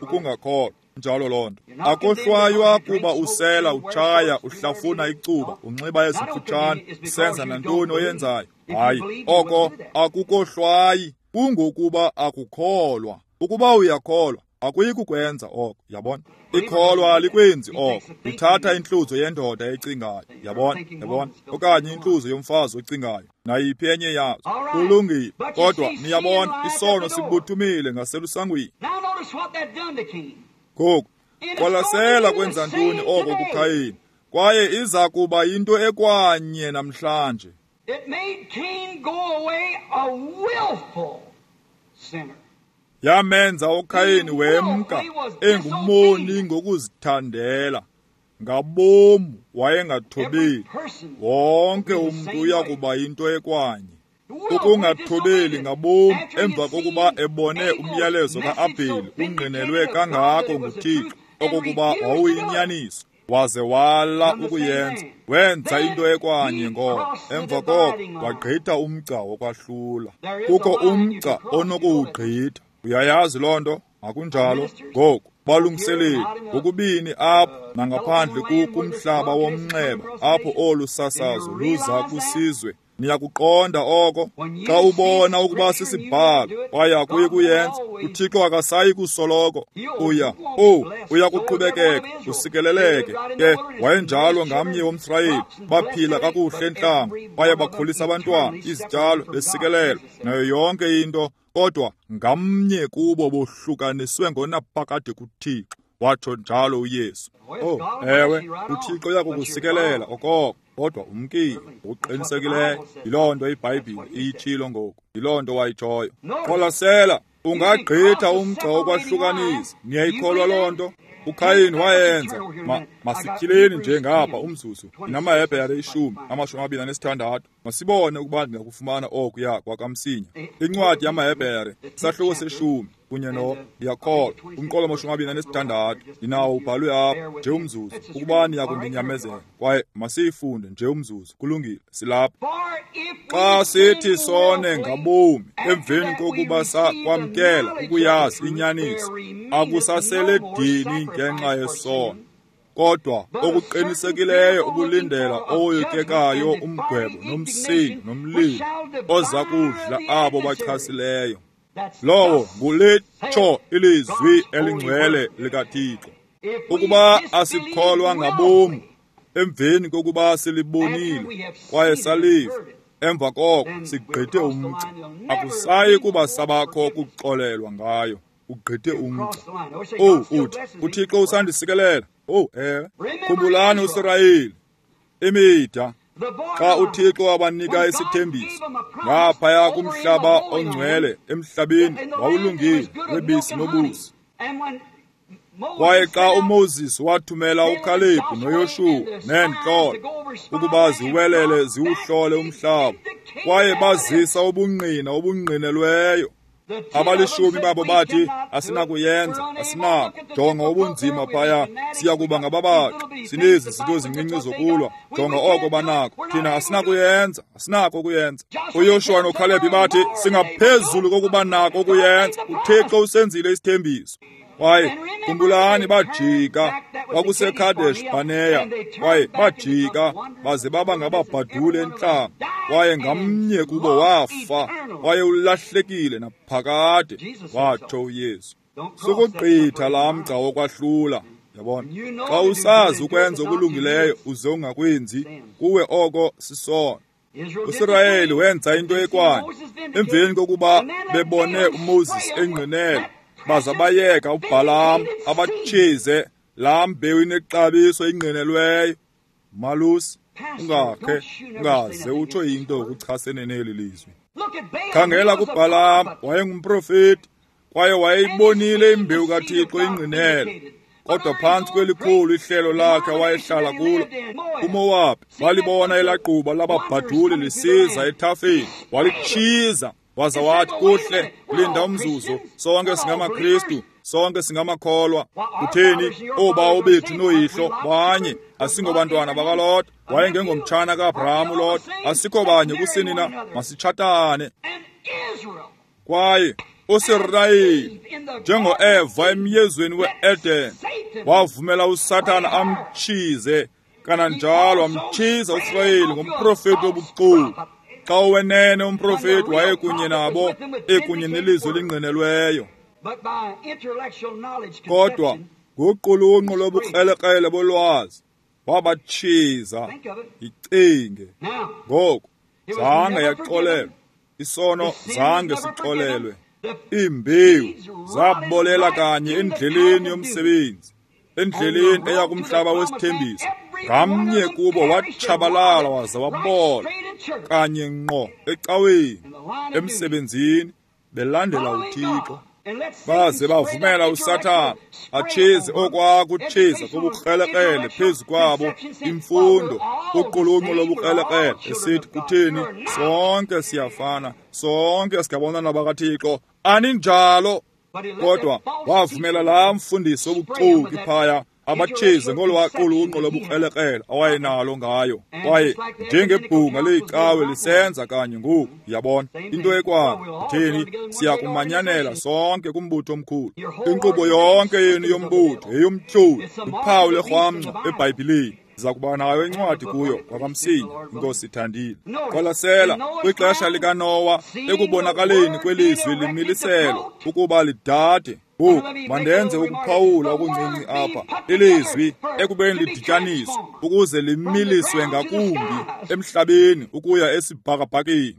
ukungakholwa. Njalo loo nto. Akohlwaywa kuba usela, utshaya, uhlafuna icuba, unxiba ezimfutshane, usenza nantoni oyenzayo. Hayi, oko akukohlwayi, kungokuba akukholwa. Ukuba uyakholwa, akuyi kukwenza oko. Yabona? Ikholwa alikwenzi oko. Uthatha intluzo yendoda ecingayo. Yabona? Yabona? Okanye intluzo yomfazi ocingayo, nayiphi enye yazo. Kulungile. Kodwa niyabona, isono sibuthumile ngaselusangweni. Ngoku qwalasela kwenza ntoni oko kuKhayini, kwaye iza kuba yinto ekwanye namhlanje. Yamenza uKhayini wemka engumoni ngokuzithandela. Ngabomu wayengathobeli. Wonke umntu uya kuba yinto ekwanye. Ukungathobeli ngabomu emva kokuba ebone umyalezo kaAbheli ungqinelwe kangako nguThixo okokuba wawuyinyaniso, Waze wala ukuyenza, wenza into ekwanye ngoko. Emva koko wagqitha umgca wokwahlula. Kukho umgca onokuwugqitha. Uyayazi loo nto? Akunjalo? Ngoku balungiseleli ngokubini apha nangaphandle kumhlaba womnxeba apho olu sasazo luza kusizwe. Niyakuqonda oko? Xa ubona ukuba sisibhalo kwaye akuyi kuyenza, uThixo akasayi kusoloko. Uya kuqhubekeka usikeleleke. Ke wayenjalo ngamnye womSirayeli, baphila kakuhle entlango kwaye bakhulisa abantwana, izityalo besikelelwa nayo yonke into, kodwa ngamnye kubo bohlukaniswe ngonaphakade kuThixo, watsho njalo uYesu. Ewe, uThixo uyakukusikelela okoko, kodwa umkile ngokuqinisekileyo. Yiloo nto iBhayibhile iyitshilo ngoku, yiloo nto wayitshoyo. Qwalasela, ungagqitha umgca wokwahlukanisa. Niyayikholwa loo nto? uKhayini wayenza. Masityhileni nje ngapha umzuzu. NamaHebhere 10, 26. Masibone ukuba ndingakufumana okuya kwakamsinya. Incwadi yamaHebhere, isahluko se-10 kunye no ndiyakholwa umqolo 26. Ndinawo ubhalwe apha nje umzuzu, ukuba niyakundinyamezela. Kwaye masiyifunde nje umzuzu. Kulungile, silapha. Xa sithi sone ngabomi emveni kokuba sakwamkela ukuyazi inyaniso, akusasele dini ngenxa yesono, kodwa okuqinisekileyo ukulindela owoyikekayo umgwebo nomsindo nomlilo oza kudla abo bachasileyo. Lowo ngulitsho ilizwi elingcwele likaThixo. Ukuba asikholwa ngabomi emveni kokuba silibonile kwaye saliva, emva koko sigqithe umgca, akusayi kuba sabakho kuxolelwa ngayo. Ugqithe umgca. Uthi uThixo usandisikelela. Ewe. Khumbulani uSirayeli, imida, xa uThixo wabanika isithembiso ngaphaya kumhlaba ongcwele, emhlabeni wawulungile webisi nobusi. Kwaye xa uMoses wathumela uKhalebhu noYoshuwa neentlola ukuba ziwelele ziwuhlole umhlaba, kwaye bazisa ubungqina obungqinelweyo. Abalishumi babo bathi, asinakuyenza, asinako. Jonga ubunzima phaya, siya kuba ngababaxi, sinezi zinto zincinci zokulwa. Jonga oko banako, thina asinakuyenza, asinako ukuyenza. uYoshuwa noKhalebhi bathi, singaphezulu kokuba nako ukuyenza, uThixo usenzile isithembiso. Kwaye khumbulani, bajika, kwakuseKadesh Barnea, kwaye bajika baze baba ngababhadule entlango, kwaye ngamnye kubo wafa, kwaye ulahlekile naphakade, watsho uYesu. Sukugqitha laa mgca wokwahlula. Yabona, xa usazi ukwenza okulungileyo uze ungakwenzi, kuwe oko sisono. uSirayeli wenza into ekwanye emveni kokuba bebone uMoses engqinela, baza bayeka uBhalaam abatshize laa mbewu inexabiso ingqinelweyo. Malusi, ungakhe ungaze utsho into ukuchasene neli lizwi. Khangela kuBhalaam, wayengumprofeti kwaye wayeyibonile imbewu kaThixo ingqinela, kodwa phantsi kwelikhulu ihlelo lakhe wayehlala kulo uMowabi, walibona elagquba lababhaduli lisiza ethafeni, walitshiza waza wathi, kuhle, linda umzuzu, sonke singamaKristu, sonke singamakholwa. Kutheni, oobawo bethu nooyihlo banye, asingobantwana bakaLot, wayengengomtshana kaAbraham uLot, asikho banye kusini na, masitshatane. Kwaye uSirayeli, njengoEva emyezweni we-Eden, wavumela uSathana amtshize, kananjalo amtshiza uSirayeli ngomprofeti wobuxoki. Xa owenene umprofeti wayekunye nabo, ekunye nelizwi elingqinelweyo. Kodwa ngoqulunqo lobukrelekrele bolwazi wabatshiza. Yicinge ngoku, zange yaxolelwa isono, zange sixolelwe. Iimbewu zabolela kanye endleleni yomsebenzi, endleleni eya kumhlaba wesithembiso. Ngamnye kubo watshabalala waza wabola kanye ngqo ecaweni, emsebenzini, belandela uThixo. Baze bavumela uSathana atshize okwakutshiza kobukrelekrele phezu kwabo, imfundo, uqulunqo lobukrelekrele, esithi, kutheni, sonke siyafana, sonke singabantwana bakaThixo. Aninjalo. Kodwa wavumela laa mfundisi obuxoki phaya Abatshize ngolwaa qulunqo lobukrelekrele awayenalo ngayo, kwaye njengebhunga leyicawe lisenza kanye ngoku, yabona, into ekwayo. Kutheni, siyakumanyanela sonke kumbutho omkhulu. Inkqubo yonke yenu yombutho yeyomtyholi, uphawu lerhwamnco eBhayibhileni. Ndiza kuba nayo incwadi kuyo kwakamsinya, inkosi ithandile. Qwalasela kwixesha likaNowa, ekubonakaleni kwelizwi limiliselwa ukuba lidade. Ngoku mandenze ukuphawula okuncinci apha. Ilizwi ekubeni lidityaniswe ukuze limiliswe ngakumbi emhlabeni ukuya esibhakabhakeni,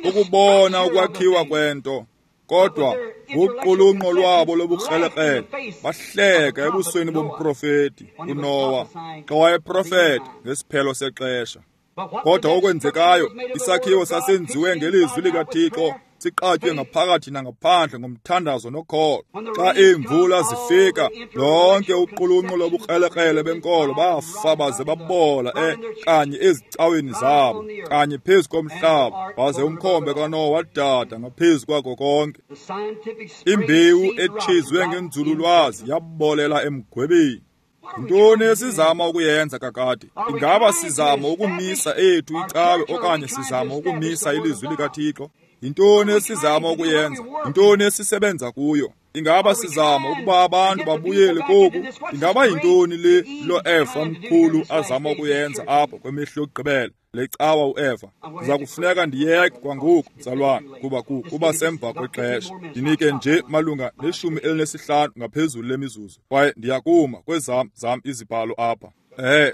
ukubona ukwakhiwa kwento. Kodwa ngoqulunqo lwabo lobukrelekrele bahleka ebusweni bomprofeti uNowa xa wayeprofeta ngesiphelo sexesha. Kodwa okwenzekayo, isakhiwo sasenziwe ngelizwi likaThixo, siqatywe ngaphakathi nangaphandle ngomthandazo nokholo. Xa iimvula zifika, lonke uqulunqo lobukrelekrele benkolo bafa baze babola kanye ezicaweni zabo, kanye phezu komhlaba, waze umkhombe kaNowa wadada ngaphezu kwako konke. Imbewu etshizwe ngenzululwazi yabolela emgwebeni. Yintoni esizama ukuyenza kakade? Ingaba sizama ukumisa ethu icawe okanye sizama ukumisa ilizwi likaThixo? Yintoni esizama ukuyenza? Yintoni esisebenza kuyo? Ingaba sizama ukuba abantu babuyele koku? Ingaba yintoni le lo Eva mkhulu azama ukuyenza apha kwemihla yokugqibela, le cawa uEva? Ndiza kufuneka ndiyeke kwangoku, mzalwane, kuba kuba semva kwexesha. Ndinike nje malunga ne-15 ngaphezulu lemizuzu, kwaye ndiyakuma kwezam zam izibhalo apha.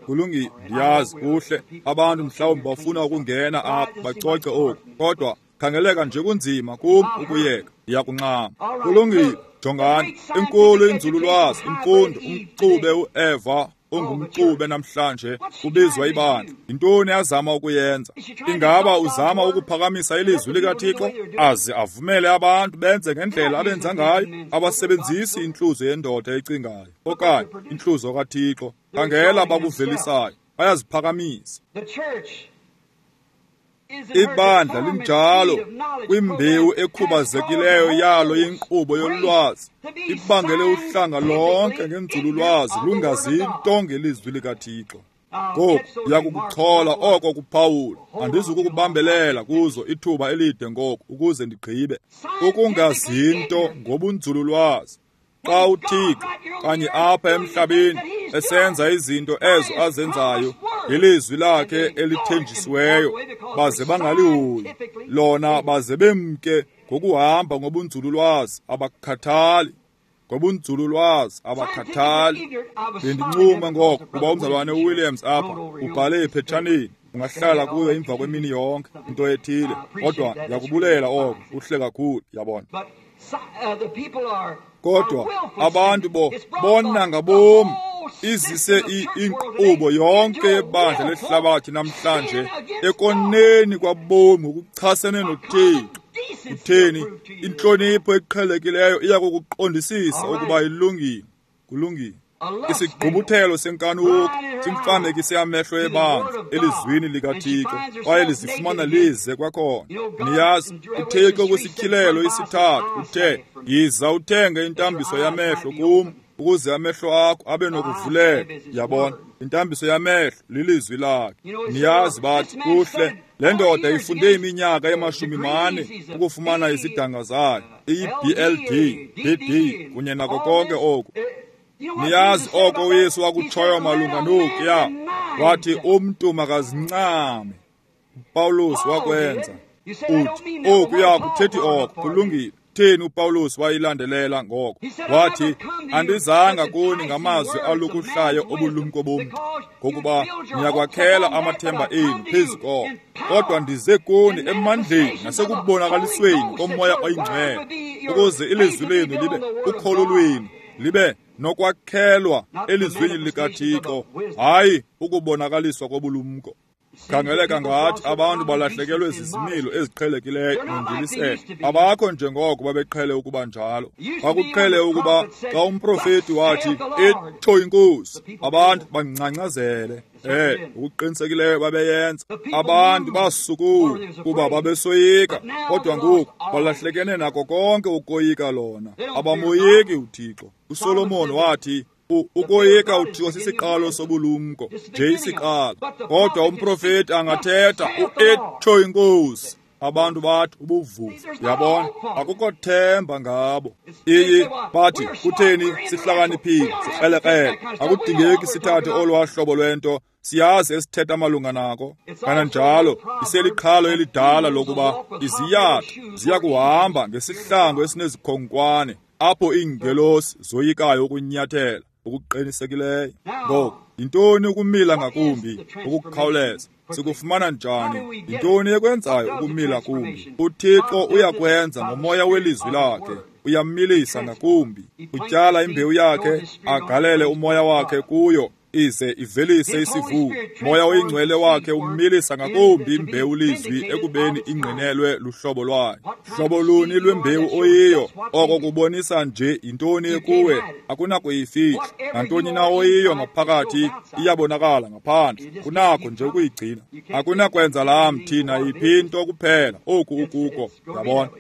Kulungile, ndiyazi kuhle. Abantu mhlawumbi bafuna ukungena apha bacoce oku, kodwa khangeleka nje kunzima kum ukuyeka. Ndiyakunxama. Kulungile, jongani, inkulu inzululwazi, imfundo, umxube uEva ongumxube namhlanje ubizwa ibandla. Yintoni azama ukuyenza? Ingaba uzama ukuphakamisa ilizwi likaThixo aze avumele abantu benze ngendlela abenza ngayo? Abasebenzisi intluzo yendoda ecingayo okanye intluzo kaThixo. Khangela bakuvelisayo, bayaziphakamisa. Ibandla linjalo kwimbewu ekhubazekileyo yalo yenkqubo yolwazi, ibangele uhlanga lonke ngenzululwazi lungazinto ngelizwi likaThixo. Ngoku ndiyakukuchola oko kuphawula, andizukukubambelela kuzo ithuba elide ngoku ukuze ndigqibe. Ukungazinto ngobunzululwazi. Xa uThixo kanye apha emhlabeni esenza izinto ezo azenzayo ngelizwi lakhe elithenjisiweyo, baze bangalihoyi lona, baze bemke ngokuhamba ngobunzululwazi, abakhathali. Ngobunzululwazi abakhathali. Bendincuma ngoko kuba umzalwane uWilliams apha ubhale ephethaneni, ungahlala kuyo emva kwemini yonke into ethile, kodwa ndiyakubulela oko, kuhle kakhulu, yabona. Kodwa abantu bona ngabomi izise inkqubo yonke yebandla lehlabathi namhlanje ekoneni kwabomi ngokuchasene noThixo. Kutheni, intlonipho eqhelekileyo iya kukuqondisisa ukuba ilungile. Kulungile. Isigqubuthelo senkanuko simfamekise amehlo ebandla elizwini likaThixo, kwaye lizifumana lize kwakhona. Niyazi, uThixo kwisityhilelo isithathu uthe, yiza uthenge intambiso yamehlo kum ukuze amehlo akho abe nokuvuleka. Yabona, intambiso yamehlo lilizwi lakhe. Niyazi, bathi kuhle, le ndoda ifunde iminyaka e-40 ukufumana izidanga zayo, iyi-BLD, BD kunye nako konke oku. Niyazi oko uYesu wakutshoyo malunga nokuya, wathi umntu makazincame. uPawulos wakwenza. Uthi okuya kuthethi oko, kulungile. Theni uPawulos wayilandelela ngoko? Wathi, andizanga kuni ngamazwi alukuhlayo obulumko bomntu, ngokuba niyakwakhela amathemba enu phezu koko, kodwa ndize kuni emandleni nasekubonakalisweni koMoya oyiNgcwele, ukuze ilizwi lenu libe ukholo lwenu libe nokwakhelwa elizwini likaThixo, hayi ukubonakaliswa kobulumko. Khangeleka ngathi abantu balahlekelwe zizimilo eziqhelekileyo nondiliselo. Abakho njengoko babeqhele ukuba njalo. Kwakuqhele ukuba xa umprofeti wathi itsho inkosi, abantu bangcangcazele. Ukuqinisekileyo babeyenza. Abantu basukuma kuba babesoyika, kodwa ngoku balahlekene nako konke ukoyika lona. Abamoyiki uThixo. uSolomon wathi, Ukoyika uThixo sisiqalo sobulumko, nje isiqalo. Kodwa umprofeti angathetha uetsho inkosi. Abantu bathi ubuvuvu. Yabona, akukho themba ngabo. Iyi bathi kutheni sihlakaniphile, sikrelekrele. Akudingeki sithathe olwaa hlobo lwento. Siyazi esithetha malunga nako. Kananjalo iseliqhalo elidala lokuba iziyatha ziya kuhamba ngesihlangu esinezikhonkwane apho iingelosi zoyikayo ukunyathela okuqinisekileyo. Ngoku yintoni ukumila ngakumbi ukukhawuleza? Sikufumana njani? Yintoni ekwenzayo ukumila kumbi? UThixo uyakwenza ngomoya welizwi lakhe. Uyamilisa ngakumbi. Utyala imbewu yakhe, agalele umoya wakhe kuyo, ize ivelise isivuno. Moya oyingcwele wakhe umilisa ngakumbi imbewu lizwi ekubeni ingqinelwe luhlobo lwayo. Hlobo luni lwembewu oyiyo? Oko kubonisa nje yintoni ekuwe, akunakuyifihla. Nantoni na oyiyo ngaphakathi iyabonakala ngaphandle. Kunakho nje ukuyigcina. Akunakwenza laa mthi nayiphi into kuphela oku ukuko. Yabona,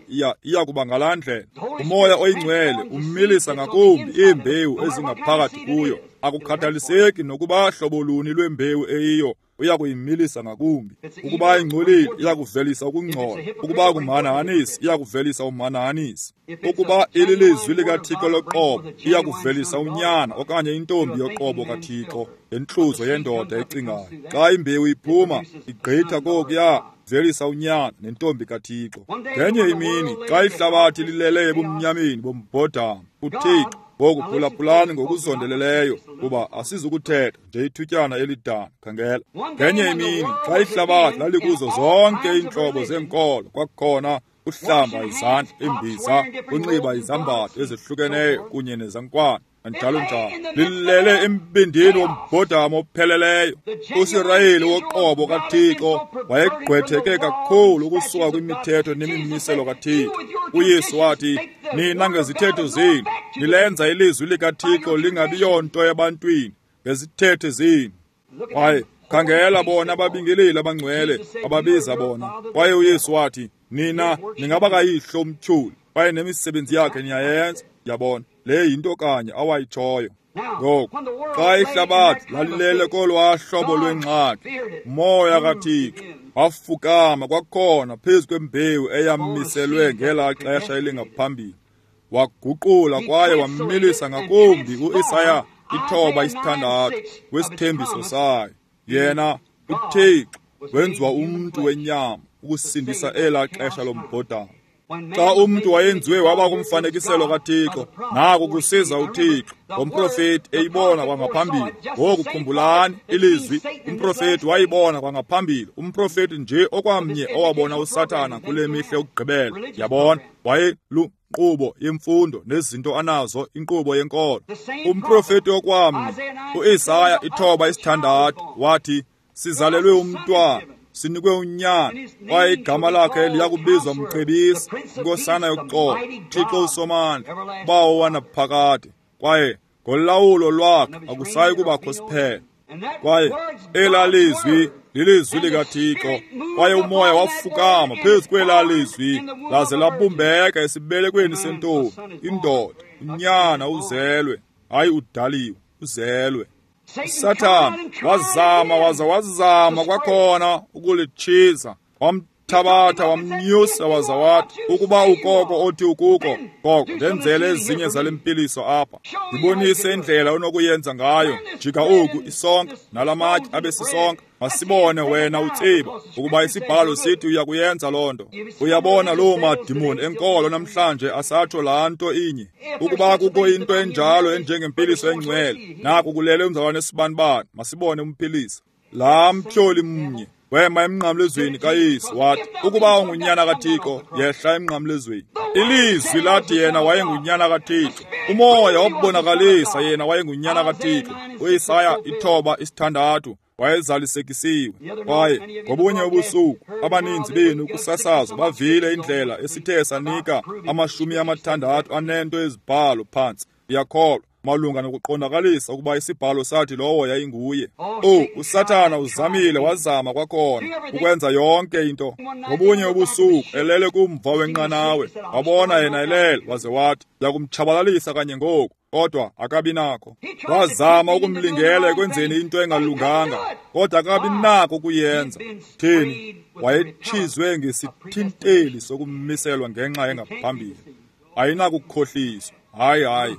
iya kuba ngalaa ndlela. Umoya oyingcwele umilisa ngakumbi iimbewu ezingaphakathi kuyo. Akukhathaliseki nokuba hlobo luni lwembewu eyiyo, uya kuyimilisa ngakumbi. Ukuba ingcolile, iya kuvelisa ukungcola. Ukuba ngumhanahanisi, iya kuvelisa umhanahanisi. Ukuba ililizwi likaThixo loqobo, iya kuvelisa unyana okanye intombi yoqobo kaThixo, ngentluzo yendoda ecingayo. Xa imbewu iphuma, igqitha kokuya velisa unyana nentombi kaThixo. Ngenye imini, xa ihlabathi lilele ebumnyameni bombhodamo, uThixo ngoku phulaphulani ngokuzondeleleyo, kuba asizukuthetha nje ithutyana elidana. Khangela, ngenye imini xa ihlabathi lalikuzo zonke iintlobo zeenkolo, kwakukhona uhlamba izandla, imbiza, unxiba izambatho ezihlukeneyo kunye nezankwana njalo njalo, lilele embindini wombhodamo opheleleyo. USirayeli woqobo kaThixo wayegqwetheke kakhulu ukusuka kwimithetho nemimiselo kaThixo. uYesu wathi, nina ngezithetho zenu nilenza ilizwi likaThixo lingabi yonto ebantwini ngezithethe zenu. Kwaye khangela bona ababingeleli abangcwele ababiza bona. Kwaye uYesu wathi, nina ningaba kayihlo umtyholi, kwaye nemisebenzi yakhe niyayenza. Yabona, le yinto kanye awayitshoyo. Ngoku xa ihlabathi lalilele kolwaa hlobo lwengxaki, umoya kaThixo wafukama kwakhona phezu kwembewu eyamiselwe ngelaa xesha elingaphambili, waguqula kwaye wamilisa ngakumbi uIsaya 9:6 wesithembiso sayo. Yena uThixo wenziwa umntu wenyama ukusindisa elaa xesha lombhodamo. Xa umntu wayenziwe waba kumfanekiselo kaThixo, naku kusiza uThixo ngomprofeti eyibona kwangaphambili. Ngoku khumbulani ilizwi, umprofeti wayibona kwangaphambili. Umprofeti nje okwamnye owabona uSathana kule mihla yokugqibela. Yabona, wayelunkqubo yemfundo nezinto anazo, inkqubo yenkolo. Umprofeti okwamnye uIsaya 9:6 wathi, sizalelwe umntwana, sinikwe unyana, kwaye igama lakhe liyakubizwa Mcebisi, Nkosana yokuxolo, Thixo uSomandla, Bawo wanaphakade. Kwaye ngolawulo lwakhe akusayi kubakho siphelo. Kwaye elaa lizwi lilizwi likaThixo, kwaye umoya wafukama phezu kwelaa lizwi laze labumbeka esibelekweni sentombi, indoda, unyana uzelwe, hayi udaliwe, uzelwe. Sathana wazama waza wazama kwakhona ukulitshiza, wamthabatha wamnyusa waza wathi, ukuba ukoko othi ukuko, koko ndenzele ezinye zale mpiliso apha, ndibonise indlela onokuyenza ngayo. Jika oku isonka nalamatye abe sisonka, masibone wena utsiba ukuba isibhalo sithi uyakuyenza loo nto. Uyabona loo madimoni enkolo namhlanje asatsho laa nto inye. Ukuba kukho into enjalo enjengempiliso engcwele, naku kulele umzalwane esibanibani, masibone umphilisa. Laa mtyholi mnye wema emnqamlezweni kaYesu wathi, ukuba ungunyana kaThixo, yehla emnqamlezweni. Ilizwi lathi yena wayengunyana kaThixo. Umoya wabubonakalisa yena wayengunyana kaThixo. UIsaya 9:6 wayezalisekisiwe. Kwaye ngobunye ubusuku abaninzi benu kusasazo bavile indlela esithe sanika 60 ezibhalo phantsi. Ndiyakholwa malunga nokuqondakalisa ukuba isibhalo sathi lowo yayinguye. USathana uzamile wazama kwakhona ukwenza yonke into. Ngobunye ubusuku elele kumva wenqanawe, wabona yena elele, waze wathi, ndiyakumtshabalalisa kanye ngoku. kodwa akabi nakho. Wazama ukumlingela ekwenzeni into engalunganga, kodwa akabi nako ukuyenza. Thini? Wayetshizwe ngesithinteli sokumiselwa ngenxa engaphambili. Ayinakukhohliswa. Hayi, hayi.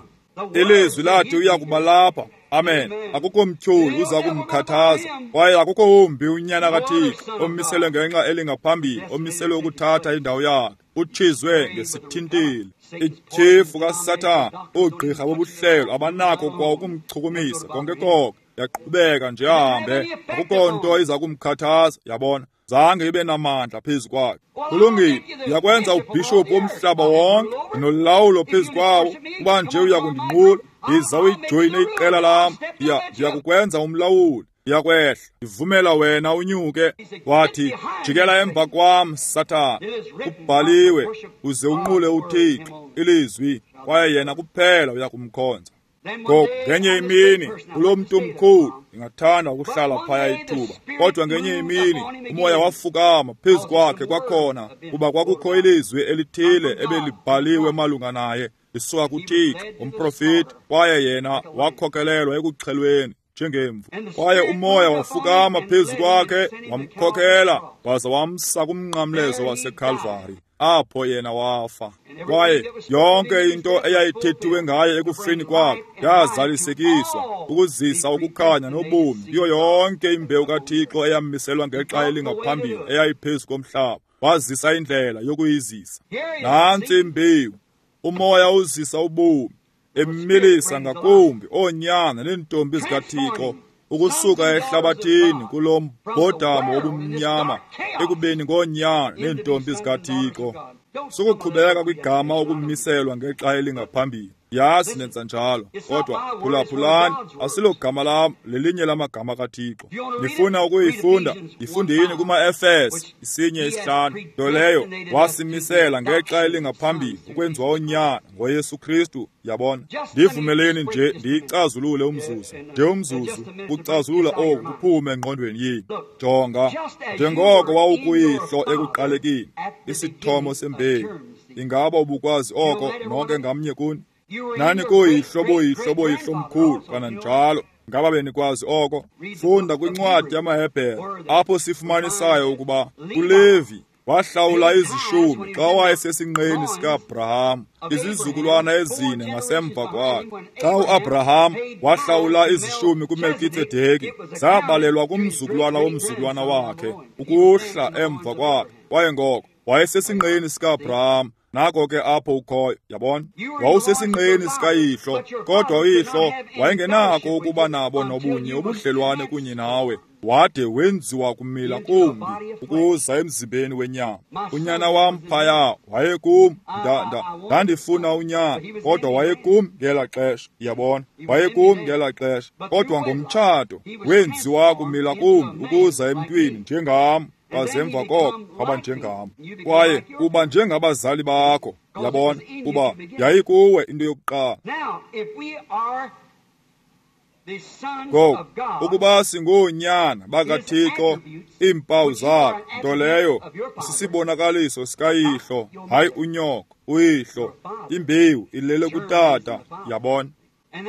Ilizwi lathi uya kuba lapha. Amen. Akukho mtyholi uza kumkhathaza, kwaye akukho wumbi unyana kaThixo omiselwe ngenxa elingaphambili, omiselwe ukuthatha indawo yakhe. Utshizwe ngesithinteli. Ityhefu kaSathana, oogqirha bobuhlelo abanakho kwa ukumchukumisa konke konke. Yaqhubeka nje ahambe, akukho nto iza kumkhathaza. Yabona, zange ibe namandla phezu kwakhe. Kulungile, ndiyakwenza ubhishophu womhlaba wonke, ndinolawulo phezu kwawo. Kuba nje uya kundinqula, ndiza uyijoyine iqela lam, ndiyakukwenza umlawuli, ndiyakwehla, ndivumela wena unyuke. Wathi, jikela emva kwam, Sathana, kubhaliwe, uze unqule uThixo, ilizwi, kwaye yena kuphela uya kumkhonza. Ngoku ngenye imini kulo mntu mkhulu, ndingathanda ukuhlala phaya ithuba, kodwa ngenye imini umoya wafukama phezu kwakhe kwakhona, kuba kwakukho ilizwi elithile ebelibhaliwe malunga naye lisuka kuThixo, umprofiti, kwaye yena wakhokelelwa ekuxhelweni njengemvu. Kwaye umoya wafukama phezu kwakhe, wamkhokela waza wamsa kumnqamlezo waseKalvari. Apho yena wafa. Kwaye yonke into eyayithethiwe ngaye ekufeni kwakhe yazalisekiswa ukuzisa ukukhanya nobomi kuyo yonke imbewu kaThixo eyamiselwa ngexa elingaphambili eyayiphezu komhlaba. Wazisa indlela yokuyizisa. Nantsi imbewu. Umoya uzisa ubomi, emilisa ngakumbi oonyana neentombi zikaThixo ukusuka ehlabathini kulo mbhodamo wobumnyama ekubeni ngoonyana neentombi zikaThixo. Sukuqhubeka kwigama ukumiselwa ngexa elingaphambili. Yazi nenza njalo, kodwa phulaphulani, asilogama lam, lelinye lamagama kaThixo. Nifuna ukuyifunda? Yifundeni kuma-Efese 1:5. Nto leyo wasimisela ngexa elingaphambili ukwenziwa unyana ngoYesu Kristu. Yabona, ndivumeleni nje ndiyicazulule umzuzu, nje umzuzu, kucazulula oku kuphume engqondweni yenu. Jonga, njengoko wawukuyihlo ekuqalekeni, isithomo sembewu. Ingaba ubukwazi oko nonke ngamnye kuni? Nani kuyihlo boyihlo boyihlo mkhulu kananjalo. Ngaba benikwazi oko? Funda kwincwadi yamaHebhere apho sifumanisayo ukuba uLevi wahlawula izishumi xa wayesesinqeni sika-Abraham, izizukulwana ezine ngasemva kwakhe. Xa uAbraham wahlawula izishumi kuMelkitsedeki, zabalelwa kumzukulwana womzukulwana wakhe ukuhla emva kwakhe. Kwaye ngoko wayesesinqeni sika-Abraham. Nako ke apho ukhoyo, yabona. Wawusesinqeni sikayihlo, kodwa uyihlo wayengenako ukuba nabo nobunye ubudlelwane kunye nawe, wade wenziwa kumila kumbi ukuza emzimbeni wenyama. Unyana wam phaya wayekum, ndandifuna unyana, kodwa wayekum ngela xesha, yabona. Wayekum ngela xesha, kodwa ngomtshato wenziwa kumila kumbi ukuza emntwini njengam. Wazemva koko waba njengam, kwaye uba njengabazali bakho, yabona, kuba yayikuwe into yokuqala. Ngoku ukuba singoonyana bakaThixo, iimpawu zakhe, nto leyo sisibonakaliso sikayihlo, hayi unyoko, uyihlo. Imbewu ilele kutata, yabona.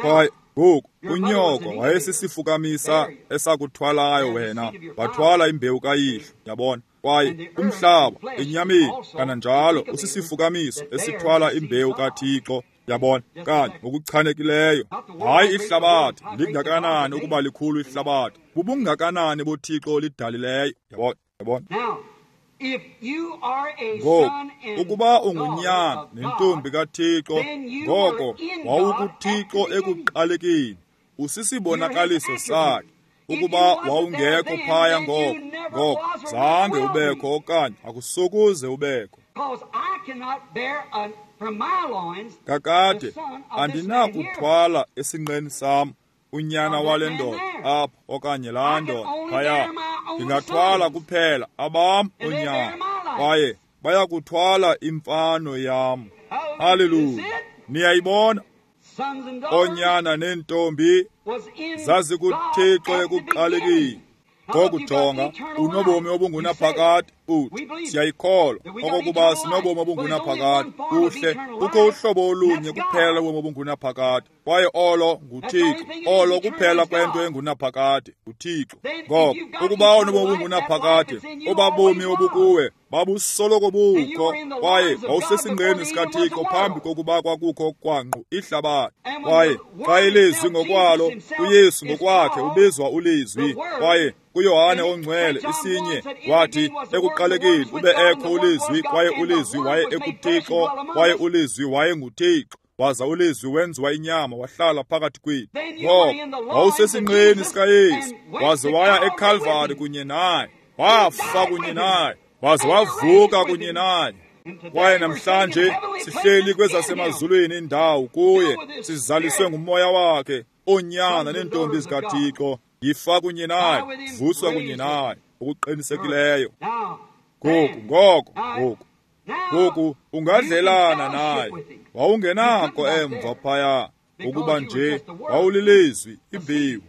Kwaye ngoku unyoko wayesisifukamisa esakuthwalayo wena, wathwala imbewu kayihlo, yabona. Kwaye umhlaba enyameni kananjalo usisifukamiso esithwala imbewu kaThixo, yabona, kanye ngokuchanekileyo. Hayi ihlabathi lingakanani ukuba likhulu ihlabathi, bubungakanani boThixo olidalileyo, yabona, yabona. Ngoku ukuba ungunyana nentombi kaThixo, ngoko wawukuThixo ekuqalekeni, usisibonakaliso sakhe. Ukuba wawungekho phaya ngoko, ngoko zange ubekho okanye akusokuze ubekho. Kakade andinakuthwala esinqeni sam unyana wale ndoda apha okanye laa ndoda phaya. Ndingathwala kuphela abam oonyana, kwaye bayakuthwala imfano yam. Haleluya! Niyayibona? Oonyana neentombi zazikuThixo ekuqalekeni. Ngoku jonga, unobomi obungunaphakade. Uthi siyayikholwa okokuba sinobomi obungunaphakade. Kuhle, kukho uhlobo olunye kuphela lobomi obungunaphakade, kwaye olo nguThixo. Olo kuphela kwento engunaphakade, uThixo. Ngoko ukuba unobomi obungunaphakade, obabomi obukuwe babusoloko bukho, kwaye wawusesinqeni sikaThixo phambi kokuba kwakukho kwanqu ihlabathi. Kwaye xa ilizwi ngokwalo, uYesu ngokwakhe ubizwa ulizwi, kwaye kuYohane ongcwele isinye wathi ekuqalekeni ube ekho ulizwi, kwaye ulizwi waye ekuThixo, kwaye ulizwi waye nguThixo, waza ulizwi wenziwa inyama wahlala phakathi kwethu. Ngoko wawusesinqeni sikaYesu, waze waya eKalvari kunye naye, wafa kunye naye, waze wavuka kunye naye. Kwaye namhlanje sihleli kwezasemazulwini indawo kuye, sizaliswe ngumoya wakhe, oonyana neentombi zikaThixo. Yifa kunye naye, vuswa kunye naye okuqinisekileyo. Ngoku ungadlelana naye. Wawungenako emva phaya, ukuba nje wawulilizwi, imbewu.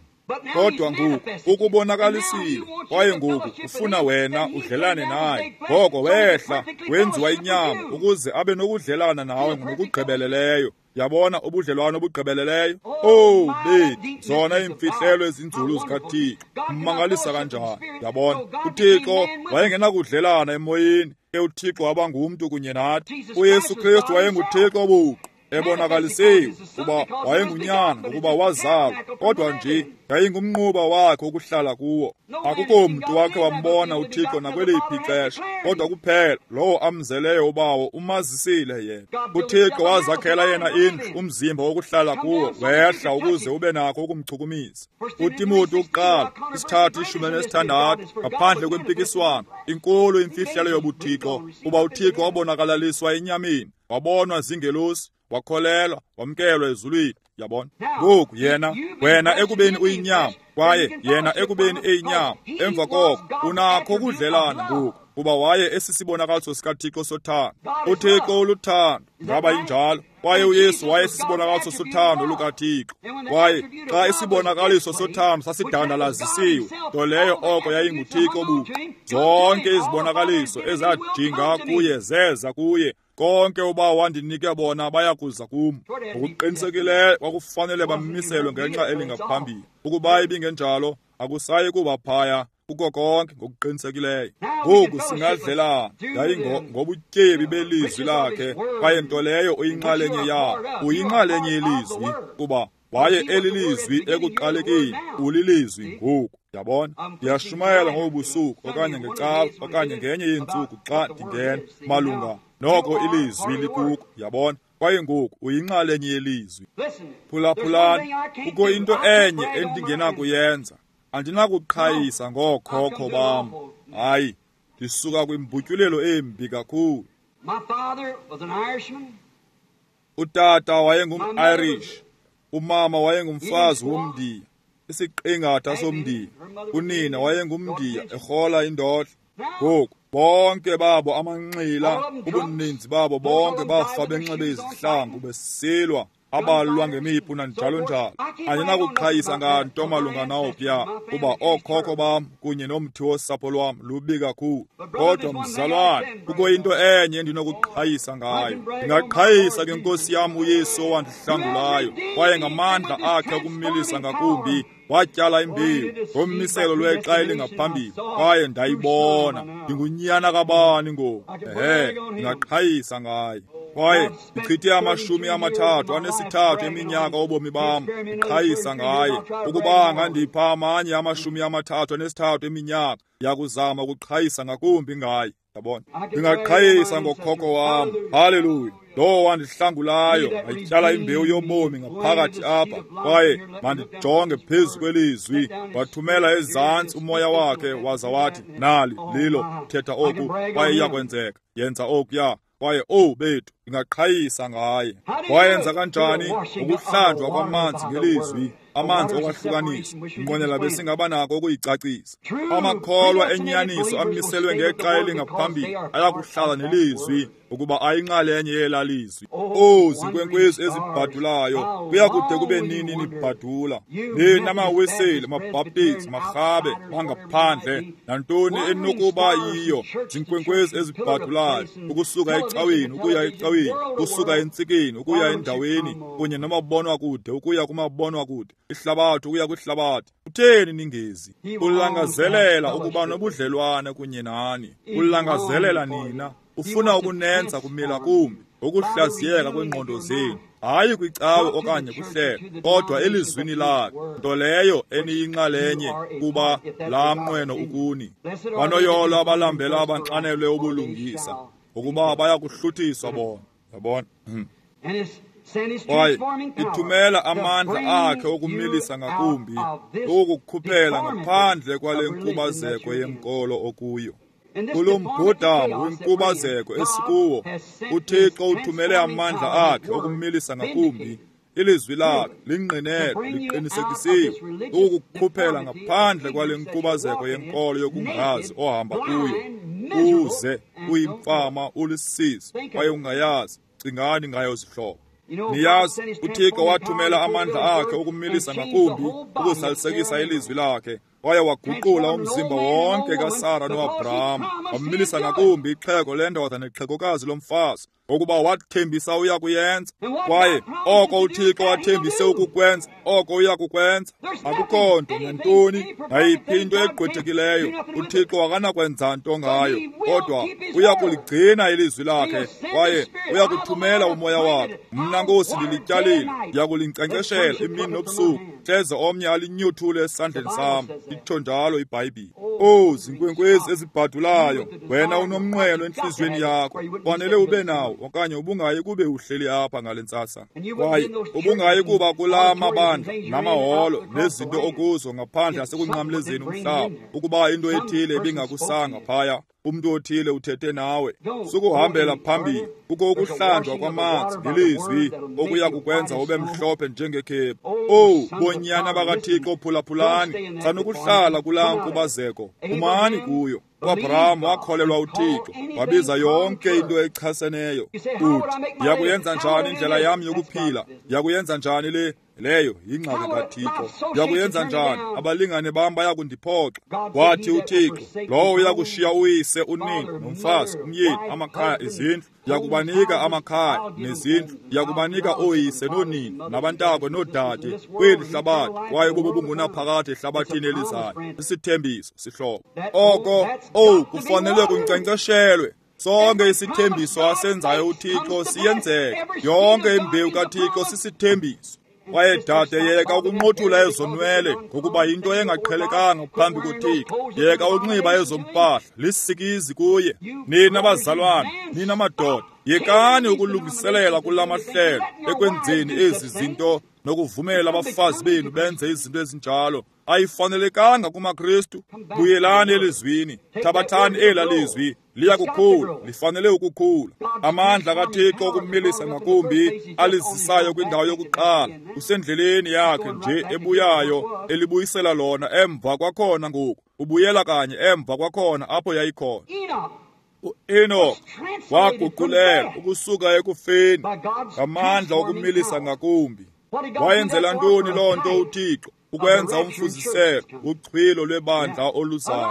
Kodwa ngoku ukubonakalisile, kwaye ngoku ufuna wena udlelane naye. Ngoko wehla wenziwa inyama ukuze abe nokudlelana nawe ngokugqibeleleyo. Yabona ubudlelwano obugqibeleleyo? Oh, bethu, zona iimfihlelo ezinzulu zikaThixo. Umangalisa kanjani? Yabona, uThixo wayengenakudlelana emoyeni, ke uThixo waba ngumntu kunye nathi. uYesu Kristu wayenguThixo buqu, ebonakalisiwe kuba wayengunyana, ukuba wazalwa, kodwa nje yayingumnquba wakhe ukuhlala kuwo. Akukho mntu wakhe wambona uThixo nakweliphi ixesha, kodwa kuphela lowo amzeleyo uBawo umazisile yena. uThixo wazakhela yena indlu, umzimba wokuhlala kuwo, wehla ukuze ube nakho ukumchukumisa. uTimoti wokuqala 3:16, ngaphandle kwempikiswano, inkulu imfihlelo yobuThixo, kuba uThixo wabonakalaliswa enyameni, wabonwa zingelosi, wakholelwa, wamkelwa ezulwini. Yabona ngoku yena, wena ekubeni uyinyama, kwaye yena ekubeni eyinyama, emva koko unakho ukudlelana ngoku, kuba waye esisibonakaliso sikaThixo sothando. uThixo uluthando, ngaba injalo? Kwaye uYesu waye esisibonakaliso sothando lukaThixo. Kwaye xa isibonakaliso sothando sasidandalazisiwe, nto leyo oko yayinguThixo buqu, zonke izibonakaliso ezadinga kuye zeza kuye. Konke uBawo wandinike bona bayakuza kum. Ngokuqinisekileyo kwakufanele bamiselwe ngenxa elingaphambili. Ukuba ibingenjalo, akusayi kuba phaya kuko konke ngokuqinisekileyo. Ngoku singadlelana yayingobutyebi belizwi lakhe, kwaye nto leyo uyinxalenye yawo, uyinxalenye yelizwi, kuba waye elilizwi ekuqalekeni, ulilizwi ngoku. Yabona, ndiyashumayela ngobusuku okanye ngecawa okanye ngenye yeentsuku xa ndingena malunga noko ilizwi likuko. Yabona, kwaye ngoku uyinxalenye yelizwi. Phulaphulani, kukho into enye endingenakuyenza. Andinakuqhayisa ngookhokho bam. Hayi, ndisuka kwimbutyulelo embi kakhulu. Utata wayengum-Irish, umama wayengumfazi womNdiya, isiqingatha somNdiya. Unina wayengumNdiya erhola indodla. Ngoku bonke babo amanxila, ubuninzi babo bonke bafa benxibe izihlangu besilwa, abalwa ngemipu nanjalo njalo. Andinakuqhayisa nganto malunga nawopya, kuba ookhokho bam kunye nomthi wosapho lwam lubi kakhulu. Kodwa mzalwane, kukho into enye endinokuqhayisa ngayo. Ndingaqhayisa ngenkosi yam uYesu owandihlangulayo, kwaye ngamandla akhe okumilisa ngakumbi watyala imbewu ngommiselo lwexa elingaphambili, kwaye ndayibona. Ndingunyana kabani ngoku? Ehe, ndingaqhayisa ngaye. Kwaye ndichithe 33 eminyaka obomi bam ndiqhayisa ngaye. Ukuba angandipha amanye 33 eminyaka, ndiyakuzama ukuqhayisa ngakumbi ngaye. Yabona, ndingaqhayisa ngokhokho wam. Haleluya! Lowo wandihlangulayo wayityala imbewu yobomi ngaphakathi apha, kwaye mandijonge phezu kwelizwi. Wathumela ezantsi umoya wakhe, waza wathi, nali lilo, thetha oku, kwaye iyakwenzeka, yenza okuya. Kwaye owu bethu, Ndingaqhayisa ngaye. Wayenza kanjani? Ukuhlanjwa kwamanzi ngelizwi, amanzi okwahlukanisa. Nqwenela besingaba nako ukuyicacisa. Amakholwa enyaniso amiselwe ngexa elingaphambili ayakuhlala nelizwi, ukuba ayinxalenye yela lizwi. O zinkwenkwezi ezibhadulayo, kuyakude kube nini nibhadula? Nina maWeseli, maBhaptizi, marhabe bangaphandle, nantoni enokuba yiyo, zinkwenkwezi ezibhadulayo, ukusuka ecaweni ukuya ecaweni, ukusuka entsikeni ukuya endaweni, kunye nomabonwakude ukuya kumabonwakude, ihlabathi ukuya kwihlabathi. Kutheni ningezi? Ulangazelela ukuba nobudlelwane kunye nani. Ulangazelela nina. Ufuna ukunenza kumila kumbi ukuhlaziyeka kwengqondo zenu, hayi kwicawe okanye kuhlelo, kodwa elizwini lakhe, nto leyo eniyinxalenye kuba laa mnqweno ukuni. Banoyolo abalambela abanxanelwe ubulungisa, ngokuba baya kuhluthiswa bona. Yabona? Kwaye ithumela amandla akhe okumilisa ngakumbi, ukukukhuphela ngaphandle kwale nkubazeko yenkolo okuyo. Kulo mbhodamo wenkubazeko esikuwo, uThixo uthumele amandla akhe okumilisa ngakumbi, ilizwi lakhe lingqinelwe, liqinisekisiwe, ukukukhuphela ngaphandle kwale nkubazeko yenkolo yokungazi ohamba kuyo, uze uyimfama, ulisizi, kwaye ungayazi. Cingani ngayo, zihlobo. Niyazi, uThixo wathumela amandla akhe okumilisa ngakumbi, ukuzalisekisa ilizwi lakhe, waye waguqula umzimba wonke kaSara noAbraham, wamilisa ngakumbi ixhego lendoda nexhegokazi lomfazi, ngokuba wathembisa uya kuyenza. Kwaye oko uThixo wathembise ukukwenza, oko uya kukwenza. Akukho nto nantoni, nayiphi into egqwethekileyo, uThixo akanakwenza nto ngayo, kodwa uya kuligcina ilizwi lakhe, kwaye uya kuthumela umoya wakhe. Mna Nkosi ndilityalile, ndiya kulinkcenkceshela imini nobusuku, hleze omnye alinyothule esandleni sam. Itsho njalo iBhayibhile. O zinkwenkwezi ezibhadulayo, wena unomnqweno entliziyweni yakho, fanele ube nawo, okanye ubungayi kube uhleli apha ngale ntsasa, kwaye ubungayi kuba kulaa mabandla namaholo nezinto okuzo ngaphandle asekunqamlezeni umhlaba, ukuba into ethile ibingakusanga phaya. Umntu othile uthethe nawe. Sukuhambela phambili. Kukho ukuhlanjwa kwamanzi ngelizwi okuya kukwenza ube mhlophe njengekhephu. Owu, bonyana bakaThixo, phulaphulani. Sanukuhlala kulaa nkubazeko, phumani kuyo. UAbraham wakholelwa uThixo, wabiza yonke into echaseneyo. Uthi, ndiyakuyenza njani indlela yam yokuphila? Ndiyakuyenza njani le? Leyo yingxaki kaThixo. Ndiyakuyenza njani? Abalingane bam baya kundiphoxa. Wathi uThixo, lowo uyakushiya uyise, unina, nomfazi, umyeni, amakhaya, izindlu, ndiyakubanika amakhaya nezindlu, ndiyakubanika ooyise noonina, nabantakwe noodade kweli hlabathi, kwaye bubo bungunaphakade ehlabathini elizayo. Isithembiso, sihlobo. Oko, owu, kufanele kunkcenkceshelwe. Sonke isithembiso asenzayo uThixo siyenzeka. Yonke imbewu kaThixo sisithembiso. Kwaye dade, yeka ukunqothula ezo nwele, ngokuba yinto engaqhelekanga phambi koThixo. Yeka unxiba ezo mpahla, lisikizi kuye. Nina bazalwane, nina madoda, yekani ukulungiselela kula mahlelo ekwenzeni ezi zinto nokuvumela abafazi benu benze izinto ezinjalo. Ayifanelekanga kumaKristu. Buyelani elizwini, thabathani ela lizwi, liyakukhula, lifanele ukukhula. Amandla kaThixo okumilisa ngakumbi alizisayo kwindawo yokuqala, usendleleni yakhe nje ebuyayo, elibuyisela lona emva kwakhona ngoku, ubuyela kanye emva kwakhona apho yayikhona. UEnoch waguqulela ukusuka ekufeni ngamandla okumilisa ngakumbi. Wayenzela ntoni loo nto uThixo? Ukwenza umfuziselo uchwilo lwebandla oluzayo.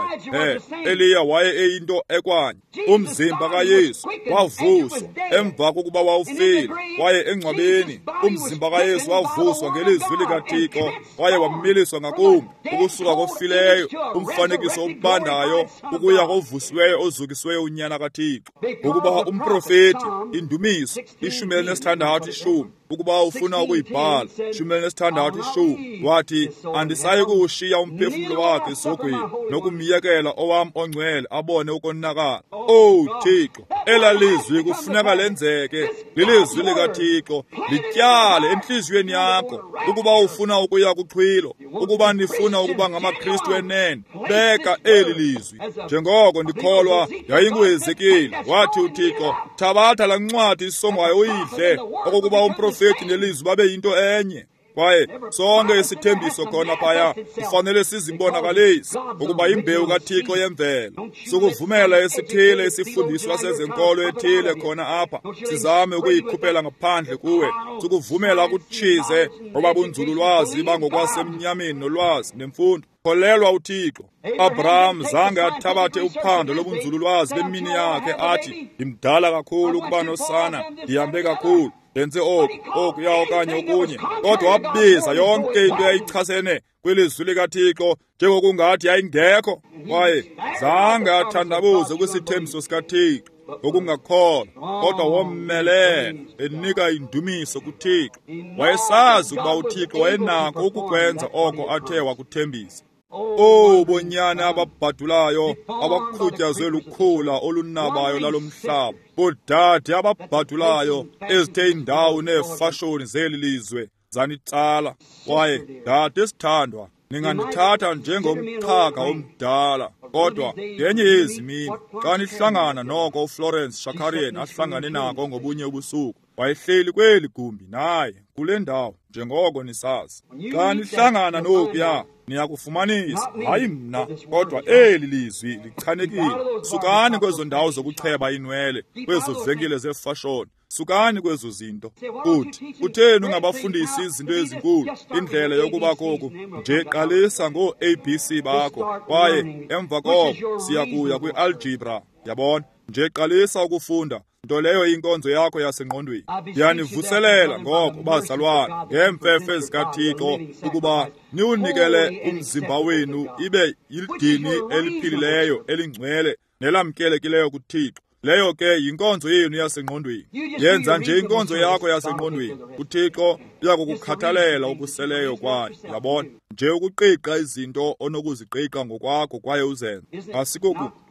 Eliya waye eyinto ekwanye. Umzimba kaYesu wavuswa emva kokuba wawufile, kwaye engcwabeni umzimba kaYesu wavuswa ngelizwi likaThixo, kwaye wamiliswa ngakumbi ukusuka kofileyo, umfanekiso obandayo, ukuya kovusiweyo ozukisiweyo uNyana kaThixo. Ngokuba umprofeti, indumiso 16:10, ukuba ufuna ukuyibhala, 16:10, wathi, Andisayi kuwushiya umphefumlo wakhe esihogweni, nokumyekela owam ongcwele abone ukonakala. Owu Thixo, ela lizwi kufuneka lenzeke. Lilizwi likaThixo, lityale entliziyweni yakho. Ukuba ufuna ukuya kuxhwilo, ukuba nifuna ukuba ngamaKristu enene, beka eli lizwi. Njengoko ndikholwa yayinguHezekile, wathi uThixo, thabatha laa ncwadi isongwayo uyidle, okokuba umprofeti nelizwi babe yinto enye. Kwaye sonke isithembiso khona phaya kufanele sizibonakalise ukuba imbewu kaThixo yemvelo. Sukuvumela esithile isifundiswa sezenkolo ethile khona apha sizame ukuyikhuphela ngaphandle kuwe. Sukuvumela kutshize ngoba bunzululwazi bangokwasemnyameni nolwazi nemfundo. Kholelwa uThixo. Abraham zange athabathe uphando lobunzululwazi bemini yakhe athi, ndimdala kakhulu ukuba nosana, ndihambe kakhulu, ndenze oku, okuya okanye okunye. Kodwa wabiza yonke into eyayichasene kwilizwi likaThixo njengokungathi yayingekho. Kwaye zange athandabuze kwisithembiso sikaThixo ngokungakholwa, kodwa womelela enika indumiso kuThixo. Wayesazi ukuba uThixo wayenako ukukwenza oko athe wakuthembisa. Oh, bonyana ababhadulayo abakhutyazwe lukhula olunabayo lalo mhlaba, boodade ababhadulayo ezithe indawo neefashoni zeli lizwe zanitsala. Kwaye dade sithandwa, ningandithatha njengomxhaka omdala, kodwa ngenye yezi mini xa nihlangana noko uFlorence Shakarian ahlangane nako ngobunye ubusuku, wayehleli kweli gumbi naye kule ndawo njengoko nisazi. Xa nihlangana nokuya niyakufumanisa, hayi mna, kodwa eli lizwi lichanekile. Sukani kwezo ndawo zokucheba inwele, kwezo venkile zeefashoni, sukani kwezo zinto. Uthi, kutheni ungabafundisi izinto ezinkulu, indlela yokuba koku? Nje qalisa ngoo-ABC bakho, kwaye emva koko siya kuya kwi-algebra. Yabona? Nje qalisa ukufunda, nto leyo inkonzo yakho yasengqondweni. Ndiyanivuselela ngoko, bazalwane, ngeemfefe zikaThixo, ukuba niwunikele umzimba wenu ibe yidini eliphilileyo, elingcwele nelamkelekileyo kuThixo. Leyo ke yinkonzo yenu yasengqondweni. Yenza nje inkonzo yakho yasengqondweni, uThixo uyakukukhathalela okuseleyo kwayo. Yabona? Nje ukuqiqa izinto onokuziqiqa ngokwakho kwaye uzenze.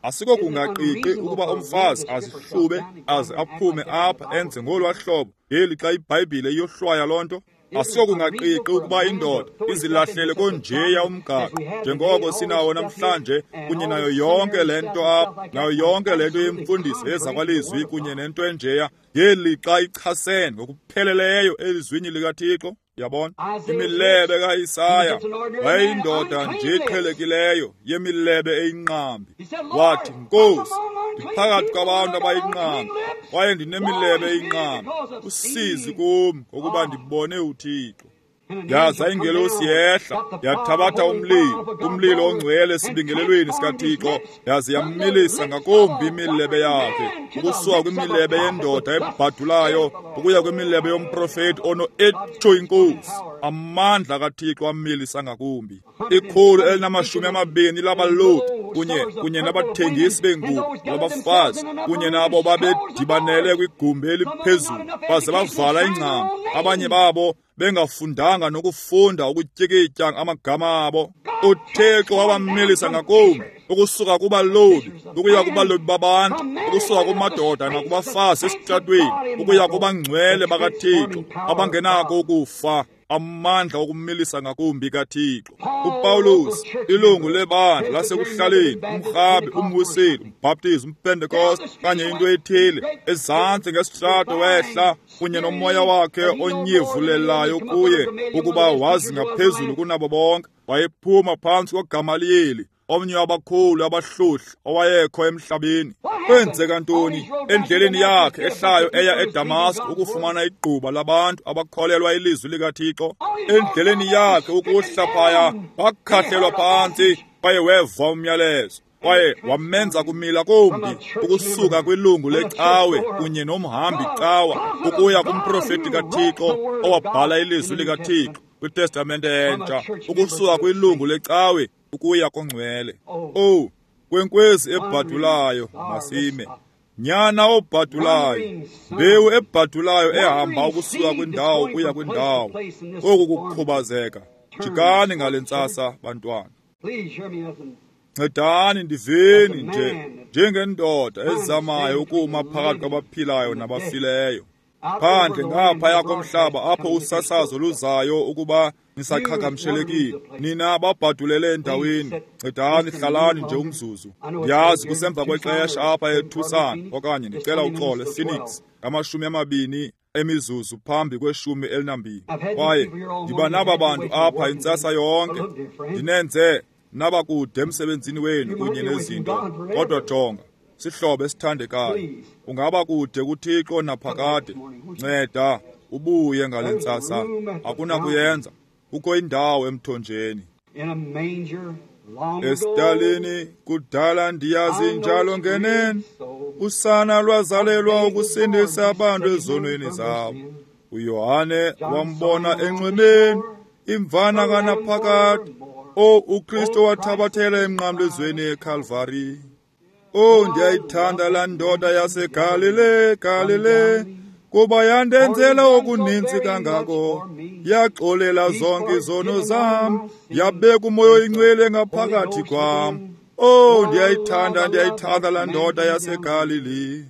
Asikokungaqiqi ukuba umfazi azihlube aze aphume apha enze ngolwa hlobo ngeli xa iBhayibhile iyohlwaya loo nto. Asikokungaqiqi ukuba indoda izilahlele konjeya umgaqo njengoko sinawo namhlanje, kunye nayo yonke le nto apha, nayo yonke le nto yemfundiso yezakwalizwi kunye nento enjeya, ngeli xa ichasene ngokupheleleyo elizwini likaThixo. Yabona? Imilebe kaIsaya wayeyindoda nje eqhelekileyo yemilebe eyinqambi. Wathi, Nkosi, ndiphakathi kwabantu abayinqambi kwaye ndinemilebe eyinqambi. Usizi kum ngokuba ndibone uThixo. Yaza ingelosi yehla, yathabatha umlilo, umlilo ongcwele esibingelelweni sikaThixo, yaze yamilisa ngakumbi imilebe yakhe, ukusuka kwimilebe yendoda ebhadulayo ukuya kwimilebe yomprofeti ono-etsho inkosi. Amandla kaThixo amilisa ngakumbi. 120 labalobi kunye nabathengisi beengubo nabafazi kunye nabo babedibanele kwigumbi eliphezulu, baze bavala ingcambu, abanye babo bengafundanga nokufunda ukutyikitya amagama abo. uThixo wabamilisa ngakumbi, ukusuka kubalobi ukuya kubalobi babantu, ukusuka kumadoda nakubafazi esitratweni ukuya kubangcwele bakaThixo abangenako ukufa. Amandla okumilisa ngakumbi kaThixo. uPaulus, ilungu lebandla lasekuhlaleni, umrhabi, umwiseli, umbhaptizi, umpentekoste kanye into ethile, ezantsi ngesitrato wehla kunye nomoya wakhe onyevulelayo kuye ukuba wazi ngaphezulu kunabo bonke. Wayephuma phantsi koGamaliyeli, omnye wabakhulu abahlohli owayekho emhlabeni. Kwenzeka ntoni endleleni yakhe ehlayo eya eDamasko ukufumana igquba labantu abakholelwa ilizwi likaThixo? Endleleni yakhe ukuhla phaya wakhahlelwa phantsi kwaye weva umyalezo, kwaye wamenza kumila kumbi ukusuka kwilungu lecawe kunye nomhambi cawa ukuya kumprofeti kaThixo owabhala ilizwi likaThixo kwiTestamente entsha, ukusuka kwilungu lecawe ukuya kongcwele. Oh, kwenkwezi ebhadulayo masime, nyana obhadulayo, mbewu ebhadulayo ehamba ukusuka kwindawo kuya kwindawo. Oku kukhubazeka Jikani ngale ntsasa, bantwana. Ncedani ndiveni nje njengendoda ezamayo ukuma phakathi kwabaphilayo nabafileyo. Phandle ngaphaya komhlaba apho usasazo luzayo ukuba nisaqhagamshelekile. Nina babhadulele endaweni. Ncedani hlalani nje umzuzu. Ndiyazi kusemva kwexesha apha eTucson, okanye ndicela uxolo ePhoenix, 20 emizuzu phambi kwe-12. Kwaye ndiba naba bantu apha intsasa yonke. Ndinenze nabakude emsebenzini wenu kunye nezinto. Kodwa jonga, sihlobo esithandekayo, ungaba kude kuThixo naphakade. Nceda ubuye ngale ntsasa. Akunakuyenza. Kukho indawo emthonjeni. Esitalini kudala ndiyazi njalo ngenene, usana lwazalelwa ukusindisa abantu ezonweni zabo. uYohane wambona enxwemeni, imvana kanaphakade. O, uKristu wathabathela emnqamlezweni eKalvari. O, ndiyayithanda laa ndoda yaseGalile, Galile, kuba yandenzela okuninzi kangako. Yaxolela zonke izono zam, yabeka uMoya oyiNgcwele ngaphakathi kwam. O, ndiyayithanda, ndiyayithanda laa ndoda yaseGalili.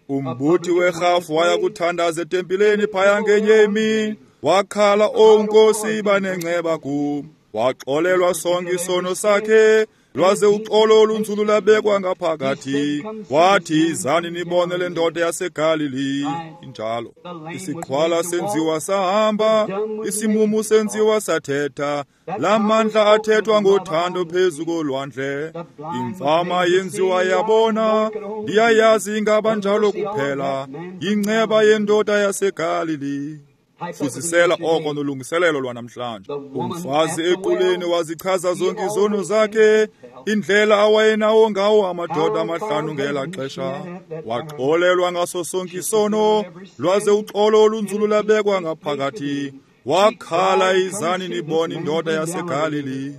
Umbuthi werhafu waya kuthandaza etempileni phaya ngenye imini. Wakhala, O Nkosi, iba nenceba kum. Waxolelwa sonke isono sakhe, lwaze uxolo olunzulu labekwa ngaphakathi. Wathi, izani nibone le ndoda yaseGalili. Injalo. Isiqhwala senziwa sahamba, isimumu senziwa sathetha. La mandla athethwa ngothando phezu kolwandle. Imfama yenziwa yabona, ndiyayazi ingaba njalo kuphela. Yinceba yendoda yaseGalili. Fuzisela oko nolungiselelo lwanamhlanje. Umfazi equleni wazichaza zonke izono zakhe, indlela awayenawo ngawo amadoda 5 ngela xesha. Waxolelwa ngaso sonke isono, lwaze uxolo olunzulu labekwa ngaphakathi. Wakhala, izani nibone indoda yaseGalili.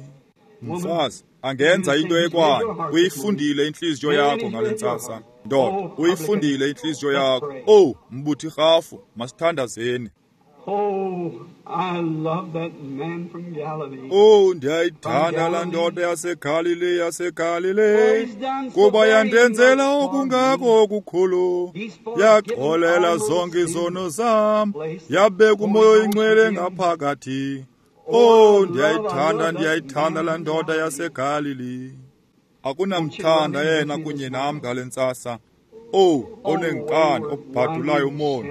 Mfazi angenza into ekwayo. Uyifundile intliziyo yakho ngale ntsasa. Ndoda, uyifundile intliziyo yakho. Oh, mbuthi rhafu, masithandazeni. Oh, I love that man from Galilee. Oh, ndiyayithanda laa ndoda yaseGalile, yaseGalile, kuba yandenzela okungako okukhulu. Yaxolela zonke izono zam, yabeka uMoya oyiNgcwele ngaphakathi. Oh, ndiyayithanda, ndiyayithanda laa ndoda yaseGalili. Akunamthanda yena kunye nam ngale ntsasa. Oh, onenkani, obhadulayo umoni,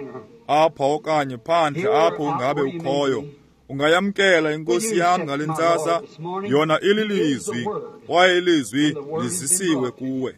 apha okanye phandle apho ungabe ukhoyo. Ungayamkela inkosi yam ngale ntsasa. Yona ililizwi, kwaye ilizwi lizisiwe kuwe.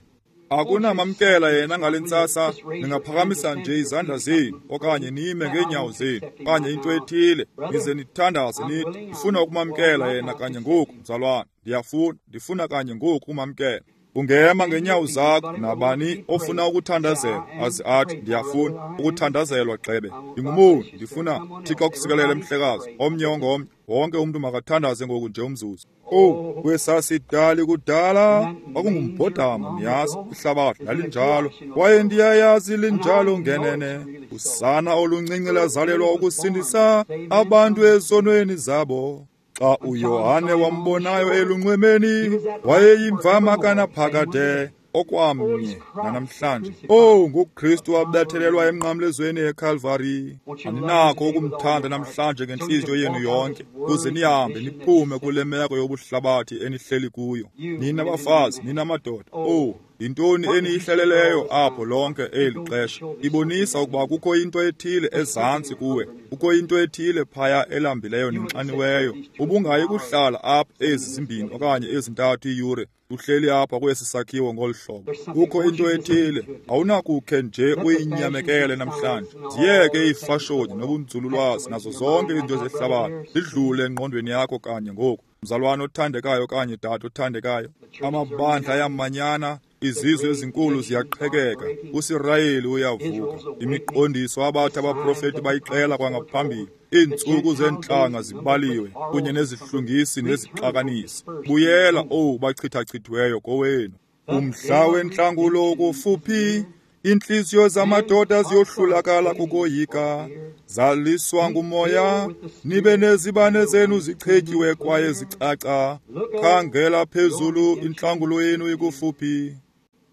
Akunamamkela yena ngale ntsasa. Ningaphakamisa nje izandla zenu, okanye nime ngeenyawo zenu, okanye into ethile, nize nithandaze nithi, ndifuna ukumamkela yena kanye ngoku, mzalwane. Ndiyafuna, ndifuna kanye ngoku ukumamkela. Ungema ngenyawo zakho. Nabani ofuna ukuthandazelwa aze athi, ndiyafuna ukuthandazelwa gxebe, ndingumoni, ndifuna Thixo akusikelele mhlekazi. Omnye ongomnye, wonke umntu makathandaze ngoku nje umzuzu. Oh, kwesasidali kudala kwakungumbhodamo, niyazi, ihlabathi lalinjalo, kwaye ndiyayazi linjalo ngenene. Usana oluncinci lazalelwa ukusindisa abantu ezonweni zabo. Xa uYohane wambonayo elunxwemeni, wayeyimvama kanaphakade, okwamnye nanamhlanje. Oh, nguKristu wabethelelwa emnqamlezweni eKalvari. Aninakho ukumthanda namhlanje ngentliziyo yenu yonke, kuze nihambe niphume kule meko yobuhlabathi enihleli kuyo. Nina bafazi, nina madoda, oh, yintoni eniyihleleleyo apho lonke eli xesha? Ibonisa ukuba kukho into ethile ezantsi kuwe, kukho into ethile phaya elambileyo nenxaniweyo. Ubungayi kuhlala apha ezi 2 okanye 3 iiyure uhleli apha kwesi sakhiwo ngolu hlobo. Kukho into ethile, awunakukhe nje uyinyamekele namhlanje. Ziyeke iifashoni nobunzululwazi nazo zonke izinto zehlabathi zidlule engqondweni yakho kanye ngoku. Mzalwane othandekayo okanye dade othandekayo, amabandla ayamanyana, izizwe ezinkulu ziyaqhekeka, uSirayeli uyavuka. Imiqondiso abathi abaprofeti bayixela kwangaphambili. Iintsuku zeentlanga zibaliwe, kunye nezihlungisi nezixakanisi. Buyela, owu bachithachithiweyo, kowenu. Umhla wentlangulo ukufuphi, Iintliziyo zamadoda ziyohlulakala kukoyika. Zaliswa ngumoya, nibe nezibane zenu zichetyiwe kwaye zicaca. Khangela phezulu, intlangulo yenu ikufuphi.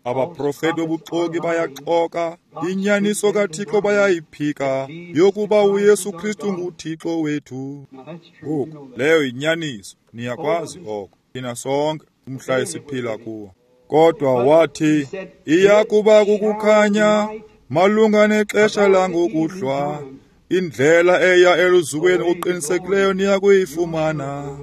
Abaprofeti bobuxoki bayaxoka, inyaniso kaThixo bayayiphika, yokuba uYesu Kristu nguThixo wethu. Ngoku, leyo yinyaniso, niyakwazi oko, thina sonke, umhla esiphila kuwo. Kodwa wathi, iya kuba kukukhanya malunga nexesha langokuhlwa, indlela eya eluzukweni okuqinisekileyo niya kuyifumana.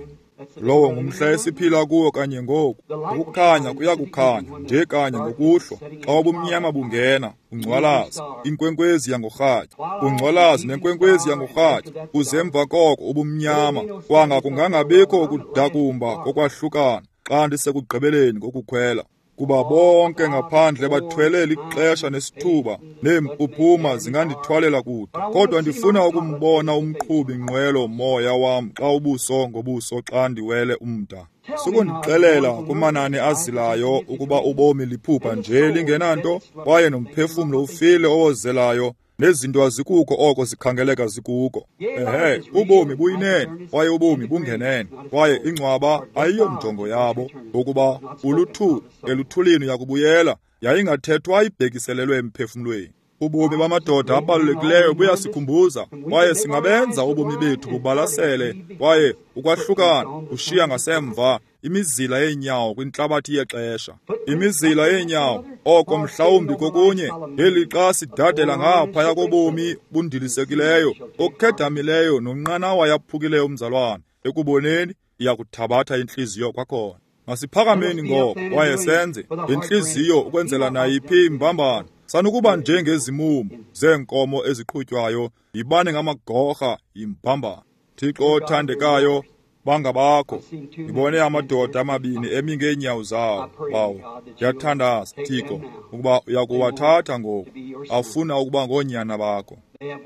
Lowo ngumhla esiphila kuwo kanye ngoku. Ukukhanya kuya kukhanya nje kanye ngokuhlwa, xa ubumnyama bungena, ungcwalazi, inkwenkwezi yangorhatya, ungcwalazi nenkwenkwezi yangorhatya, uze emva koko ubumnyama, kwanga kungangabikho ukudakumba kokwahlukana xa ndisekugqibeleni kokukhwela. Kuba bonke ngaphandle bathwele lixesha nesithuba, neempuphuma zingandithwalela kude. Kodwa ndifuna ukumbona umqhubi nqwelo moya wam xa ubuso ngobuso xa ndiwele umda. Sukundixelela kumanani azilayo ukuba ubomi liphupha nje lingenanto, kwaye nomphefumlo ufile owozelayo, nezinto azikuko oko zikhangeleka zikuko. Ehe, ubomi buyinene, kwaye ubomi bungenene, kwaye ingcwaba ayiyonjongo yabo, ngokuba uluthuli, eluthulini uyakubuyela, yayingathethwa ibhekiselelwe emphefumlweni. Ubomi bamadoda abalulekileyo buyasikhumbuza, kwaye singabenza ubomi bethu bubalasele, kwaye ukwahlukana ushiya ngasemva imizila yeenyawo kwintlabathi yexesha. Imizila yeenyawo, oko mhlawumbi kokunye, ngelixa sidadela ngaphaya kobomi bundilisekileyo, okhedamileyo nonqanawa yaphukileyo umzalwane, ekuboneni iyakuthabatha intliziyo kwakhona. Masiphakameni ngoko, kwaye senze ngentliziyo ukwenzela nayiphi imbambano. Sanukuba njengezimumu zeenkomo eziqhutywayo, yibani ngamagorha yimbambano. Thixo othandekayo, bangabakho. Ndibone amadoda amabini emi ngeenyawo zawo, bawo. Ndiyathandaza, Thixo, ukuba uyakuwathatha ngoku, afuna ukuba ngoonyana bakho.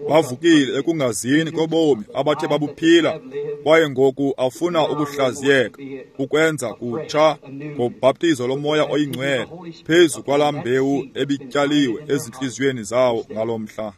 Bavukile ekungazini kobomi abathe babuphila, kwaye ngoku afuna ukuhlaziyeka, ukwenza kutsha ngobhaptizo lomoya oyingcwele phezu kwalaa mbewu ebityaliwe ezintliziyweni zawo ngalo mhla.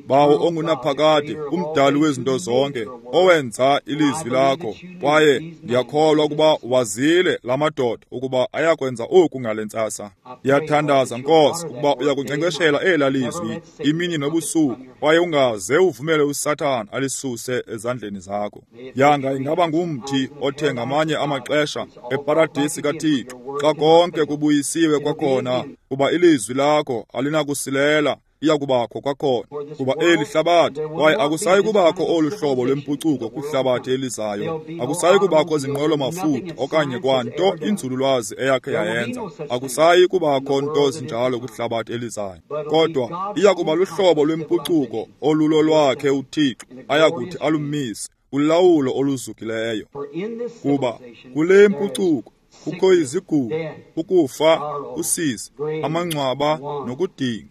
Bawo ongunaphakade, umdali wezinto zonke, owenza ilizwi lakho, kwaye ndiyakholwa ukuba wazile la madoda ukuba ayakwenza oku ngale ntsasa. Ndiyathandaza, Nkosi, ukuba uyakunkcenkceshela ela lizwi imini nobusuku, kwaye ungaze uvumele uSathana alisuse ezandleni zakho. Yanga ingaba ngumthi othe ngamanye amaxesha eparadisi kaThixo, xa konke kubuyisiwe kwakhona, kuba ilizwi lakho alinakusilela, iyakubakho kwakhona, kuba eli hlabathi, kwaye akusayi kubakho olu hlobo lwempucuko kwihlabathi elizayo. Akusayi kubakho zinqwelo mafutha okanye kwanto inzululwazi eyakhe yayenza. Akusayi kubakho nto zinjalo kwihlabathi elizayo. Kodwa iyakuba luhlobo lwempucuko olulo lwakhe uThixo ayakuthi alumise ulawulo oluzukileyo. Kuba kule mpucuko kukho izigulo, ukufa, usizi, amangcwaba nokudinga.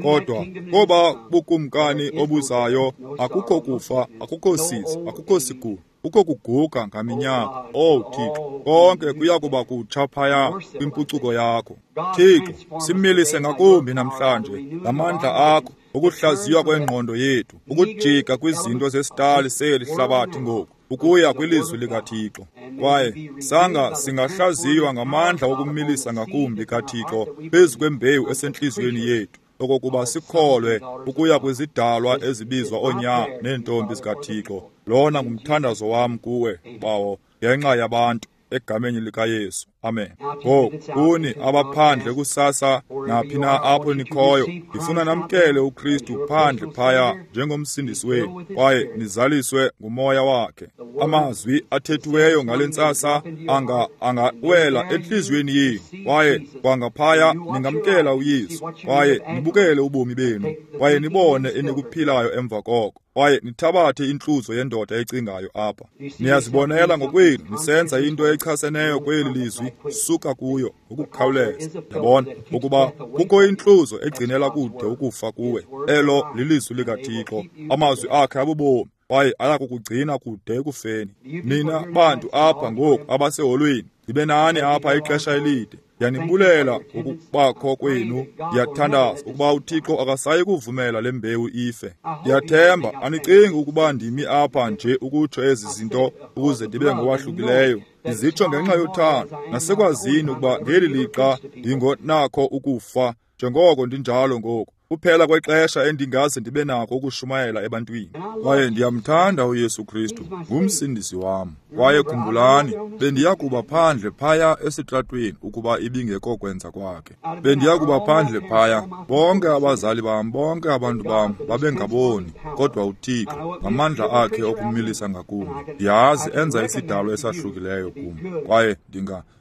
Kodwa koba bukumkani obuzayo akukho kufa, akukho sizi, akukho sigulo, kukho kuguga ngaminyaka. Oh Thixo, konke kuya kuba kutsha phaya kwimpucuko yakho. Thixo, similise ngakumbi namhlanje ngamandla akho, ukuhlaziywa kwengqondo yethu, ukujika kwizinto zesitali seli hlabathi ngoku, ukuya kwilizwi likaThixo. Kwaye sanga singahlaziywa ngamandla okumilisa ngakumbi kaThixo phezu kwembewu esentliziyweni yethu, okokuba sikholwe ukuya kwizidalwa ezibizwa oonyana neentombi zikaThixo. Lona ngumthandazo wam kuwe, Bawo, ngenxa yabantu, egameni likaYesu. Amen. Ngoku kuni abaphandle kusasa, naphi na apho nikhoyo, ndifuna namkele uKristu phandle phaya njengomsindisi wenu, kwaye nizaliswe ngumoya wakhe. Amazwi athethiweyo ngale ntsasa angawela entliziyweni yenu, kwaye kwangaphaya ningamkela uYesu, kwaye nibukele ubomi benu, kwaye nibone enikuphilayo emva koko, kwaye nithabathe intluzo yendoda ecingayo apha. Niyazibonela ngokwenu nisenza into echaseneyo kweli lizwi, suka kuyo ngokukhawuleza. Yabona ukuba kukho intluzo egcinela kude ukufa kuwe. Elo lilizwi likaThixo, amazwi akhe abubomi, kwaye ayakukugcina kude ekufeni. Nina bantu apha ngoku abaseholweni, ndibe nani apha ixesha elide. Ndiyanibulela ngokubakho kwenu. Ndiyathandaza ukuba uThixo akasayi kuvumela le mbewu ife. Ndiyathemba anicingi ukuba ndimi apha nje ukutsho ezi zinto ukuze ndibe ngowahlukileyo. Ndizitsho ngenxa yothando nasekwazini ukuba ngeli lixa ndingonakho ukufa njengoko ndinjalo ngoku. Kuphela kwexesha endingaze ndibe nako ukushumayela ebantwini. Kwaye ndiyamthanda uYesu Kristu, ngumsindisi wam. Kwaye khumbulani, bendiya kuba phandle phaya esitratweni ukuba ibingekokwenza kwakhe. Bendiya kuba phandle phaya, bonke abazali bam, bonke abantu bam babengaboni, kodwa uThixo ngamandla akhe okumilisa ngakum, ndiyazi enza isidalo esahlukileyo kum. Kwaye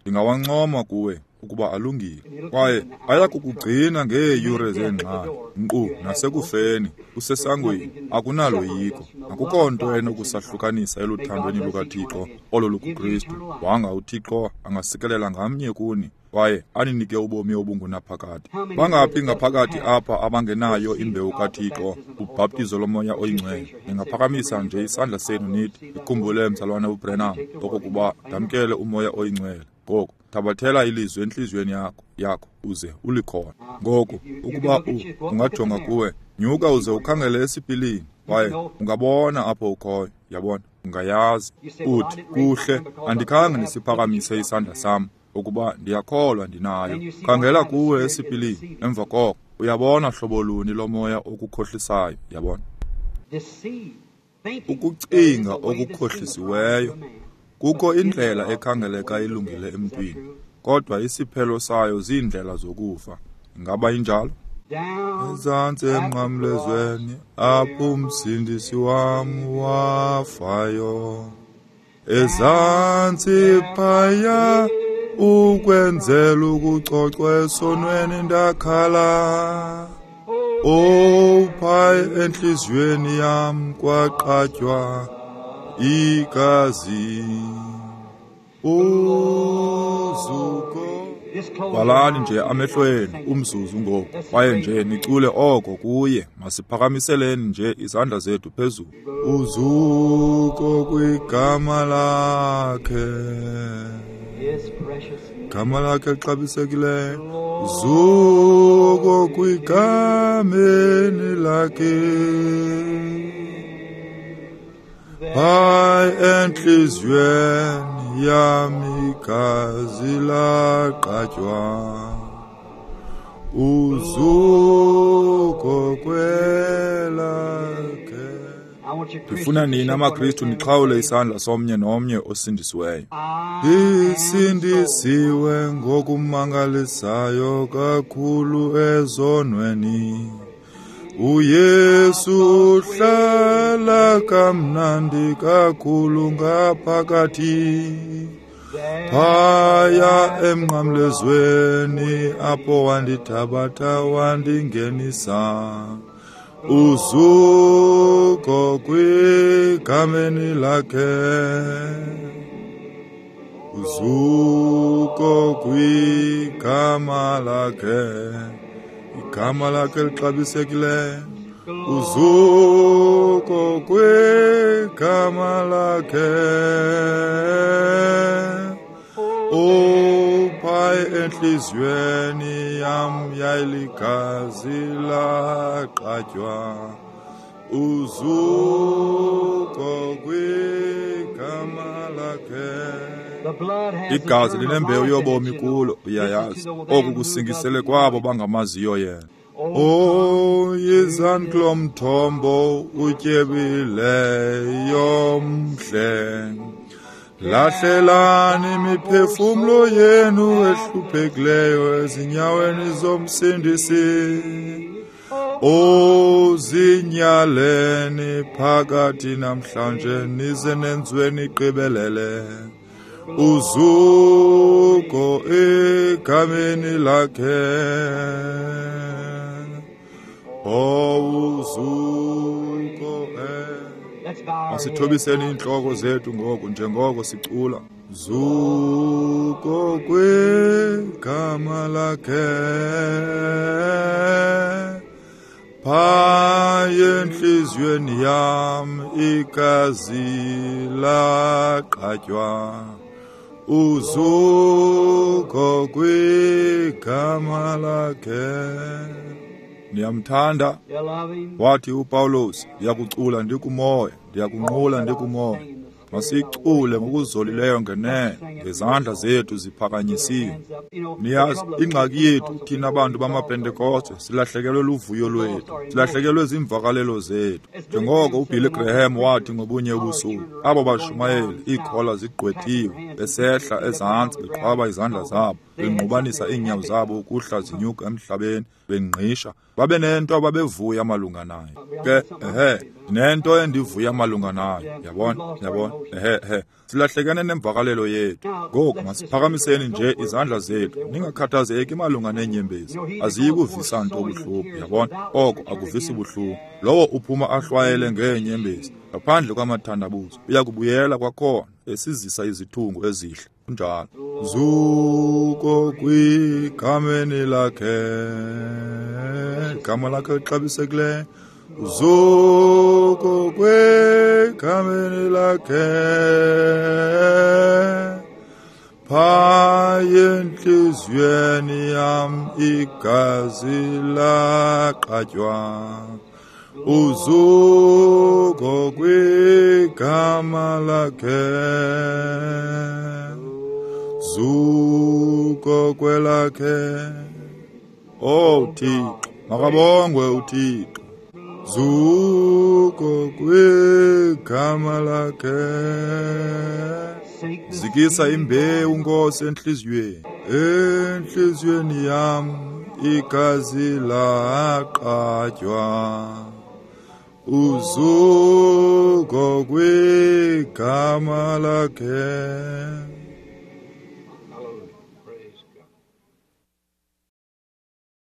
ndingawancoma kuwe ukuba alungile, kwaye ayakukugcina ngeeyure zeengxaki, nkqu nasekufeni, usesangweni, akunaloyiko, akukho nto enokusahlukanisa eluthandweni lukaThixo olo lukuKristu. Wanga uThixo angasikelela ngamnye kuni kwaye aninike ubomi obungunaphakade. Bangaphi ngaphakathi apha abangenayo imbewu kaThixo, ubhaptizo loMoya oyiNgcwele? Ningaphakamisa nje isandla senu nithi, "Ndikhumbule, mzalwana uBranham, okokuba ndamkele uMoya oyiNgcwele." Ngoku thabathela ilizwi entliziyweni yakho uze ulikhona. Ngoku ukuba ungajonga kuwe, nyuka uze ukhangele esipilini, kwaye ungabona apho ukhoyo. Yabona, ungayazi. Uthi, "Kuhle, andikhange ndisiphakamise isandla sam ukuba ndiyakholwa ndinayo." Khangela kuwe esipilini, emva koko uyabona hlobo luni lomoya okukhohlisayo. Yabona, ukucinga okukhohlisiweyo. Kukho indlela ekhangeleka ilungile emntwini, kodwa isiphelo sayo ziindlela zokufa. Ingaba injalo? Ezantsi emnqamlezweni apho umsindisi wam wafayo, ezantsi phaya ukwenzela ukucocwa esonweni ndakhala. Oh, phaya entliziyweni yam kwaqatywa igazi. Uzuko. Valani nje amehlo enu umzuzu ngoku, kwaye nje nicule oko kuye. Masiphakamiseleni nje izandla zethu phezulu. Uzuko kwigama lakhe, gama lakhe lixabisekileyo. Uzuko kwigameni lakhe, hayi entliziyweni yam igazi laqatywa. Uzuko kwelakhe. Ndifuna nina maKristu nixhawule isandla somnye nomnye osindisiweyo. Ndisindisiwe ngokumangalisayo kakhulu ezonweni. uYesu uhlala kamnandi kakhulu ngaphakathi. Phaya emnqamlezweni apho wandithabatha wandingenisa. Uzuko kwigameni lakhe, uzuko kwigama lakhe, igama lakhe lixabisekileyo. Uzuko kwigama lakhe. Uphaye entliziyweni yam yayiligazi laqatywa. Uzuko kwigama lakhe. Igazi linembewu yobomi kulo, uyayazi. Oku kusingisele kwabo bangamaziyo yena. Oh, yizani kulo mthombo utyebileyo mhle. Lahlelani imiphefumlo yenu ehluphekileyo ezinyaweni zomsindisi. Oh, zinyaleni phakathi namhlanje nize nenziwe nigqibelele. Uzuko egameni lakhe. Oh, uzuko. Masithobiseni iintloko zethu ngoku njengoko sicula. Zuko kwigama lakhe, phaya entliziyweni yam igazi laqatywa. Uzuko kwigama lakhe. Niyamthanda? Wathi uPawulos, ndiyakucula ndikumoya, ndiyakunqula ndikumoya. Masicule ngokuzolileyo ngenene, ngezandla zethu ziphakanyisiwe. Niyazi, ingxaki yethu thina bantu bamaPentekoste silahlekelwe luvuyo lwethu, silahlekelwe ziimvakalelo zethu. Njengoko uBilly Graham wathi ngobunye ubusuku, abo bashumayeli iikhola zigqwethiwe, besehla ezantsi beqhwaba izandla zabo, bengqubanisa iinyawo zabo ukuhla zinyuka emhlabeni, bengqisha. Babe nento ababevuya malunga nayo. Ke, ehe, nento endivuya malunga nayo. Yabona, yabona, ehe, ehe. Silahlekene nemvakalelo yethu. Ngoku masiphakamiseni nje izandla zethu. Ningakhathazeki malunga neenyembezi. Aziyi kuvisa nto buhlungu, yabona. Oko akuvisi buhlungu. Lowo uphuma ahlwayele ngeenyembezi, ngaphandle kwamathandabuzo, uya kubuyela kwakhona esizisa izithungu ezihle. Kunjalo. Zuko kwigameni lakhe, igama lakhe lixabisekileyo. Zuko kwigameni lakhe, phaya entliziyweni yam igazi laqatywa. Uzuko kwigama lakhe, zuko kwelakhe. Oh Thixo, makabongwe uThixo. Zuko kwigama lakhe. Zikisa imbewu Nkosi enhliziyweni, enhliziyweni yam igazi laqatywa. Uzuko kwigama lakhe.